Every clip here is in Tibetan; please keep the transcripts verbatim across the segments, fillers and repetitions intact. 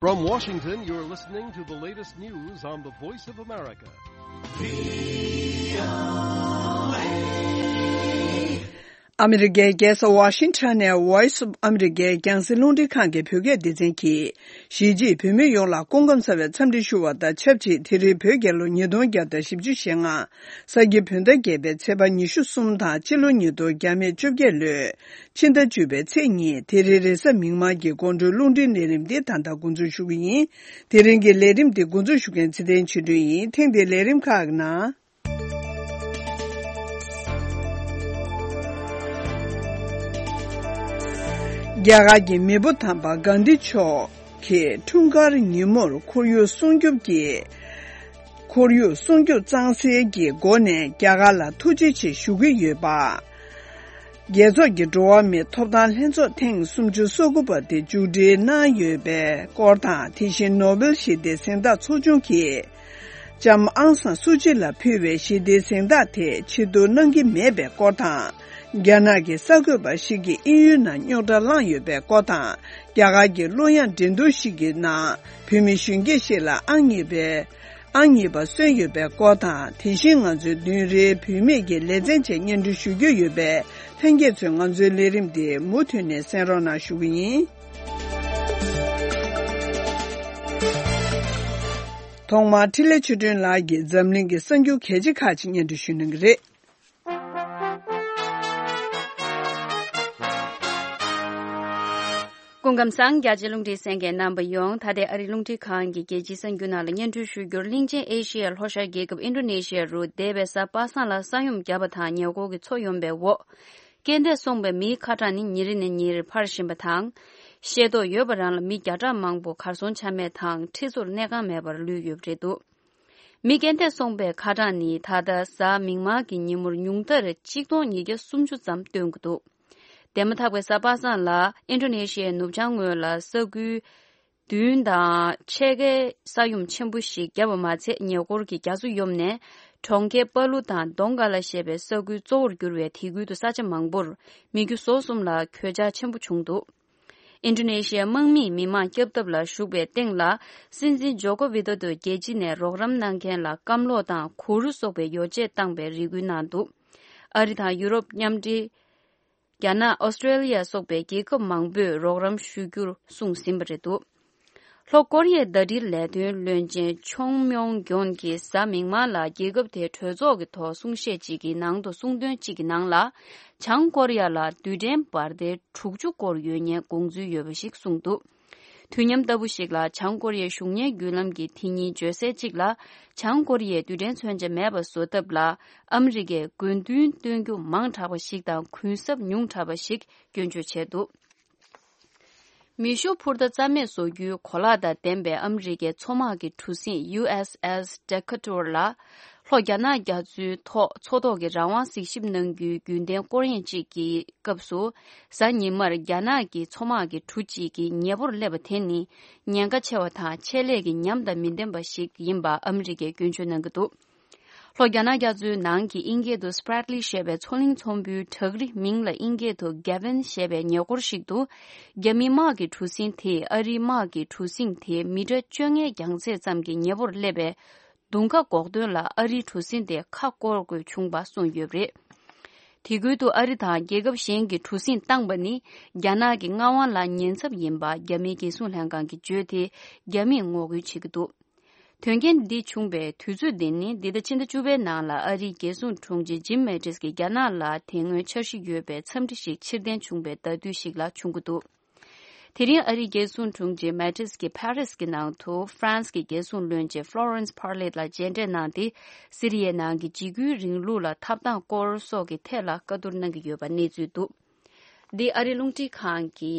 From Washington, you're listening to the latest news on the Voice of America. ཨ་མི་རི་ཀའི་རྒྱལ་ས་ཝ་ཤིང་ཊོན་ནས་Voice of America་རྒྱང་སྲིང་རླུང་འཕྲིན་ཁང་གི་བོད་སྐད་སྡེ་ཚན་གྱིས། གཞིས་བྱེས་བོད་མི་ཡོངས་ལ་སྐུ་ཁམས་བཟང་བའི་འཚམས་འདྲི་ཞུ་བ་དང་ཆབས་ཅིག་དེ་རིང་བོད་རྒྱལ་ལོ་ཉིས་སྟོང་བརྒྱ་དང་བཞི་བཅུ་ཞེ་ལྔ། ས་ཁྱི་བོད་ཟླ་བརྒྱད་པའི་ཚེས་པ་ཉི་ཤུ་གསུམ་དང་། སྤྱི་ལོ་ཉིས་སྟོང་བརྒྱ་མེད་བཅོ་བརྒྱད་ལོའི་ཕྱི་ཟླ་བཅུ་པའི་ཚེས་གཉིས། དེ་རིང་རེས་གཟའ་མིག་དམར་གྱི་དགོང་དྲོའི་རླུང་འཕྲིན་ལས་རིམ་འདི་ད་ལྟ་འགོ་འཛུགས་ཞུ་གི་ཡིན། དེ་རིང་གི་ལས་རིམ་འདི་འགོ་འཛུགས་ཞུ་མཁན་ཚེ་བརྟན་ཆོས་སྒྲོན་ཡིན། ཐེངས་འདིའི་ལས་རིམ་ཁག་གི་ནང་། རྒྱ་གར་གྱི་མེས་པོ་དམ་པ་གྷན་དྷི་མཆོག་གི་འཁྲུངས་སྐར་ཉིན་མོར་ཁོར་ཡུག་སྲུང་སྐྱོབ་ཀྱི། ཁོར་ཡུག་སྲུང་སྐྱོབ་གཙང་སེལ་གྱི་སྒོ་ནས་རྒྱ་གར་ལ་ཐུགས་རྗེ་ཆེ་ཞུ་གི་ཡོད་པ། རྒྱལ་ཚོགས་ཀྱི་འགྲོ་བ་མིའི་ཐོབ་ཐང་ལྷན་ཚོགས་ཐེངས་སུམ་ཅུ་སོ་དགུ་པ་དེ་མཇུག་སྒྲིལ་གནང་ཡོད་པའི་སྐོར་དང་། དེ་བཞིན་ནོ་བེལ་ཞི་བདེའི་གཟེངས་རྟགས་ཚོགས་ཆུང་གིས་ལྕམ་ཨང་སང་སུ་ཅི་ལ་ཕུལ་བའི་ཞི་བདེའི་གཟེངས་རྟགས་དེ་ཕྱིར་བསྡུ་གནང་གི་མེད་པའི་སྐོར་དང་། རྒྱ་ནག་གི་གསར་འགོད་པ་ཞིག་གིས་དབྱིན་ཡུལ་ནང་རྙོག་དྲ་བསླངས་ཡོད་པའི་སྐོར་དང་། རྒྱ་གར་གྱི་གླུ་དབྱངས་འགྲན་བསྡུར་ཞིག་གི་ནང་བོད་མི་གཞོན་སྐྱེས་ཤིག་ལ་ཨང་གཉིས་པའི། ཨང་གཉིས་པ་སོན་ཡོད་པའི་སྐོར་དང་། དེ་བཞིན་ང་ཚོའི་བདུན་རེའི་བུད་མེད་ཀྱི་ལེ་ཚན་བཅས་སྙན་སྒྲོན་ཞུ་རྒྱུ་ཡོད་པས། ལྷན་རྒྱས་ཚོས་ང་ཚོའི་ལས་རིམ་འདི་མུ་མཐུད་ནས་གསན་རོགས་གནང་ཞུ་གི་ཡིན། ཐོག་མར་འཕྲིན་ལས་ཆོས་སྒྲོན་ལགས་ཀྱིས་འཛམ་གླིང་གི་གསར་འགྱུར་གལ་ཆེ་ཁག་ཅིག་སྙན་སྒྲོན་ཞུ་གནང་གི་རེད། སྐུ་ཁམས་བཟང་། རྒྱ་ཆེ་རླུང་འཕྲིན་གསན་མཁན་རྣམ་པ་ཡོངས། ད་ལྟའི་ཨ་རིའི་རླུང་འཕྲིན་ཁང་གི་རྒྱལ་སྤྱིའི་གསར་འགྱུར་ནང་ལ་སྙན་སྒྲོན་ཞུ་རྒྱུར། གླིང་ཆེན་ཨེ་ཤི་ཡའི་ལྷོ་ཤར་རྒྱལ་ཁབ་ཨིན་ཌོ་ནེ་ཤི་ཡ་རུ་འདས་པའི་གཟའ་པ་སངས་ལ་ས་ཡོམ་བརྒྱབ་པ་དང་། ཉེ་འཁོར་གྱི་མཚོ་ཡོམ་པའི་འོག་རྐྱེན་འདས་སོང་པའི་མིའི་ཁ་གྲངས་ནི་ཉིན་རེ་ནས་ཉིན་རེར་འཕར་བཞིན་པ་དང་། ཤེས་རྟོགས་ཡོད་པ་རང་ལ་མི་བརྒྱ་ཕྲག་མང་པོ་གར་སོང་ཆ་མེད་དང་། ཁྲི་ཚོར་གནས་ཁང་མེད་པར་ལུས་ཡོད་པ་རེད་འདུག་མི་རྐྱེན་འདས་སོང་པའི་ཁ་གྲངས་ནི་ད་ལྟ་གཟའ་མིག་དམར་གྱི་ཉིན་མོར་ཉུང་མཐར་ཆིག་སྟོང་ཉིས་བརྒྱ་སུམ་ཅུ་ཙམ་བཏོན་གྱི་འདུག་དེ་མ་ཐག་པའི་གཟའ་པ་སངས་ལ་ཨིན་ཌོ་ནེ་ཤི་ཡའི་ནུབ་བྱང་ངོས་ལ་ས་ཁུལ་བདུན་དང་ཕྱེད་ཀའི་ས་ཡོམ་ཆེན་པོ་ཞིག་བརྒྱབ་པ་མ་ཚད། ཉེ་འཁོར་གྱི་རྒྱ་མཚོ་ཡོམ་ནས་གྲོང་ཁྱེར་པ་ལུ་དང་དོང་ག་ལ་ཞེས་པའི་ས་ཁུལ་གཙོ་བོར་གྱུར་བའི་དེ་ཁུལ་དུ་ས་ཆ་མང་པོར་མི་རྒྱུ་ཟོག་གསུམ་ལ་གོད་ཆག་ཆེན་པོ་བྱུང་འདུག་ཨིན་ཌོ་ནེ་ཤི་ཡའི་དམག་མིས་མི་མང་བསྐྱབ་ཐབས་ལ་ཞུགས་པའི་སྟེང་ལ། སྲིད་འཛིན་ཇོ་ཀོ་ཝི་དོ་དོ་རྒྱལ་སྤྱི་ནས་རོགས་རམ་གནང་མཁན་ལ་སྐམ་གློག་དང་གུ་རུ་སོགས་པའི་ཡོ་བྱད་བཏང་པའི་རེ་སྐུལ་གནང་འདུག་ཨ་རི་དང་ཡུ་རོབ་མཉམ་འབྲེལ། རྒྱ་ནག་ཨོ་སི་ཀྲེ་ལི་ཡ་སོགས་པའི་རྒྱལ་ཁབ་མང་པོས་རོགས་རམ་ཞུ་རྒྱུར་གསུངས་ཟིན་པ་རེད་འདུག་ལྷོ་ཀོ་རི་ཡའི་ཟླ་སྒྲིལ་ལས་དོན་བློན་ཆེན་ཆོང་མྱོང་གྱོན་གྱིས་གཟའ་མིག་དམར་ལ་རྒྱལ་ཁབ་དེའི་གྲོས་ཚོགས་ཀྱི་ཐོག་གསུང་བཤད་ཅིག་གི་ནང་དུ། གསུང་དོན་གཅིག་གི་ནང་ལ། བྱང་ཀོ་རི་ཡ་ལ་རྡུལ་ཕྲན་འབར་མདེལ་དྲུག་ཅུ་སྐོར་ཡོད་མཁན་དགོངས་ཚུལ་ཡོད་པ་ཞིག་གསུངས་འདུག་དུས་མཉམ་ལྟ་བུ་ཞིག་ལ། བྱང་ཀོ་རི་ཡའི་གཞུང་གཉེར་བརྒྱུད་ལམ་གྱིས་དེ་ཉིན་བརྗོད་གསལ་གཅིག་ལ། བྱང་ཀོ་རི་ཡས་རྡུལ་ཕྲན་མཚོན་ཆ་མེད་པ་བཟོ་ཐབས་ལ་ཨ་མི་རི་ཀས་དགོས་འདུན་བཏོན་རྒྱུ་མང་དྲགས་པ་ཞིག་དང་། གུན་གསབ་ཉུང་དྲགས་པ་ཞིག་སྐྱོན་བརྗོད་བྱས་འདུག་མེ་ཤུགས་འཕུར་མདའ་རྩ་མེད་བཟོ་རྒྱུའི་གོ་ལག་དང་ལྡན་པའི་ཨ་མི་རི་ཀའི་མཚོ་དམག་གི་གྲུ་གཟིངས་ཡུ་ཨེས་ཨེས་Decatur ལ། ལྷོ་རྒྱ་ནག་རྒྱ་མཚོའི་ཐོག་མཚོ་ཐོག་གི་རང་དབང་གཟིགས་ཞིབ་གནང་རྒྱུའི་རྒྱུན་ལྡན་སྐོར་གཡེང་གཅིག་གི་སྐབས་སུ། གཟའ་ཉི་མར་རྒྱ་ནག་གི་མཚོ་དམག་གི་གྲུ་གཅིག་གིས་ཉེ་པོར་སླེབས་པ་དེ་ནི། ཉེན་ཁ་ཆེ་བ་དང་། ཆེད་ལས་ཀྱི་ཉམས་དང་མི་ལྡན་པ་ཞིག་ཡིན་པ་ཨ་མི་རི་ཀས་སྐྱོན་བརྗོད་གནང་གི་འདུག་ལྷོ་རྒྱ་ནག་རྒྱ་མཚོའི་ནང་གི་དབྱིན་སྐད་དུ་Spratly ཞེས་པའི་མཚོ་གླིང་ཚོང་དཔོན་བྲག་རི། མིང་ལ་དབྱིན་སྐད་དུ་Gavin ཞེས་པའི་ཉེ་འཁོར་ཞིག་ཏུ། རྒྱ་མིའི་དམག་གི་གྲུ་གཟིངས་དེས་ཨ་རིའི་དམག་གི་གྲུ་གཟིངས་དེ་མི་ཊར་བཅོ་ལྔའི་རྒྱང་ཚད་ཙམ་གྱི་ཉེ་པོར་སླེབས་པའི་མདུང་ཁ་འགོག་དོན་ལ། ཨ་རིའི་གྲུ་གཟིངས་དེ་ཁ་བསྐོར་དགོས་བྱུང་བ་གསུངས་ཡོད་པ་རེད། དེ་ཁུལ་དུ་ཨ་རི་དང་རྒྱལ་ཁབ་གཞན་གྱི་གྲུ་གཟིངས་བཏང་པ་ནི། རྒྱ་ནག་གི་མངའ་དབང་ལ་ཉེན་ཚབས་ཡིན་པ། རྒྱ་མིའི་རྒྱལ་སྲུང་ལྷན་ཁང་གིས་བརྗོད་དེ། རྒྱ་མིས་ངོ་རྒོལ་བྱེད་ཀྱི་འདུག་དོན་རྐྱེན་འདི་བྱུང་བའི་དུས་ཚོད་འདི་ནི། འདི་ཟླ་ཕྱི་ཟླ་བཅུ་པའི་ནང་ལ་ཨ་རིའི་རྒྱལ་སྲུང་དྲུང་ཆེ་Jim Mattis གྱིས་རྒྱ་ནག་ལ་དེ་སྔོན་འཆར་གཞི་ཡོད་པའི་འཚམས་འདྲི་ཞིག་ཕྱིར་འཐེན་བྱུང་བའི་ཟླ་དུས་ཤིག་ལ་བྱུང་གི་འདུག་དེ་རིང་ཨ་རིའི་རྒྱལ་སྲུང་དྲུང་ཆེ་Mattis གྱིས་Paris གྱི་ནང་དུ་France གྱི་རྒྱལ་སྲུང་བློན་ཆེན་Florence Parly ལ་མཇལ་འཕྲད་གནང་སྟེ། སི་རི་ཡའི་ནང་གི་འཇིགས་སྐུལ་རིང་ལུགས་ལ་ཐབས་དང་སྐོར་སོགས་ཀྱི་ཐད་ལ་བཀའ་བསྡུར་གནང་གི་ཡོད་པ་གནས་ཚུལ་འདུག་འདི་ཨ་རིའི་རླུང་འཕྲིན་ཁང་གི་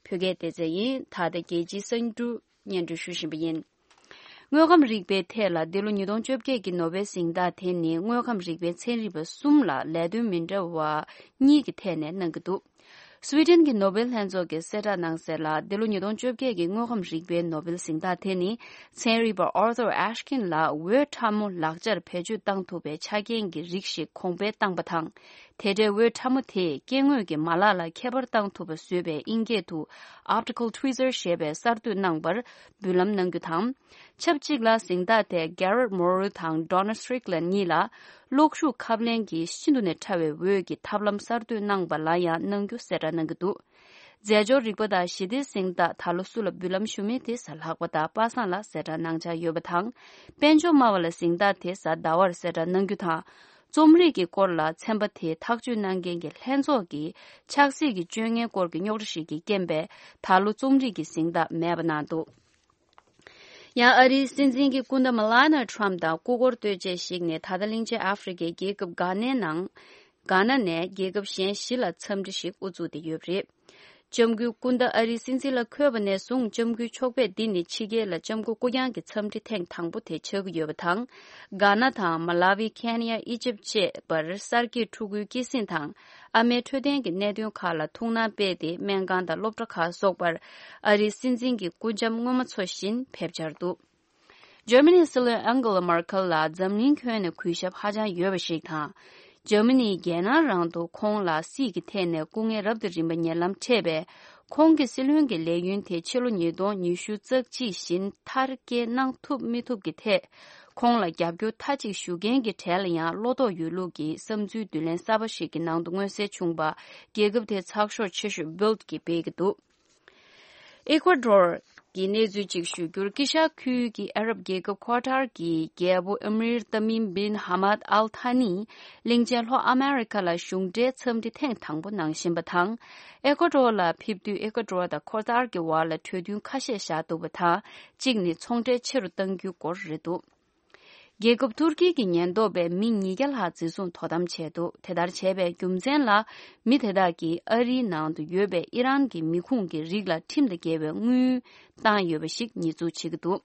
བོད་སྐད་སྡེ་ཚན་ཡིན། ད་ལྟ་རྒྱལ་སྤྱིའི་གསར་འགྱུར་སྙན་སྒྲོན་ཞུ་བཞིན་པ་ཡིན། དངོས་ཁམས་རིག་པའི་ཐད་ལ་འདི་ལོ་ཉིས་སྟོང་བཅོ་བརྒྱད་ཀྱི་ནོ་བེལ་གཟེངས་རྟགས་དེ་ནི། དངོས་ཁམས་རིག་པའི་ཚན་རིག་པ་གསུམ་ལ་ལས་དོན་མི་འདྲ་བ་གཉིས་ཀྱི་ཐད་ནས་གནང་གི་འདུག་སུའི་ཌེན་གྱི་ནོ་བེལ་ལྷན་ཚོགས་ཀྱིས་གསལ་བསྒྲགས་གནང་གསལ་ལ། འདི་ལོ་ཉིས་སྟོང་བཅོ་བརྒྱད་ཀྱི་དངོས་ཁམས་རིག་པའི་ནོ་བེལ་གཟེངས་རྟགས་དེ་ནི། ཚན་རིག་པ་Arthur Ashkin ལ་འོད་ཁྲ་མོ་ལག་ཆར་བེད་སྤྱོད་བཏང་ཐུབ་པའི་ཆ་རྐྱེན་གྱི་རིགས་ཤིག་གོང་འཕེལ་བཏང་པ་དང་། དེ་འདྲའི་འོད་ཕྲ་མོ་དེས་སྐྱེ་དངོས་ཀྱི་མ་ལག་ལ་ཁྱད་པར་བཏང་ཐུབ་པ་བཟོས་པའི་ཨིན་སྐད་དུ་Optical Tweezer ཞེས་པའི་གསར་གཏོད་གནང་བར་འབུལ་ལམ་གནང་རྒྱུ་དང་། ཆབས་ཅིག་ལ་གཟེངས་རྟགས་དེ་Garrett Morrill དང་Donna Strickland གཉིས་ལ་གློག་ཤུགས་ཁབ་ལེན་གྱི་ཤིན་ཏུ་ནས་ཕྲ་བའི་འོད་ཀྱི་ཐབས་ལམ་གསར་གཏོད་གནང་བ་ལ་ཡང་གནང་རྒྱུ་གསལ་བསྒྲགས་གནང་གི་འདུག་རྫས་སྦྱོར་རིག་པ་དང་ཞི་བདེའི་གཟེངས་རྟགས་ད་ལོ་སུ་ལ་འབུལ་ལམ་ཞུ་མིན་དེ་གཟའ་ལྷག་པ་དང་པ་སངས་ལ་གསལ་བསྒྲགས་གནང་འཆར་ཡོད་པ་དང་། དཔལ་འབྱོར་སྨྲ་བ་ལ་གཟེངས་རྟགས་དེ་གཟའ་ཟླ་བར་གསལ་བསྒྲགས་གནང་རྒྱུ་དང་། རྩོམ་རིག་གི་སྐོར་ལ་ཚན་པ་དེའི་ཐག་གཅོད་གནང་མཁན་གྱི་ལྷན་ཚོགས་ཀྱིས་ཆབ་སྲིད་ཀྱི་སྤྱོད་ངན་སྐོར་གྱི་རྙོག་དྲ་ཞིག་གི་རྐྱེན་པས་ད་ལོ་རྩོམ་རིག་གི་གཟེངས་རྟགས་མེད་པ་གནང་འདུག་ཡང་ཨ་རིའི་སྲིད་འཛིན་གྱི་སྐུ་ཟླ་Melania Trump དང་སྐུ་འཁོར་ལྟོས་བཅས་ཤིག་ནས་ད་ལྟ་གླིང་ཆེན་ཨ་ཧྥེ་རི་ཁའི་རྒྱལ་ཁབ་གྷ་ནའི་ནང་། གྷ་ན་ནས་རྒྱལ་ཁབ་གཞན་བཞི་ལ་འཚམས་འདྲི་ཞིག་དབུ་འཛུགས་ཏེ་ཡོད་པ་རེད། ལྕམ་སྐུའི་སྐུ་ཟླ་ཨ་རིའི་སྲིད་འཛིན་ལ་འཁོད་པ་ནས་བཟུང་ལྕམ་སྐུའི་ཕྱོགས་ཕེབས་འདི་ནི་ཕྱི་རྒྱལ་ལ་ལྕམ་སྐུ་སྐུ་རྐྱང་གི་འཚམས་འདྲི་ཐེངས་དང་པོ་དེ་ཆགས་ཀྱི་ཡོད་པ་དང་། གྷ་ན་དང་མ་ལ་ཝི། ཁེན་ཡ། ཨི་ཇིབ་བཅས་པར་གསར་སྐྱེས་ཕྲུ་གུའི་སྐྱེད་སྲིང་དང་ཨ་མའི་འཕྲོད་བསྟེན་གྱི་གནད་དོན་ཁག་ལ་ཐུགས་སྣང་སྤེལ་ཏེ་སྨན་ཁང་དང་སློབ་གྲྭ་ཁག་སོགས་པར་ཨ་རིའི་སྲིད་འཛིན་གྱི་སྐུ་འཆམ་སྔོན་མ་ཚོ་བཞིན་ཕེབས་འཆར་འདུག་ཇར་མ་ནིའི་སྲིད་བློན་ཨན་གེ་ལ་མར་ཁེལ་ལ་འཛམ་གླིང་ཁྱོན་ནས་གུས་ཞབས་ཧ་ཅང་ཡོད་པ་ཞིག་དང་། ཇར་མ་ནིའི་རྒྱལ་ནང་རང་དུ་ཁོང་ལ་སྲིད་ཀྱི་ཐད་ནས་སྐུ་ངལ་རབ་དང་རིམ་པ་ཉེ་ལམ་འཕྲད་པས། ཁོང་གི་སྲིད་བློན་གྱི་ལས་ཡུན་དེ་ཕྱི་ལོ་ཉིས་སྟོང་ཉི་ཤུ་རྩ་གཅིག་བཞིན་མཐར་སྐྱེལ་གནང་ཐུབ་མི་ཐུབ་ཀྱི་ཐད། ཁོང་ལ་རྒྱབ་སྐྱོར་མཐའ་གཅིག་ཞུ་མཁན་གྱི་གྲས་ལ་ཡང་བློ་དོགས་ཡོད་ལུགས་ཀྱི་བསམ་ཚུལ་བསྡུ་ལེན་གསར་པ་ཞིག་གི་ནང་དུ་མངོན་གསལ་བྱུང་བ། རྒྱལ་ཁབ་དེའི་ཚགས་ཤོག་ཆེ་ཤོས་Bild གིས་སྤེལ་གྱི་འདུག་ཨེ་ཀོ་ཌོར་གྱི་གནས་ཚུལ་གཅིག་ཞུ་རྒྱུར། དཀྱིལ་ཤར་ཁུལ་གྱི་ཨ་རབ་རྒྱལ་ཁབ་ཁོ་ཐར་གྱི་རྒྱལ་པོ་ཨ་མིར་ཏ་མིམ་བིན་ཧ་མད་ཨལ་ཐ་ནིས་གླིང་ཆེན་ལྷོ་ཨ་མེ་རི་ཁ་ལ་གཞུང་འབྲེལ་འཚམས་འདྲི་ཐེངས་དང་པོ་གནང་བཞིན་པ་དང་། ཨེ་ཀོ་ཌོར་ལ་ཕེབས་དུས་ཨེ་ཀོ་ཌོར་དང་ཁོ་ཐར་གྱི་བར་ལ་གྲོས་མཐུན་ཁ་ཤས་བཞག་འདུག་པ་དང་། གཅིག་ནི་ཚོང་འབྲེལ་ཆེ་རུ་གཏང་རྒྱུའི་སྐོར་རེད་འདུག་རྒྱལ་ཁབ་ཐུར་ཀི་གི་ཉེན་རྟོག་པས་མི་ཉིས་བརྒྱ་ལྷག་འཛིན་བཟུང་དོ་དམ་བྱས་འདུག་དེ་ལྟར་བྱས་པའི་རྒྱུ་མཚན་ལ། མི་དེ་དག་གིས་ཨ་རིའི་ནང་དུ་ཡོད་པའི་ཨི་རན་གྱི་མི་ཁུངས་ཀྱི་རིགས་ལ་ཁྲིམས་དང་འགལ་བའི་དངུལ་བཏང་ཡོད་པ་ཞིག་ཉེས་འཛུགས་བྱེད་ཀྱི་འདུག་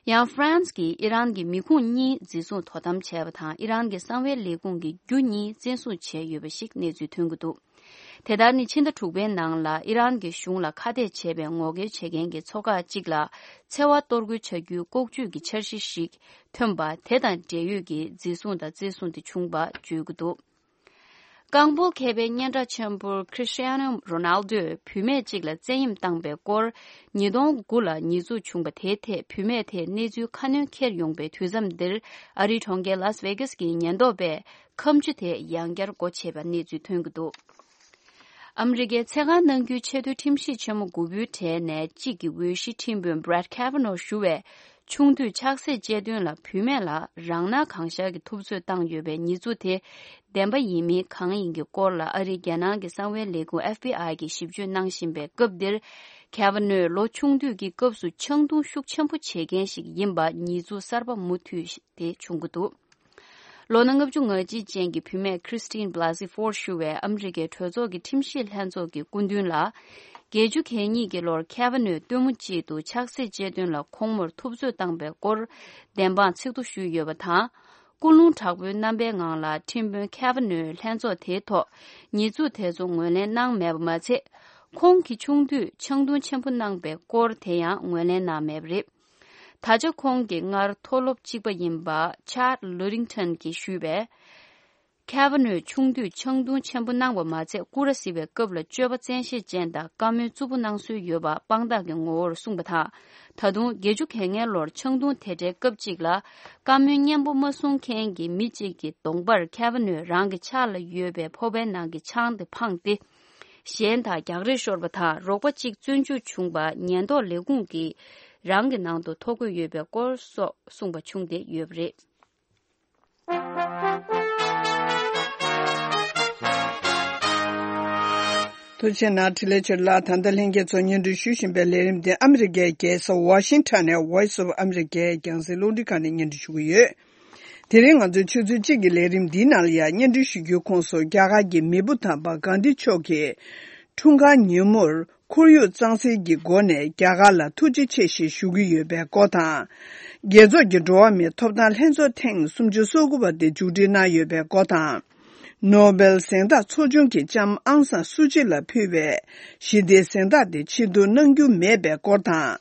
ཡང་ཧྥ་རན་སི་གིས་ཨི་རན་གྱི་མི་ཁུངས་གཉིས་འཛིན་བཟུང་དོ་དམ་བྱས་པ་དང་། ཨི་རན་གྱི་གསང་བའི་ལས་ཁུངས་ཀྱི་རྒྱུ་གཉིས་བཙན་བཟུང་བྱས་ཡོད་པ་ཞིག་གནས་ཚུལ་ཐོན་གྱི་འདུག་དེ་ལྟར་ནི་ཕྱི་ཟླ་དྲུག་པའི་ནང་ལ་ཨི་རན་གྱི་གཞུང་ལ་ཁ་གཏད་བྱས་པའི་ངོ་རྒོལ་བྱེད་མཁན་གྱི་ཚོགས་ཁག་ཅིག་ལ་འཚེ་བ་གཏོར་རྒོལ་བྱ་རྒྱུའི་ལྐོག་ཇུས་ཀྱི་འཆར་གཞི་ཞིག་ཐོན་པ། དེ་དང་འབྲེལ་ཡོད་ཀྱི་འཛིན་བཟུང་དང་བཙན་བཟུང་དེ་བྱུང་བ་བརྗོད་ཀྱི་འདུག་རྐང་སྤོལ་མཁས་པའི་སྙན་གྲགས་ཆེན་པོ་Cristiano Ronaldo བུད་མེད་ཅིག་ལ་བཙན་གཡེམ་བཏང་པའི་སྐོར། ཉིས་སྟོང་དགུ་ལ་ཉེས་འཛུགས་བྱུང་བ་དེའི་ཐད་བུད་མེད་དེས་གནས་ཚུལ་ཁ་སྣོན་འཁྱེར་ཡོང་པའི་དུས་མཚམས་འདིར། ཨ་རིའི་གྲོང་ཁྱེར་Las Vegas གྱི་ཉེན་རྟོག་པས་ཁ་མཆུ་དེ་ཡང་བསྐྱར་སྒོ་ཕྱེས་པ་གནས་ཚུལ་ཐོན་གྱི་འདུག་ཨ་མི་རི་ཀའི་ཚེ་གང་གནང་རྒྱུའི་ཆེས་མཐོའི་ཁྲིམས་ཞིབ་ཆེན་མོ་དགུ་པོའི་གྲས་ནས་གཅིག་གི་འོས་གཞི་ཁྲིམས་དཔོན་Brett Kavanaugh ཞུ་བས། ཆུང་དུས་ཆགས་སྲེད་བཅད་དོན་ལ་བུད་མེད་ལ་རང་སྣང་གང་ཤར་གྱི་ཐུབ་ཚོད་བཏང་ཡོད་པའི་ཉེས་འཛུགས་དེ་བདེན་པ་ཡིན་མིན་གང་ཡིན་གྱི་སྐོར་ལ། ཨ་རིའི་རྒྱལ་ནང་གི་གསང་བའི་ལས་ཁུངས་FBI གིས་ཞིབ་དཔྱོད་གནང་བཞིན་པའི་སྐབས་འདིར། Kavanaugh ལོ་ཆུང་དུས་ཀྱི་སྐབས་སུ་ཆང་འཐུང་ཤུགས་ཆེན་པོ་བྱེད་མཁན་ཞིག་ཡིན་པ་ཉེས་འཛུགས་གསར་པ་མུ་མཐུད་དེ་བྱུང་གི་འདུག་ལོ་ན་ལྔ་བཅུ་ང་གཅིག་ཅན་གྱི་བུད་མེད་Christine Blasey Ford ཞུ་བས་ཨ་མི་རི་ཀའི་གྲོས་ཚོགས་ཀྱི་ཁྲིམས་ཞིབ་ལྷན་ཚོགས་ཀྱི་སྐུ་མདུན་ལ། བརྒྱད་ཅུ་གྱ་གཉིས་ཀྱི་ལོར་Kavanaugh སྟོན་མོ་གཅིག་ཏུ་ཆགས་སྲེད་བཅད་དོན་ལ་ཁོང་མོར་ཐུབ་ཚོད་བཏང་པའི་སྐོར་བདེན་དཔང་ཚིག་ཐོ་ཞུས་ཡོད་པ་དང་། ཀུན་སློང་དྲག་པོའི་རྣམ་པའི་ངང་ལ་ཁྲིམས་དཔོན་Kavanaugh ལྷན་ཚོགས་དེའི་ཐོག་ཉེས་འཛུགས་དེ་ཚོ་ངོས་ལེན་གནང་མེད་པ་མ་ཚད། ཁོང་གིས་ཆུང་དུས་ཆང་འཐུང་ཆེན་པོ་གནང་པའི་སྐོར་དེ་ཡང་ངོས་ལེན་གནང་མེད་པ་རེད། ད་ཆ་ཁོང་གིས་སྔར་མཐོ་སློབ་གཅིག་པ་ཡིན་པ་Chad Ludington གྱིས་ཞུས་པས། Kavanaugh ཆུང་དུས་ཆང་འཐུང་ཆེན་པོ་གནང་བ་མ་ཚད། སྐུ་ར་གཟིགས་པའི་སྐབས་ལ་སྤྱོད་པ་བཙན་ཤེད་ཅན་དང་བཀའ་མོལ་རྩུབ་པོ་གནང་སྲོལ་ཡོད་པ་དཔང་རྟགས་ཀྱི་ངོ་བོར་གསུངས་པ་དང་། ད་དུང་བརྒྱད་ཅུ་གྱ་ལྔའི་ལོར་ཆང་འཐུང་དེ་འདྲའི་སྐབས་གཅིག་ལ། བཀའ་མོལ་སྙན་པོ་མ་གསུང་མཁན་གྱི་མི་གཅིག་གི་གདོང་པར་Kavanaugh རང་གི་ཕྱག་ལ་ཡོད་པའི་ཕོར་པའི་ནང་གི་ཆང་དེ་འཕངས་ཏེ། གཞན་དག་རྒྱག་རེས་ཤོར་བ་དང་། རོགས་པ་གཅིག་བཙོན་འཇུག་བྱུང་བ། ཉེན་རྟོག་ལས་ཁུངས་ཀྱིས་རང་གི་ནང་དུ་ཐོ་འགོད་ཡོད་པའི་སྐོར་སོགས་གསུངས་པ་བྱུང་སྟེ་ཡོད་པ་རེད། ཐུགས་རྗེ་གནང་། འཕྲིན་ལས་ཆོས་ལགས། ད་ལྟ་ལྷན་རྒྱས་ཚོ་སྙན་སྒྲོན་ཞུ་བཞིན་པའི་ལས་རིམ་འདི་ཨ་མི་རི་ཀའི་རྒྱལ་ས་ཝ་ཤིང་ཊོན་ནས་Voice of America རྒྱང་སྲིང་རླུང་འཕྲིན་ཁང་ནས་སྙན་སྒྲོན་ཞུ་གི་ཡོད། དེ་རིང་ང་ཚོའི་ཆུ་ཚོད་གཅིག་གི་ལས་རིམ་འདིའི་ནང་ལ་ཡང་སྙན་སྒྲོན་ཞུ་རྒྱུའི་ཁོངས་སུ། རྒྱ་གར་གྱི་མེས་པོ་དམ་པ་གྷན་དྷི་མཆོག་གི་འཁྲུངས་སྐར་ཉིན་མོར་ཁོར་ཡུག་གཙང་སེལ་གྱི་སྒོ་ནས་རྒྱ་གར་ལ་ཐུགས་རྗེ་ཆེ་ཞེས་ཞུ་གི་ཡོད་པའི་སྐོར་དང་། རྒྱལ་ཚོགས་ཀྱི་འགྲོ་བ་མིའི་ཐོབ་ཐང་ལྷན་ཚོགས་ཐེངས་སུམ་ཅུ་སོ་དགུ་པ་དེ་མཇུག་སྒྲིལ་གནང་ཡོད་པའི་སྐོར་དང་། ནོ་བེལ་གཟེངས་རྟགས་ཚོགས་ཆུང་གིས་ལྕམ་ཨང་སན་སུ་ཅི་ལ་ཕུལ་བའི་ཞི་བདེའི་གཟེངས་རྟགས་དེ་ཕྱིར་བསྡུ་གནང་རྒྱུ་མེད་པའི་སྐོར་དང་།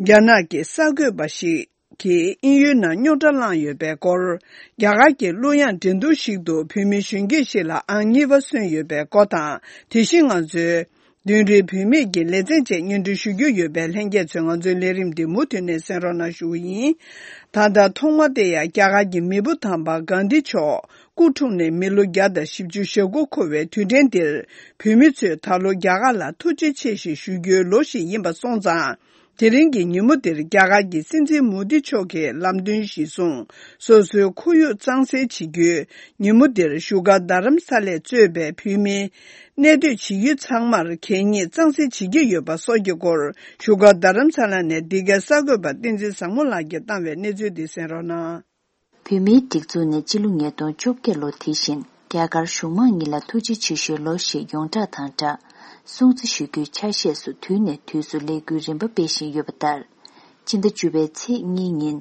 རྒྱ་ནག་གི་གསར་འགོད་པ་ཞིག་ གིས་དབྱིན་ཡུལ་ནང་རྙོག་དྲ་བསླངས་ཡོད་པའི་སྐོར། རྒྱ་གར་གྱི་གླུ་དབྱངས་འགྲན་བསྡུར་ཞིག་ཏུ་བོད་མི་གཞོན་སྐྱེས་ཤིག་ལ་ཨང་གཉིས་པ་སོན་ཡོད་པའི་སྐོར་དང་། དེ་བཞིན་ང་ཚོའི་མདུན་རེའི་བུད་མེད་ཀྱི་ལེ་ཚན་བཅས་སྙན་སྒྲོན་ཞུ་རྒྱུ་ཡོད་པས། ལྷན་རྒྱས་ཚོས་ང་ཚོའི་ལས་རིམ་འདི་མུ་མཐུད་ནས་གསན་རོགས་གནང་ཞུ་བ་ཡིན། ད་ལྟ་ཐོག་མ་དེ་ཡང་རྒྱ་གར་གྱི་མེས་པོ་དམ་པ་གྷན་དྷི་མཆོག་སྐུ་འཁྲུངས་ནས་མི་ལོ་བརྒྱ་དང་བཞི་བཅུ་ཞེ་དགུ་འཁོར་བའི་དུས་དྲན་འདིར། བོད་མི་ཚོས་ད་ལོ་རྒྱ་གར་ལ་ཐུགས་རྗེ་ཆེ་ཞེས་ཞུ་རྒྱུའི་ལོ་ཞིག་ཡིན་པ་སོང་ཙང་། དེ་རིང་གི་ཉིན་མོ་འདིར་རྒྱ་གར་གྱི་སྲིད་འཛིན་མོ་དི་མཆོག་གིས་ལམ་སྟོན་གཞིར་བཟུང་། སོ་སོའི་ཁོར་ཡུག་གཙང་སེལ་བྱེད་རྒྱུའི་ཉིན་མོ་འདིར་བཞུགས་སྒར་རྡ་རམ་ས་ལས་གཙོས་པའི་བོད་མི་གནས་སྡོད་བྱེད་ཡུལ་ཚང་མར་གད་སྙིགས་གཙང་སེལ་བྱེད་ཀྱི་ཡོད་པ་སོགས་ཀྱི་སྐོར། བཞུགས་སྒར་རྡ་རམ་ས་ལ་ནས་འདི་གའི་གསར་འགོད་པ་བསྟན་འཛིན་བཟང་མོ་ལགས་ཀྱིས་བཏང་བའི་གནས་ཚུལ་འདི་གསན་རོགས་གནང་། བོད་མིའི་སྒྲིག་འཛུགས་ནས་སྤྱི་ལོ་ཉིས་སྟོང་བཅོ་བརྒྱད་ལོ་དེ་བཞིན་རྒྱ་གར་གཞུང་མང་གཉིས་ལ་ཐུགས་རྗེ་ཆེ་ཞུའི་ལོ་ཞེས་ཡོངས་གྲགས་དང་སྦྲགས། སྲུང་བརྩི་ཞུ་རྒྱུའི་ཆ་ཤས་སུ་དུས་ནས་དུས་སུ་ལས་འགུལ་རིམ་པ་སྤེལ་བཞིན་ཡོད་པ་ལྟར། སྤྱི་ཟླ་བཅུ་པའི་ཚེས་གཉིས་ཉིན།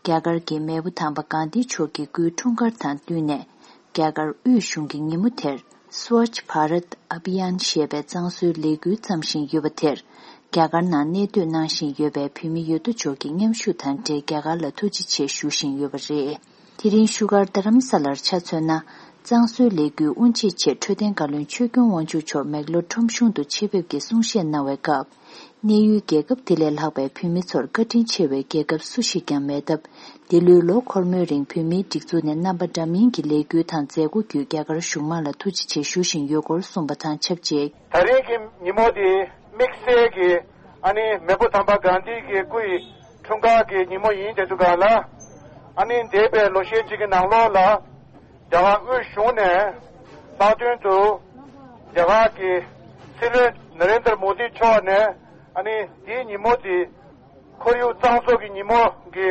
རྒྱ་གར་གྱི་མེས་པོ་དམ་པ་གྷན་དྷི་མཆོག་གི་སྐུའི་འཁྲུངས་སྐར་དང་བསྟུན་ནས། རྒྱ་གར་དབུས་གཞུང་གིས་ཉིན་མོ་དེར། Swachh Bharat Abhiyan ཞེས་པའི་གཙང་བཟོའི་ལས་འགུལ་བརྩམས་བཞིན་ཡོད་པ་དེར། རྒྱ་གར་ནང་གནས་སྡོད་གནང་བཞིན་ཡོད་པའི་བོད་མི་ཡོད་དོ་ཅོག་གིས་མཉམ་ཞུགས་དང་འབྲེལ་རྒྱ་གར་ལ་ཐུགས་རྗེ་ཆེ་ཞུ་བཞིན་ཡོད་པ་རེད། དེ་རིང་བཞུགས་སྒར་རྡ་རམ་ས་ལར་ཆ་མཚོན་ན། གཙང་བཟོའི་ལས་འགུལ་དབུ་འབྱེད་ཆེད་འཕྲོད་བསྟེན་བཀའ་བློན་ཆོས་སྐྱོང་དབང་ཕྱུག་མཆོག་མེག་ལོར་ཁྲོམ་གཞུང་དུ་ཆེད་ཕེབས་ཀྱིས་གསུང་བཤད་གནང་བའི་སྐབས། གནས་ཡུལ་རྒྱལ་ཁབ་དེ་ལས་ལྷག་པའི་བོད་མི་ཚོར་བཀའ་དྲིན་ཆེ་བའི་རྒྱལ་ཁབ་སུ་ཞིག་ཀྱང་མེད་སྟབས། འདི་ལོའི་ལོ་འཁོར་མོའི་རིང་བོད་མིའི་སྒྲིག་འཛུགས་ནས་རྣམ་པ་འདྲ་མིན་གྱི་ལས་འགུལ་དང་མཛད་སྒོ་བརྒྱུད་རྒྱ་གར་གཞུང་མང་ལ་ཐུགས་རྗེ་ཆེ་ཞུ་བཞིན་ཡོད་སྐོར་གསུངས་པ་དང་ཆབས་ཅིག། ད་རེས་ཀྱི་ཉིན་མོ་འདི་དམིགས་བསལ་གྱི་ཨ་ནི་མེས་པོ་དམ་པ་གྷན་དྷི་གི་སྐུ་ཡི་འཁྲུངས་སྐར་གྱི་ཉིན་མོ་ཡིན་དེ་འདུག་ག་ལ། ཨ་ནི་འདས་པའི་ལོ་ཤས་ཅིག་གི་ནང་ལོགས་ལ་རྒྱ་གར་དབུས་གཞུང་ནས་ལྷག་དོན་དུ་རྒྱ་གར་གྱི་སྲིད་བློན་ན་རེན་དར་མོ་དི་མཆོག་ནས་ཨ་ནི་འདིའི་ཉིན་མོ་འདི་ཁོར་ཡུག་གཙང་བཟོ་གི་ཉིན་མོ་གི་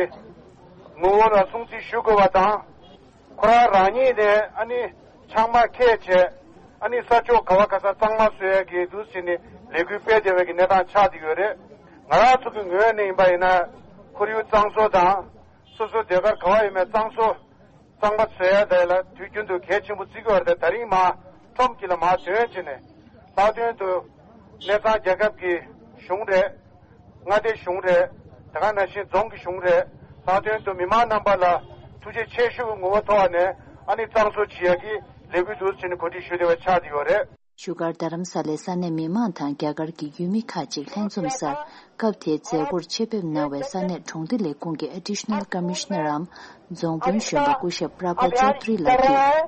ངོ་བོ་ལ་སྲུང་བརྩི་ཞུ་དགོས་པ་དང་། ཁོ་རང་རང་ཉིད་ནས་ཨ་ནི་ཆང་མ་འཁྱེར་བྱས་ཨ་ནི་ས་ཕྱོགས་ག་བ་ག་ས་གཙང་མ་བཟོ་ཡ་གི་འདུག་ཟེར་ནས་ལས་འགུལ་སྤེལ་བསྡད་པའི་གི་གནས་སྟངས་ཆགས་བསྡད་ཡོད་རེད། ང་རང་ཚོ་གི་ངོས་ནས་ཡིན་པ་ཡིན་ན་ཁོར་ཡུག་གཙང་བཟོ་དང་སོ་སོའི་སྡོད་སྒར་ག་བ་ཡིན་པའི་གཙང་བཟོ་གཙང་མ་བཟོ་ཡ་དེ་ལ་དུས་རྒྱུན་དུ་གལ་ཆེན་པོ་བརྩི་གི་ཡོད་རེད། དེ་ད་རིང་མ་ཁྲོམ་གྱི་ལ་མ་ཐོན་བྱས་ནས་ལྷག་དོན་དུ་གནས་ཚང་རྒྱལ་ཁབ་ཀྱི་གཞུང་རེད། མངའ་སྡེ་གཞུང་རེད། དེ་ག་ནང་བཞིན་རྫོང་གི་གཞུང་རེད། ལྷག་དོན་དུ་མི་མང་རྣམ་པ་ལ་ཐུགས་རྗེ་ཆེ་ཞུ་གི་ངོ་བོ་ཐོག་ནས་ཨ་ནི་གཙང་བཟོ་བྱེད་ཡ་གི་ལས་འགུལ་འདུག་ཟེར་ནས་གོ་སྒྲིག་ཞུས་བསྡད་པ་ཆགས་བསྡད་ཡོད་རེད། བཞུགས་སྒར་རྡ་རམ་ས་ལའི་ས་གནས་མི་མང་དང་རྒྱ་གར་གྱི་ཡུལ་མི་ཁག་ཅིག་ལྷན་འཛོམས་སར་སྐབས་དེའི་མཛད་སྒོར་ཆེད་ཕེབས་གནང་བའི་ས་གནས་གྲོང་སྡེ་ལས་ཁུངས་ཀྱི་Additional Commissioner འམ་རྫོང་དཔོན་གཞོན་པ་སྐུ་ཞབས་Prabhat Chaudhary ལགས་ཀྱིས།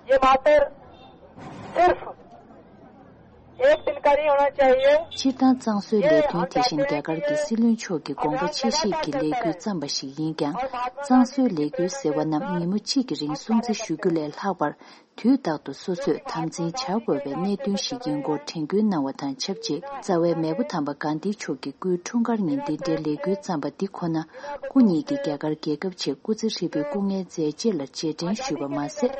ये मात्र सिर्फ एक दिन का नहीं होना चाहिए। སྤྱིར་བཏང་གཙང་བཟོའི་ལས་དོན་དེ་བཞིན་རྒྱ་གར་གྱི་སྲིད་བློན་མཆོག་གི་དགོངས་པ་ཆེ་བཞེས་ཀྱི་ལས་འགུལ་བརྩམས་པ་ཞིག་ཡིན་ཀྱང་། གཙང་བཟོའི་ལས་འགུལ་ཟེར་བ་རྣམས་ཉིན་མོ་གཅིག་གི་རིང་སྲུང་བརྩི་ཞུ་རྒྱུ་ལས་ལྷག་པར། དུས་རྟག་ཏུ་སོ་སོས་དམ་འཛིན་བྱ་དགོས་པའི་གནད་དོན་ཞིག་ཡིན་སྐོར་དྲན་སྐུལ་གནང་བ་དང་ཆབས་ཅིག། རྩ་བའི་མེས་པོ་དམ་པ་གྷན་དྷི་མཆོག་གི་སྐུའི་འཁྲུངས་སྐར་ཉིན་འདི་འདྲའི་ལས་འགུལ་བརྩམས་པ་འདི་ཁོ་ན། སྐུ་ཉིད་ཀྱིས་རྒྱ་གར་རྒྱལ་ཁབ་ཆེད་སྐུ་ཚེ་ཧྲིལ་པོའི་སྐུ་ངལ་མཛད་རྗེས་ལ་རྗེས་དྲན་ཞུས་པ་མ་ཟད།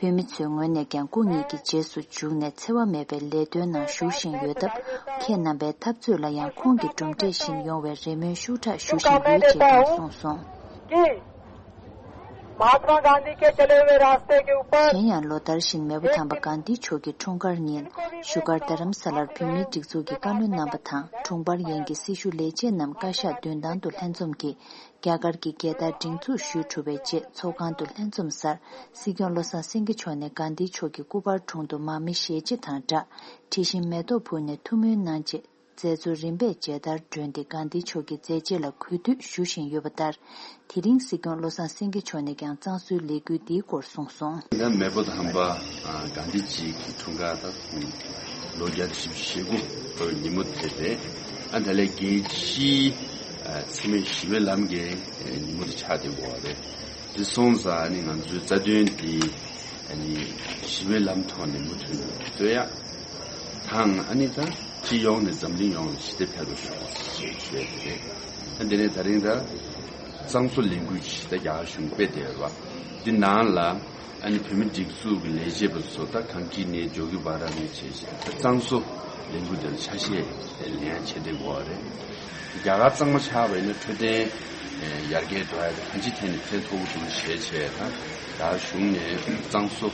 བོད་མི་ཚོའི་ངོས་ནས་ཀྱང་སྐུ་ཉིད་ཀྱི་རྗེས་སུ་འཇུག་ནས་འཚེ་བ་མེད་པའི་ལས་དོན་ནང་ཞུགས་བཞིན་ཡོད་སྟབས། ཁྱེད་རྣམ་པའི་འཐབ་རྩོད་ལ་ཡང་ཁོང་གི་གྲུབ་འབྲས་བཞིན་ཡོང་བའི་རེ་སྨོན་ཤུགས་དྲག་ཞུ་བཞིན་ཡོད་ཅེས་ཀྱང་གསུངས་སོང་། कि महात्मा गांधी के चले हुए रास्ते के ऊपर གཞན་ཡང་། ལོ་ལྟར་བཞིན་མེས་པོ་དམ་པ་གྷན་དྷི་མཆོག་གི་འཁྲུངས་སྐར་ཉིན། བཞུགས་སྒར་རྡ་རམ་ས་ལར་བོད་མིའི་སྒྲིག་འཛུགས་ཀྱི་བཀའ་བློན་རྣམ་པ་དང་། དྲུང་འཕར་ཡན་གྱི་སྲི་ཞུ་ལས་བྱེད་རྣམས་བཀའ་ཤག་མདུན་ཐང་དུ་ལྷན་འཛོམས་ཀྱིས། རྒྱ་གར་གྱི་རྒྱལ་དར་སྒྲེང་འཛུགས་ཞུས་གྲུབ་པའི་རྗེས། ཚོགས་ཁང་དུ་ལྷན་འཛོམས་སར། སྲིད་སྐྱོང་བློ་བཟང་སེང་གེ་མཆོག་ནས་གྷན་དྷི་མཆོག་གི་སྐུ་པར་དྲུང་དུ་མར་མེ་ཞལ་ཕྱེ་དང་སྦྲགས། དྲི་ཞིམ་མེ་ཏོག་ཕུལ་ནས་ཐུགས་སྨོན་གནང་རྗེས། མཛད་གཙོ་རིམ་པས་མཇལ་དར་སྒྲོན་ཏེ་གྷན་དྷི་མཆོག་གི་མཛད་རྗེས་ལ་གུས་འདུད་ཞུ་བཞིན་ཡོད་པ་ལྟར། དེ་རིང་སྲིད་སྐྱོང་བློ་བཟང་སེང་གེ་མཆོག་ནས་ཀྱང་གཙང་བཟོའི་ལས་འགུལ་འདིའི་སྐོར་གསུངས་སོང་། ད་མེས་པོ་དམ་པ་གྷན་དྷི་ཇི་གི་འཁྲུངས་སྐར་ད་ལོ་བརྒྱ་དང་བཞི་བཅུ་ཞེ་དགུ་འཁོར་བའི་ཉིན་མོ་དེ་རེད། ཨ་ད་ལས་རྒྱལ་སྤྱིའི་འཚེ་མེད་ཞི་བའི་ལམ་གྱི་ཉིན་མོ་དེ་ཆགས་བསྡད་ཡོད་རེད། དེ་སོང་ཙང་ནི་ང་ཚོའི་རྩ་དོན་དེ་ཨ་ནི་ཞི་བའི་ལམ་ཐོག་ནས་མུ་མཐུད་ནས་སྤེལ་ཡག་དང་། ཨ་ནི་ད་སྤྱི་ཡོངས་ནས་འཛམ་གླིང་ཡོངས་ལ་ཞི་བདེ་འཕེལ་རུ་ཤོག་ཞེས་ཞུ་ཡ་དེ་རེད། ཨ་དེ་ནས་ད་རིང་ད་གཙང་བཟོ་ལས་འགུལ་ཞིག་ད་རྒྱ་གར་གཞུང་སྤེལ་བསྡད་ཡོད་རེད་བ། འདི་ནང་ལ་ཨ་ནི་བོད་མི་སྒྲིག་འཛུགས་ཀྱི་ལས་བྱེད་པ་ཚོ་ད་གངས་སྐྱིད་ནས་ཇོ་གི་བ་ར་ནས་བྱས་བྱས་ད་གཙང་བཟོ་ལས་འགུལ་དེར་ཆ་ཤས་ལེན་ཡ་བྱེད་བསྡད་ཡོད་རེད། རྒྱ་གར་གཙང་མ་ཆགས་པ་ཡིན་ན་འཕྲོད་བསྟེན་ཡར་རྒྱས་འགྲོ་ཡ་དང་གང་ཅིའི་ཐད་ནས་ཕན་ཐོགས་ཀྱི་འདུག་ཞེས་བྱས་ད་རྒྱ་གཞུང་ནས་གཙང་བཟོ་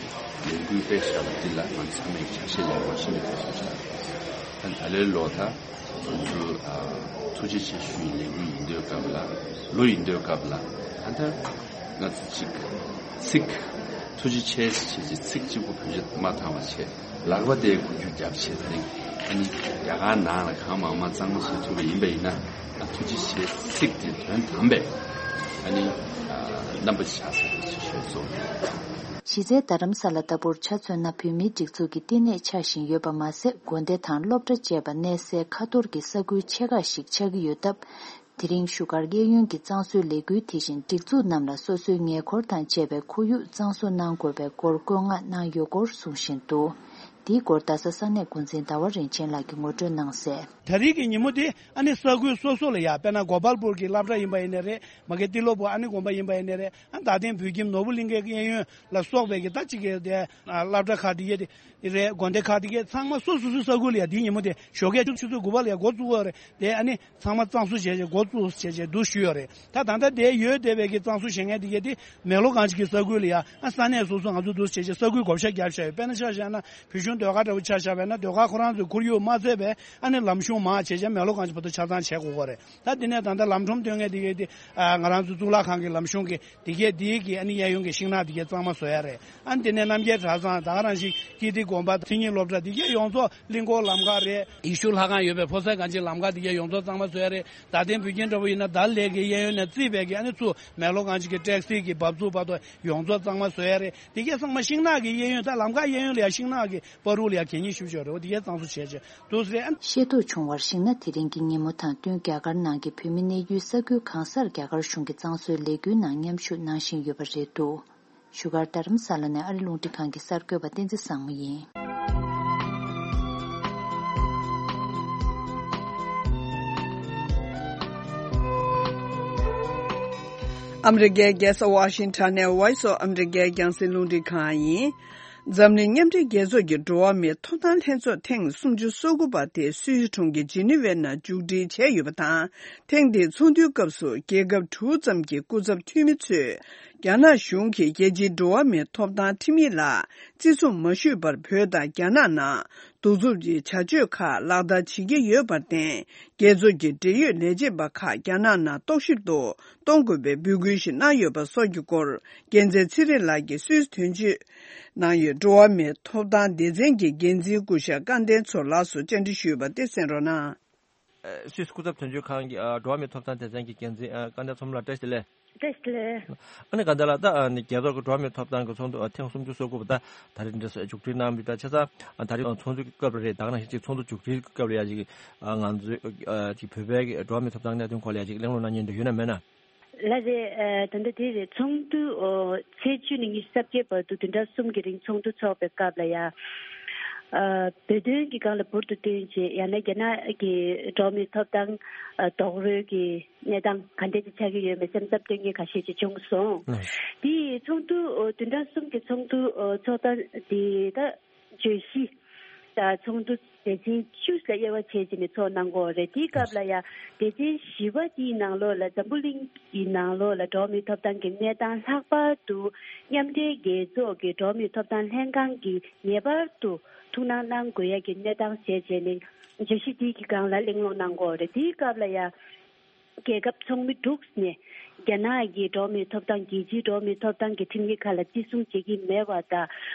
ལས་འགུལ་སྤེལ་བཞག་པ་འདི་ལ་ང་ཚང་མས་ཆ་ཤས་ལེན་དགོས་ཤིན་ཏུ་གལ་ཆེན་པོ་ཆགས་ཡོད། ད་ད་ལོའི་ལོ་ད་ ང་ཚོ་ཨ་ཐུགས་རྗེ་ཆེ་ཞུ་ཡི་ལས་འགུལ་ཡིན་དུས་སྐབས་ལ་ལོ་ཡིན་དུས་སྐབས་ལ་ཨ་ད་ང་ཚོ་གཅིག་ཚིག་ཐུགས་རྗེ་ཆེ་ཞེས་ཀྱི་ཚིག་གཅིག་པུ་བེད་སྤྱོད་མ་བཏང་བ་བྱས། ལག་པ་དེ་འགུལ་སྐྱོད་བརྒྱབ་བྱས། ད་རིང་ཨ་ནི་རྒྱ་གར་ནང་ལ་གང་མང་མང་གཙང་མ་བཟོ་ཐུབ་པ་ཡིན་པ་ཡིན་ན། ཨ་ཐུགས་རྗེ་ཆེ་ཚིག་དེ་དོན་དམ་པས་ཨ་ནི་ཨ་རྣམ་པ་ཆགས་ས་རེད་ཅེས་ཤོད་ཚོགས། གཞི་རྩའི་རྡ་རམ་ས་ལ་ལྟ་བུར་ཆ་མཚོན་ན། བོད་མིའི་སྒྲིག་འཛུགས་ཀྱི་བསྟི་གནས་ཆགས་བཞིན་ཡོད་པ་མ་ཟད། དགོན་སྡེ་དང་སློབ་གྲྭ་བཅས་པ་གནས་སའི་ཁ་ཐོར་གྱི་ས་ཁུལ་ཆེ་ཁག་ཞིག་ཆགས་ཀྱི་ཡོད་སྟབས། དེ་རིང་བཞུགས་སྒར་གཡས་གཡོན་གྱི་གཙང་བཟོའི་ལས་འགུལ་དེ་བཞིན་སྒྲིག་འཛུགས་རྣམས་ལ་སོ་སོའི་ཉེ་འཁོར་དང་བཅས་པའི་ཁོར་ཡུག་གཙང་བཟོ་གནང་དགོས་པའི་སྐོར་བཀོད་མངགས་གནང་ཡོད་སྐོར་གསུང་བཞིན་འདུག། འདིའི་སྐོར་རྡ་ས་ས་གནས་འགོ་འཛིན་ཟླ་བ་རིན་ཆེན་ལགས་ཀྱིས་ངོ་སྤྲོད་གནང་གསལ། ད་རེས་ཀྱི་ཉིན་མོ་དེ་ཨ་ནི་ས་ཁུལ་སོ་སོ་ལ་ཡ། དཔེར་ན་གོ་པལ་པུར་གྱི་སློབ་གྲྭ་ཡིན་པ་ཡིན་ནའི་རེད། མ་གི་ཏི་ལོ་བུ་ཨ་ནི་དགོན་པ་ཡིན་པ་ཡིན་ནའི་རེད། ཨ་རྡ་སྟེང་བོད་ཁྱིམ་ནོར་བུ་གླིང་ཁའི་གཡས་གཡོན་ལ་སོགས་པའི་གི་ད་ཅིག་གི་དེ་ཨ་སློབ་གྲྭ་ཁག་དེ་གའི་དེ་རེད། དགོན་སྡེ་ཁག་དེ་གའི་ཚང་མ་སོ་སོ་སོའི་ས་ཁུལ་ལ་ཡ། དེའི་ཉིན་མོ་དེ་ཞོགས་ཀས་ཆུ་ཚོད་དགུ་པ་ལ་ཡ་འགོ་བཙུགས་ཡོད་རེད། དེ་ཨ་ནི་ཚང་མ་གཙང་བཟོ་བྱས་བྱས་འགོ་བཙུགས་བྱས་བྱས་འདུག་ཞུས་ཡོད་རེད། ད་ད་ལྟ་དེ་ཡོད་བསྡད་པའི་གི་གཙང་བཟོ་བྱེད་མཁན་དེ་གའི་དེ་མེག་ལོར་གངས་ཅན་གྱི་ས་ཁུལ་ལ་ཡ། ཨ་ས་གནས་སོ་སོ་ང་ཚོ་འདུག་བྱས་བྱས་ས་ཁུལ་བགོ་བཤའ་བརྒྱབ་བཞག་ཡོད། དཔེར་ན་ཆ་བཞག་ན་བོད་གཞུང་ཟློས་གར་འདྲ་བོ་ཆ་བཞག་པ་ཡིན་ན། ཟློས་གར་ཁོ་རང་ཚོའི་ཁོར་ཡུག་མ་བཙལ་བས་ཨ་ནི་ལམ་གཞུང་མར་བྱས་བྱས་མེག་ལོར་གངས་ཅན་བར་དུ་ཆ་ཚང་བྱེད་དགོས་ཀྱི་རེད། ད་དེ་ནས་ད་ལྟ་ལམ་ཁྲོམ་སྟོན་མཁན་དེ་གའི་དེ་ཨ་ང་རང་ཚོ་གཙུག་ལག་ཁང་གི་ལམ་གཞུང་གི་དེ་གའི་དེའི་གི་ཨ་ནི་གཡས་གཡོན་གྱི་ཤིང་ནགས་དེ་གའི་གཙང་མ་བཟོ་ཡ་རེད། ཨ་ནི་དེ་ནས་རྣམ་རྒྱལ་གྲྭ་ཚང་། ད་ག་རང་བཞིན་ཀིརྟི་དགོན་པ། མཚན་ཉིད་སློབ་གྲྭ། དེ་གའི་ཡོངས་རྫོགས། གླིང་སྐོར་ལམ་ཁ་རེད། ཡེ་ཤུ་ལྷ་ཁང་ཡོད་པའི་ཕོ་གསར་གངས་ཅན་གྱི་ལམ་ཁ་དེ་གའི་ཡོངས་རྫོགས་གཙང་མ་བཟོ་ཡ་རེད། རྡ་སྟེང་བོད་ཁྱིམ་འདྲ་བོ་ཡིན་ན་ད་ལས་ཀྱི་གཡས་གཡོན་ནས་བརྩིས་པའི་གི་ཨ་ནི་ཚུར་མེག་ལོར་གངས་ཅན་གྱི་ཊེག་སི་གི་འབབ་ཚུགས་བར་དུ་ཡོངས་རྫོགས་གཙང་མ་བཟོ་ཡ་རེད། དེ་གའི་ཚང་མ་ཤིང་ནགས་ཀྱི་གཡས་གཡོན། ད་ལམ་ཁ་གཡས་གཡོན་ལ་ཡ་ཤིང་ནགས་ཀྱི་བར་དུ་ལ་ཡ་གད་སྙིགས་ཤུགས་ཆེ་རེད། འོ་དེ་གའི་གཙང་བཟོ་བྱས་བྱས་འདུག་ཟེར། ཤེས་རྟོགས་བྱུང་བར་གཞིགས་ན། དེ་རིང་གི་ཉིན་མོ་དང་བསྟུན་རྒྱ་གར་ནང་གི་བོད་མི་གནས་ཡུལ་ས་ཁུལ་གང་སར་རྒྱ་གར་གཞུང་གི་གཙང་བཟོའི་ལས་འགུལ་ནང་མཉམ་ཞུགས་གནང་བཞིན་ཡོད་པ་རེད་འདུག། བཞུགས་སྒར་རྡ་རམ་ས་ལ་ནས་ཨ་རི་རླུང་འཕྲིན་ཁང་གི་གསར་འགོད་པ་བསྟན་འཛིན་བཟང་མོ་ཡིན། ཨ་མི་རི་ཀའི་རྒྱལ་ས་ཝ་ཤིང་ཊོན་ནས་Voice of America རྒྱང་སྲིང་རླུང་འཕྲིན་ཁང་ཡིན། འཛམ་གླིང་མཉམ་འབྲེལ་རྒྱལ་ཚོགས་ཀྱི་འགྲོ་བ་མིའི་ཐོབ་ཐང་ལྷན་ཚོགས་ཐེངས་སུམ་ཅུ་སོ་དགུ་པ་དེ་སུད་སི་གྲོང་ཁྱེར་ཇི་ནི་ཝའི་ནང་མཇུག་སྒྲིལ་བྱས་ཡོད་པ་དང་། ཐེངས་འདིའི་ཚོགས་འདུའི་སྐབས་སུ་རྒྱལ་ཁབ་དྲུག་ཙམ་གྱི་སྐུ་ཚབ་འཐུས་མི་ཚོས་རྒྱ་ནག་གཞུང་གིས་རྒྱལ་སྤྱིའི་འགྲོ་བ་མིའི་ཐོབ་ཐང་ཁྲིམས་ཡིག་ལ་བརྩི་སྲུང་མ་ཞུས་པར་བོད་དང་རྒྱ་ནག་ནང་གདུག་རྩུབ་ཀྱི་བྱ་སྤྱོད་ཁག་ལག་བསྟར་བྱེད་ཀྱི་ཡོད་པར་བརྟེན། རྒྱལ་ཚོགས་ཀྱི་འབྲེལ་ཡོད་ལས་བྱེད་པ་ཁག་རྒྱ་ནག་ནང་གཏོགས་ཞིབ་ཏུ་གཏོང་དགོས་པའི་འབོད་སྐུལ་ཞིག་གནང་ཡོད་པ་སོགས་ཀྱི་སྐོར། རྒྱལ་མཚན་ཚེ་རིང་ལགས་ཀྱིས་སུད་སི་དོན་གཅོད་ནང་ཡོད་འགྲོ་བ་མིའི་ཐོབ་ཐང་སྡེ་ཚན་གྱི་འགན་འཛིན་སྐུ་ཞབས་སྐལ་ལྡན་མཚོ་ལགས་སུ་བཅར་འདྲི་ཞུས་པ་དེ་གསན་རོགས་གནང་། ཨ་སུད་སི་སྐུ་ཚབ་དོན་གཅོད་ཁང་གི་ཨ་འགྲོ་བ་མིའི་ཐོབ་ཐང་སྡེ་ཚན་གྱི་འགན་འཛིན་ཨ་སྐལ་ལྡན་མཚོ་ལགས། བཀྲ་ཤིས་བདེ་ལེགས། བཀྲ་ཤིས་བདེ་ལེགས། ཨ་ནི་སྐལ་ལྡན་ལགས། ད་ཨ་ནི་རྒྱལ་ཚོགས་ཀྱི་འགྲོ་བ་མིའི་ཐོབ་ཐང་གི་ཚོགས་འདུ་ཨ་ཐེངས་སུམ་ཅུ་སོ་དགུ་པ་ད་ད་རེས་འདྲ་མཇུག་སྒྲིལ་གནང་བ་ཡིན་པ་ཆ་ཚང་། ཨ་ད་རེས་ཚོགས་འདུའི་སྐབས་ལ་རེད། ད་ག་ནང་བཞིན་ཅིག་ཚོགས་འདུ་མཇུག་སྒྲིལ་སྐབས་ལ་ཡ་ཅིག་ཨ་ང་ཚོའི་ཨ་ཅིག་བོད་པའི་གི་འགྲོ་བ་མིའི་ཐོབ་ཐང་གནད་དོན་སྐོར་ལ་ཡ་ཅིག་གླེང་སློང་གནང་མཁན་འདྲ་ཡོད་ན་མེད་ན། ལགས་རེད། ཨ་ད་ལྟ་དེ་རེད། ཚོགས་འདུ་ཨོ་ཚེས་བཅུ་ནས་ཉི་ཤུ་རྩ་བརྒྱད་བར་དུ་བདུན་ཕྲག་གསུམ་གྱི་རིང་ཚོགས་འདུ་འཚོགས་པའི་སྐབས་ལ་ཡ། ཨ་བོད་དོན་གྱི་སྒང་ལ་འབུར་དུ་བཏོན་བྱས། ཡང་ན་རྒྱ་ནག་གི་འགྲོ་བ་མིའི་ཐོབ་ཐང་ཨ་རྡོག་རོལ་གྱི་གནས་སྟངས་ག་འདྲ་ཅིག་ཆགས་ཀྱི་ཡོད་མེད་སེམས་འཚབ་སྟོན་མཁན་ཁ་ཤས་ཅིག་བྱུང་སོང་། ལགས། དེ་ཚོགས་འདུ་ཨོ་བདུན་ཕྲག་གསུམ་གྱི་ཚོགས་འདུ་ཨོ་ཚོགས་སྟངས་དེ་ད་བརྗོད་གཞི་དང་ཚོགས་འདུ་སྡེ་ཚན་བཅུ་ལ་དབྱེ་བ་ཕྱེ་བྱས་ནས་ཚོགས་གནང་གི་ཡོད་རེད། དེའི་སྐབས་ལ་ཡང་སྡེ་ཚན་བཞི་པ་དེའི་ནང་ལོགས་ལ་འཛམ་བུ་གླིང་གི་ནང་ལོགས་ལ་འགྲོ་བ་མིའི་ཐོབ་ཐང་གི་གནས་སྟངས། ལྷག་པར་དུ་མཉམ་འབྲེལ་རྒྱལ་ཚོགས་ཀྱི་འགྲོ་བ་མིའི་ཐོབ་ཐང་ལྷན་ཁང་གིས་ངེས་པར་དུ་ཐུགས་སྣང་གནང་དགོས་ཡ་གི་གནས་སྟངས་བྱས་བྱས་ནས་བརྗོད་གཞི་དེའི་གི་སྒང་ལ་གླེང་སློང་གནང་གི་ཡོད་རེད། དེའི་སྐབས་ལ་ཡང་རྒྱལ་ཁབ་ཚོགས་མི་དྲུག་ནས་རྒྱ་ནག་གི་འགྲོ་བ་མིའི་ཐོབ་ཐང་། རྒྱལ་སྤྱིའི་འགྲོ་བ་མིའི་ཐོབ་ཐང་གི་ཁྲིམས་ཡིག་ཁག་ལ་བརྩི་སྲུང་བྱེད་ཀྱི་མེད་པ་དང་།